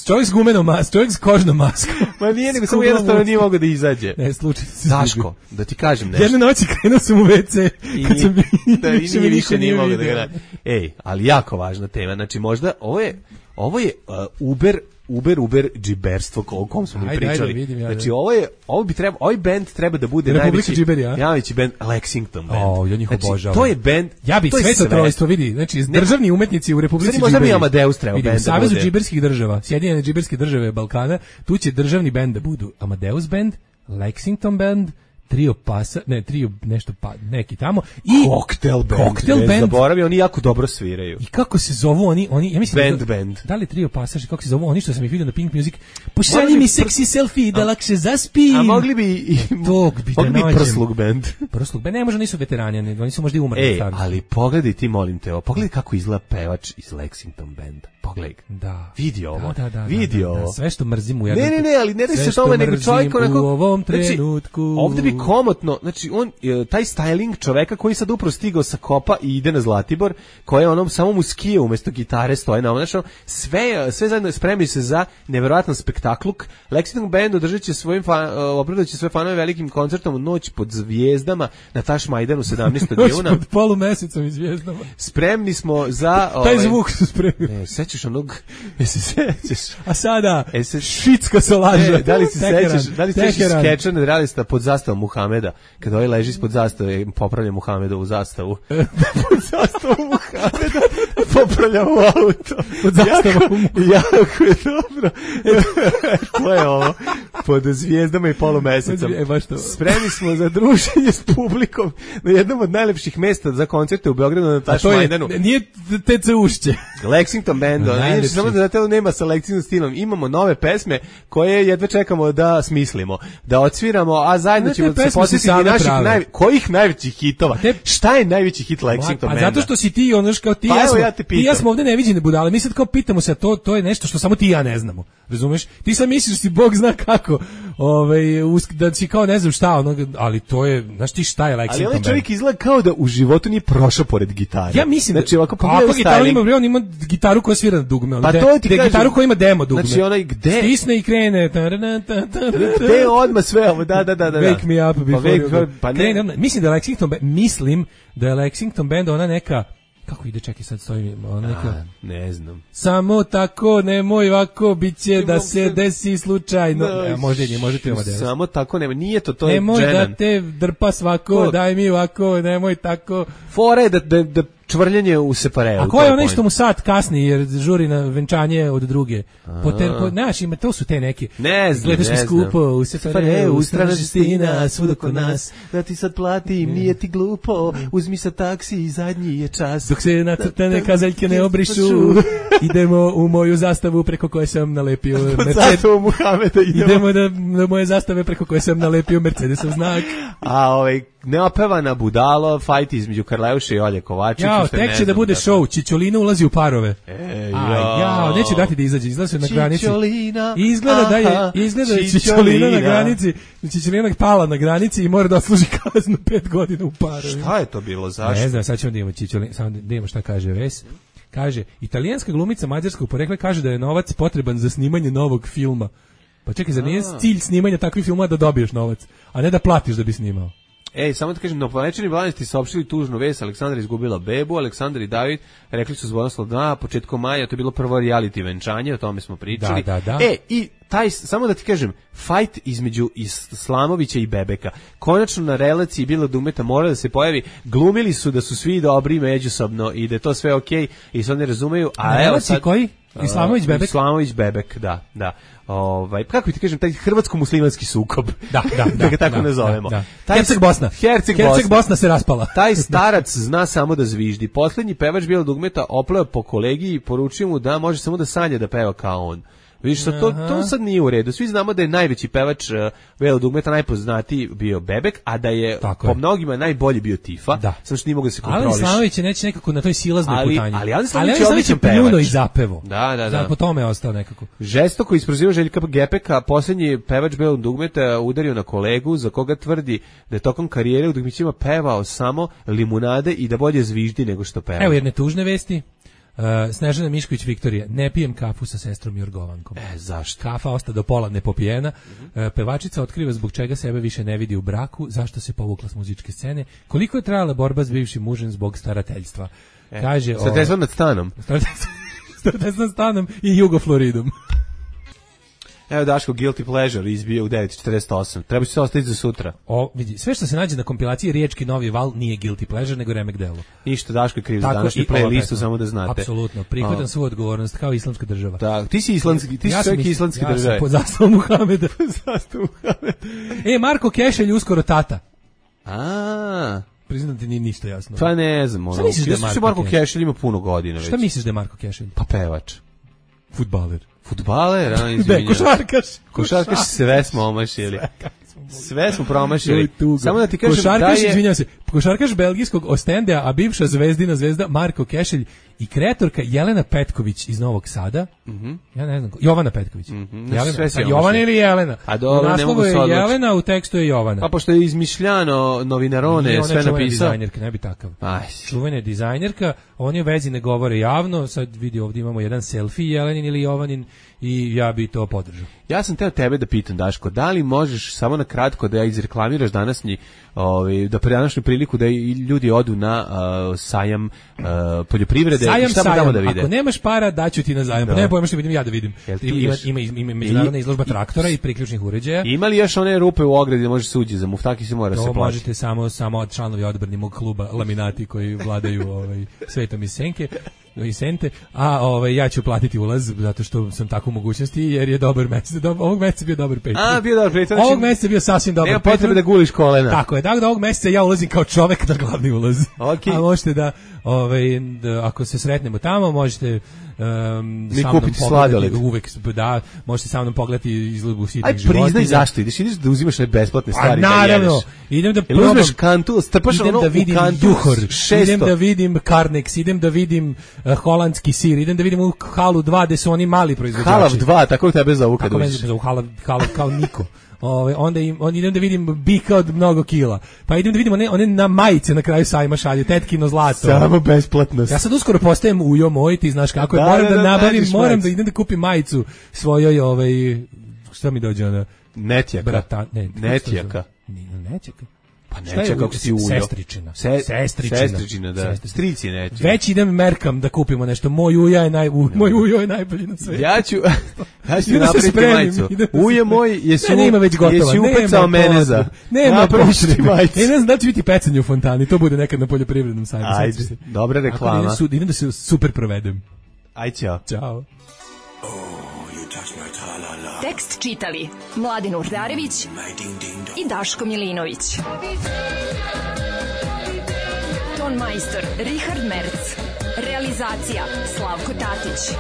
Speaker 7: Čovjek s gumenom maskom, čovjek s kožnom maskom.
Speaker 6: Ma nije, nego samo jednostavno nije mogao da izađe.
Speaker 7: Ne, slučajno se
Speaker 6: Daško, da ti kažem nešto.
Speaker 7: Jedne noći krenuo sam u ve ce, kad sam bio,
Speaker 6: da, i nije više nije mogao da ga... Ej, ali jako važna tema, znači možda ovo je, ovo je uh, Uber Uber, Uber, džiberstvo o kom smo mi pričali.
Speaker 7: Ajde, vidim, ja,
Speaker 6: znači, ovo je, ovo bi treba, ovaj band treba da bude najveći,
Speaker 7: džiberi, ja?
Speaker 6: najveći band, Lexington band.
Speaker 7: O, ja njih obožavam.
Speaker 6: Znači, to je band,
Speaker 7: ja bih sve to trojstvo, vidi, znači, državni umetnici u Republici
Speaker 6: Džiberi. Možda bi Amadeus trebao
Speaker 7: vidi,
Speaker 6: band da bude.
Speaker 7: U Savezu džiberskih država, Sjedinjene džiberske države Balkana, tu će državni band da budu Amadeus band, Lexington band, Trio Pasa, ne, Trio nešto pa, neki tamo i
Speaker 6: Cocktail band.
Speaker 7: Cocktail band.
Speaker 6: Zaboravio, oni jako dobro sviraju.
Speaker 7: I kako se zovu oni, oni, ja mislim
Speaker 6: band,
Speaker 7: da,
Speaker 6: band.
Speaker 7: Da li Trio Pasaž, kako se zovu oni što sam ih vidio na Pink Music? Pošalji mi seksi selfie da lakše zaspim.
Speaker 6: A mogli bi i
Speaker 7: tog bi da nađem.
Speaker 6: Prslug band.
Speaker 7: Prslug band, ne, možda nisu veterani, oni su možda i umrli.
Speaker 6: Ej, ali pogledaj ti, molim te, pogledaj kako izgleda pevač iz Lexington banda. Pogledaj.
Speaker 7: Da.
Speaker 6: Vidi ovo.
Speaker 7: Da, da, da,
Speaker 6: Vidi
Speaker 7: da, da,
Speaker 6: ovo.
Speaker 7: da, sve što mrzim u jednom.
Speaker 6: Ne, ne, ne, ali ne da se tome nego čovjek onako
Speaker 7: u ovom trenutku.
Speaker 6: Znači, ovde bi komotno, znači on taj styling čoveka koji sad upravo stigao sa Kopa i ide na Zlatibor, koji je onom samo mu skije umesto gitare stoje na znači sve sve zajedno spremi se za neverovatan spektakluk. Lexington band održaće svojim fan, opravdaće svoje fanove velikim koncertom Noć pod zvijezdama na Tašmajdanu sedamnaestog juna.
Speaker 7: Noć pod polumesecom i zvijezdama.
Speaker 6: Spremni smo za
Speaker 7: ovaj, taj zvuk su spremni.
Speaker 6: Ne, sećaš onog, jesi sećaš.
Speaker 7: A sada
Speaker 6: e, se,
Speaker 7: šitska se laže.
Speaker 6: Ne, da li se sećaš, da li se sećaš skeča realista pod zastavom Muhameda, kada ovaj leži ispod zastave, popravlja Muhamedovu zastavu. Pod zastavu Muhameda popravlja u auto.
Speaker 7: Pod zastavom
Speaker 6: jako, jako je dobro. To je ovo. Pod zvijezdama i polumesecom.
Speaker 7: E, baš to.
Speaker 6: Spremni smo za druženje s publikom na jednom od najlepših mesta za koncerte u Beogradu na Tašmajdanu.
Speaker 7: Nije te ce ušće.
Speaker 6: Lexington band, inače samo da znate, nema sa Lexington stilom. Imamo nove pesme koje jedva čekamo da smislimo, da odsviramo, a zajedno ćemo se posjetiti naših naj, kojih najvećih hitova. Te, šta je najveći hit Lexington banda?
Speaker 7: Pa zato što si ti, ono kao ti,
Speaker 6: pa
Speaker 7: ja, smo,
Speaker 6: ja
Speaker 7: ti ja smo ovde neviđene budale. Mi sad kao pitamo se, to to je nešto što samo ti i ja ne znamo. Razumeš? Ti sad misliš da si Bog zna kako, ovaj, da si kao ne znam šta, ono, ali to je, znaš ti šta je Lexington band?
Speaker 6: Ali ovaj čovjek izgleda kao da u životu nije prošao pored gitare.
Speaker 7: Ja mislim
Speaker 6: znači, ovako
Speaker 7: kako gitaru ima, on ima gitaru koja svira na dugme, on
Speaker 6: pa
Speaker 7: de,
Speaker 6: to ti
Speaker 7: de,
Speaker 6: kažem,
Speaker 7: gitaru koja ima demo dugme.
Speaker 6: Znači onaj gde
Speaker 7: stisne i krene.
Speaker 6: Gde odmah sve ovo, da, da, da, da.
Speaker 7: Wake me up before
Speaker 6: pa, wake, pa ne.
Speaker 7: Krene, mislim da je Lexington band, mislim da je Lexington band ona neka, kako ide, čekaj sad stoji, ona neka,
Speaker 6: a, ne znam.
Speaker 7: Samo tako, nemoj ovako, bit će da se desi slučajno.
Speaker 6: No,
Speaker 7: ja, možda nije, možete ovo desiti.
Speaker 6: Samo tako, nema, nije to, to je
Speaker 7: nemoj
Speaker 6: dženan.
Speaker 7: da te drpa svako, ko? Daj mi ovako, nemoj tako.
Speaker 6: Fora je da, da, da čvrljenje u separeu.
Speaker 7: A ko je onaj što mu sat kasni jer žuri na venčanje od druge? Poter, po, znaš, ima, to su te neke.
Speaker 6: Ne znam,
Speaker 7: gledaš
Speaker 6: ne
Speaker 7: mi skupo u separeu,
Speaker 6: u
Speaker 7: strana žestina, svuda kod nas.
Speaker 6: Da ti sad platim, nije ti glupo, uzmi sa taksi i zadnji je čas.
Speaker 7: Dok se nacrtane kazaljke ne obrišu, idemo u moju zastavu preko koje sam nalepio Mercedes.
Speaker 6: Muhameda idemo.
Speaker 7: Idemo da, da moje zastave preko koje sam nalepio Mercedesov znak.
Speaker 6: A ovaj neopevana budalo, fajt između Karleuše i Olje Kovačić.
Speaker 7: Jao, tek će da bude
Speaker 6: tako.
Speaker 7: show, Čičolina ulazi u parove.
Speaker 6: E,
Speaker 7: A, jao, neće dati da izađe, izlazi na granici.
Speaker 6: Čičolina,
Speaker 7: izgleda da je, izgleda da je Čičolina na granici, Čičolina pala na granici i mora da odsluži kaznu pet godina u parovima.
Speaker 6: Šta je to bilo, zašto?
Speaker 7: Ne znam, sad ćemo da imamo Čičolina, samo da imamo šta kaže Ves. Kaže, italijanska glumica mađarskog porekla kaže da je novac potreban za snimanje novog filma. Pa čekaj, zar nije cilj snimanja takvih filmova da dobiješ novac, a ne da platiš da bi snimao?
Speaker 6: Ej, samo da kažem, na planečani Blanesti saopštili tužnu vest, Aleksandra izgubila bebu, Aleksandar i David rekli su zvonoslo da, početkom maja, to je bilo prvo reality venčanje, o tome smo pričali.
Speaker 7: Da, da, da.
Speaker 6: E, i taj, samo da ti kažem, fajt između Islamovića i Bebeka, konačno na relaciji Bila Dumeta mora da se pojavi, glumili su da su svi dobri međusobno i da je to sve okej i se oni razumeju, a
Speaker 7: na
Speaker 6: evo sad...
Speaker 7: koji? Islamović Bebek?
Speaker 6: Islamović Bebek, da, da. Ovaj, kako ti kažem, taj hrvatsko-muslimanski sukob.
Speaker 7: Da, da, da.
Speaker 6: da ga tako
Speaker 7: da,
Speaker 6: nazovemo.
Speaker 7: Da, da.
Speaker 6: Taj,
Speaker 7: Herceg Bosna.
Speaker 6: Herceg
Speaker 7: Herceg
Speaker 6: Bosna.
Speaker 7: Bosna se raspala.
Speaker 6: Taj starac zna samo da zviždi. Poslednji pevač Bila Dugmeta opleo po kolegiji i poručio mu da može samo da sanja da peva kao on. Vidiš, to, to sad nije u redu. Svi znamo da je najveći pevač uh, Vela Dugmeta najpoznatiji bio Bebek, a da je
Speaker 7: tako
Speaker 6: po
Speaker 7: je.
Speaker 6: mnogima najbolji bio Tifa.
Speaker 7: Da.
Speaker 6: Samo što nije mogao da se kontroliš.
Speaker 7: Ali Slavović je neće nekako na toj silaznoj
Speaker 6: ali,
Speaker 7: putanji.
Speaker 6: Ali Ali Slavović
Speaker 7: je
Speaker 6: odličan
Speaker 7: pljuno
Speaker 6: pevač.
Speaker 7: i zapevo.
Speaker 6: Da, da, da.
Speaker 7: Po tome je ostao nekako.
Speaker 6: Žestoko isproziva Željka Gepeka, posljednji pevač Bela Dugmeta udario na kolegu za koga tvrdi da je tokom karijere u Dugmićima pevao samo limunade i da bolje zviždi nego što peva.
Speaker 7: Evo jedne tužne vesti. Uh, Snežana Mišković Viktorija, ne pijem kafu sa sestrom Jorgovankom.
Speaker 6: E, zašto?
Speaker 7: Kafa osta do pola nepopijena. Mm-hmm. Uh, pevačica otkriva zbog čega sebe više ne vidi u braku, zašto se povukla s muzičke scene, koliko je trajala borba s bivšim mužem zbog starateljstva.
Speaker 6: E,
Speaker 7: Kaže,
Speaker 6: starateljstvo nad stanom.
Speaker 7: Starateljstvo nad stanom i Jugofloridom.
Speaker 6: Evo Daško, Guilty Pleasure izbio u devet četrdeset osam. Treba se ostaviti za sutra.
Speaker 7: O, vidi, sve što se nađe na kompilaciji Riječki Novi Val nije Guilty Pleasure, nego remek delo.
Speaker 6: Ništa, Daško je kriv za današnju playlistu, samo da znate.
Speaker 7: Apsolutno, prihvatam svoju odgovornost kao islamska država.
Speaker 6: Da, ti si islamski, ti si
Speaker 7: ja
Speaker 6: čovjek islamske
Speaker 7: ja
Speaker 6: države.
Speaker 7: Ja sam pod zastavom Muhameda.
Speaker 6: Zastavom Muhameda.
Speaker 7: E, Marko Kešelj uskoro tata.
Speaker 6: A,
Speaker 7: priznam ti nije ništa jasno.
Speaker 6: Pa ne znam, ono.
Speaker 7: Šta misliš da je Marko,
Speaker 6: Marko Kešelj ima puno godina već?
Speaker 7: Šta misliš da je Marko Kešelj?
Speaker 6: Pa pevač.
Speaker 7: Fudbaler.
Speaker 6: Fudbaler, a izvinjam.
Speaker 7: Ne, košarkaš.
Speaker 6: Košarkaš sve smo omašili. Sve smo promašili. Samo da ti kažem
Speaker 7: košarkaš,
Speaker 6: da je...
Speaker 7: izvinjam se, košarkaš belgijskog Ostendea, a bivša zvezdina zvezda Marko Kešelj i kreatorka Jelena Petković iz Novog Sada.
Speaker 6: Mm-hmm.
Speaker 7: Ja ne znam, Jovana Petković.
Speaker 6: Mm-hmm.
Speaker 7: Jelena, a Jovana ili Jelena?
Speaker 6: A dobro, ne mogu
Speaker 7: je
Speaker 6: se odlučiti.
Speaker 7: Jelena, u tekstu je Jovana.
Speaker 6: Pa pošto je izmišljano novinarone,
Speaker 7: je
Speaker 6: sve napisao.
Speaker 7: Dizajnerka, ne bi takav.
Speaker 6: Aj.
Speaker 7: Čuvena je dizajnerka, oni u vezi ne govore javno, sad vidi ovdje imamo jedan selfie Jelenin ili Jovanin i ja bi to podržao.
Speaker 6: Ja sam teo tebe da pitam, Daško, da li možeš samo na kratko da izreklamiraš današnji, ovaj, da pre današnju priliku da i ljudi odu na uh, sajam uh, poljoprivrede
Speaker 7: sajam,
Speaker 6: i šta
Speaker 7: sajam.
Speaker 6: tamo da vide?
Speaker 7: Ako nemaš para, daću ti na zajam. Pa ne pojma što vidim ja da vidim. Ima, ima, ima međunarodna izložba traktora i priključnih uređaja.
Speaker 6: Ima li još one rupe u ogradi da možeš se uđi za muftaki se mora
Speaker 7: to
Speaker 6: se plaći?
Speaker 7: To možete samo, samo članovi odbrani kluba Laminati koji vladaju ovaj, svetom iz senke. I sente, a ovaj ja ću platiti ulaz zato što sam tako u mogućnosti jer je dobar mesec. Do, ovog meseca bio dobar pet.
Speaker 6: A, bio dobar pet.
Speaker 7: Ovog meseca bio sasvim dobar.
Speaker 6: Nema potrebe da guliš kolena.
Speaker 7: Tako je. Tako da ovog meseca ja ulazim kao čovek na glavni ulaz.
Speaker 6: Okay.
Speaker 7: A možete da ovaj da, ako se sretnemo tamo, možete um,
Speaker 6: mi kupiti sladoled.
Speaker 7: Uvek da, možete sa mnom pogledati izložbu sitnih životinja.
Speaker 6: Aj, priznaj zašto ideš, ideš da uzimaš neke besplatne stvari.
Speaker 7: A naravno, idem da
Speaker 6: probam. Uzmeš kantu, strpaš ono
Speaker 7: da vidim
Speaker 6: u kantu.
Speaker 7: Juhor, idem da vidim Carnex, idem da vidim uh, holandski sir, idem da vidim u Halu dva gde su oni mali proizvođači.
Speaker 6: Halav dva, tako tebe zovu kad uđeš.
Speaker 7: Tako me zovu Halav, Halav kao niko. Ove, onda im, on idem da vidim bika od mnogo kila. Pa idem da vidim one, one na majice na kraju sajma šalju, tetkino zlato.
Speaker 6: Samo besplatnost.
Speaker 7: Ja sad uskoro postajem ujo moj, ti znaš kako je,
Speaker 6: da,
Speaker 7: moram da,
Speaker 6: da, da
Speaker 7: nabavim, moram
Speaker 6: majicu.
Speaker 7: da idem da kupim majicu svojoj, ovaj, šta mi dođe ona?
Speaker 6: Netjaka.
Speaker 7: Brata, ne,
Speaker 6: Netjaka.
Speaker 7: Nije netjaka.
Speaker 6: Pa neće kako si uljo.
Speaker 7: Sestričina.
Speaker 6: Se,
Speaker 7: sestričina.
Speaker 6: Sestričina, da. Strici neće.
Speaker 7: Već idem merkam da kupimo nešto. Moj uja je, naj, u, moj ujo je najbolji na svetu.
Speaker 6: Ja ću, ja ću napraviti majicu. Uje moj je su,
Speaker 7: ne, nema već gotova.
Speaker 6: Jesi upecao mene za.
Speaker 7: Nema
Speaker 6: napraviti majicu.
Speaker 7: E, ne znam da će biti pecanje u fontani. To bude nekad na poljoprivrednom sajmu.
Speaker 6: Ajde, dobra reklama.
Speaker 7: Idem, idem da se super provedem.
Speaker 6: Aj, ćao.
Speaker 7: Ćao.
Speaker 8: Tekst čitali Mladin Urdarević i Daško Milinović. Ton majstor Richard Merc. Realizacija Slavko Tatić.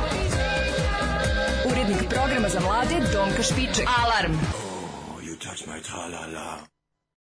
Speaker 8: Urednik programa za mlade Donka Špiček. Alarm! Oh, you touch my tra-la-la.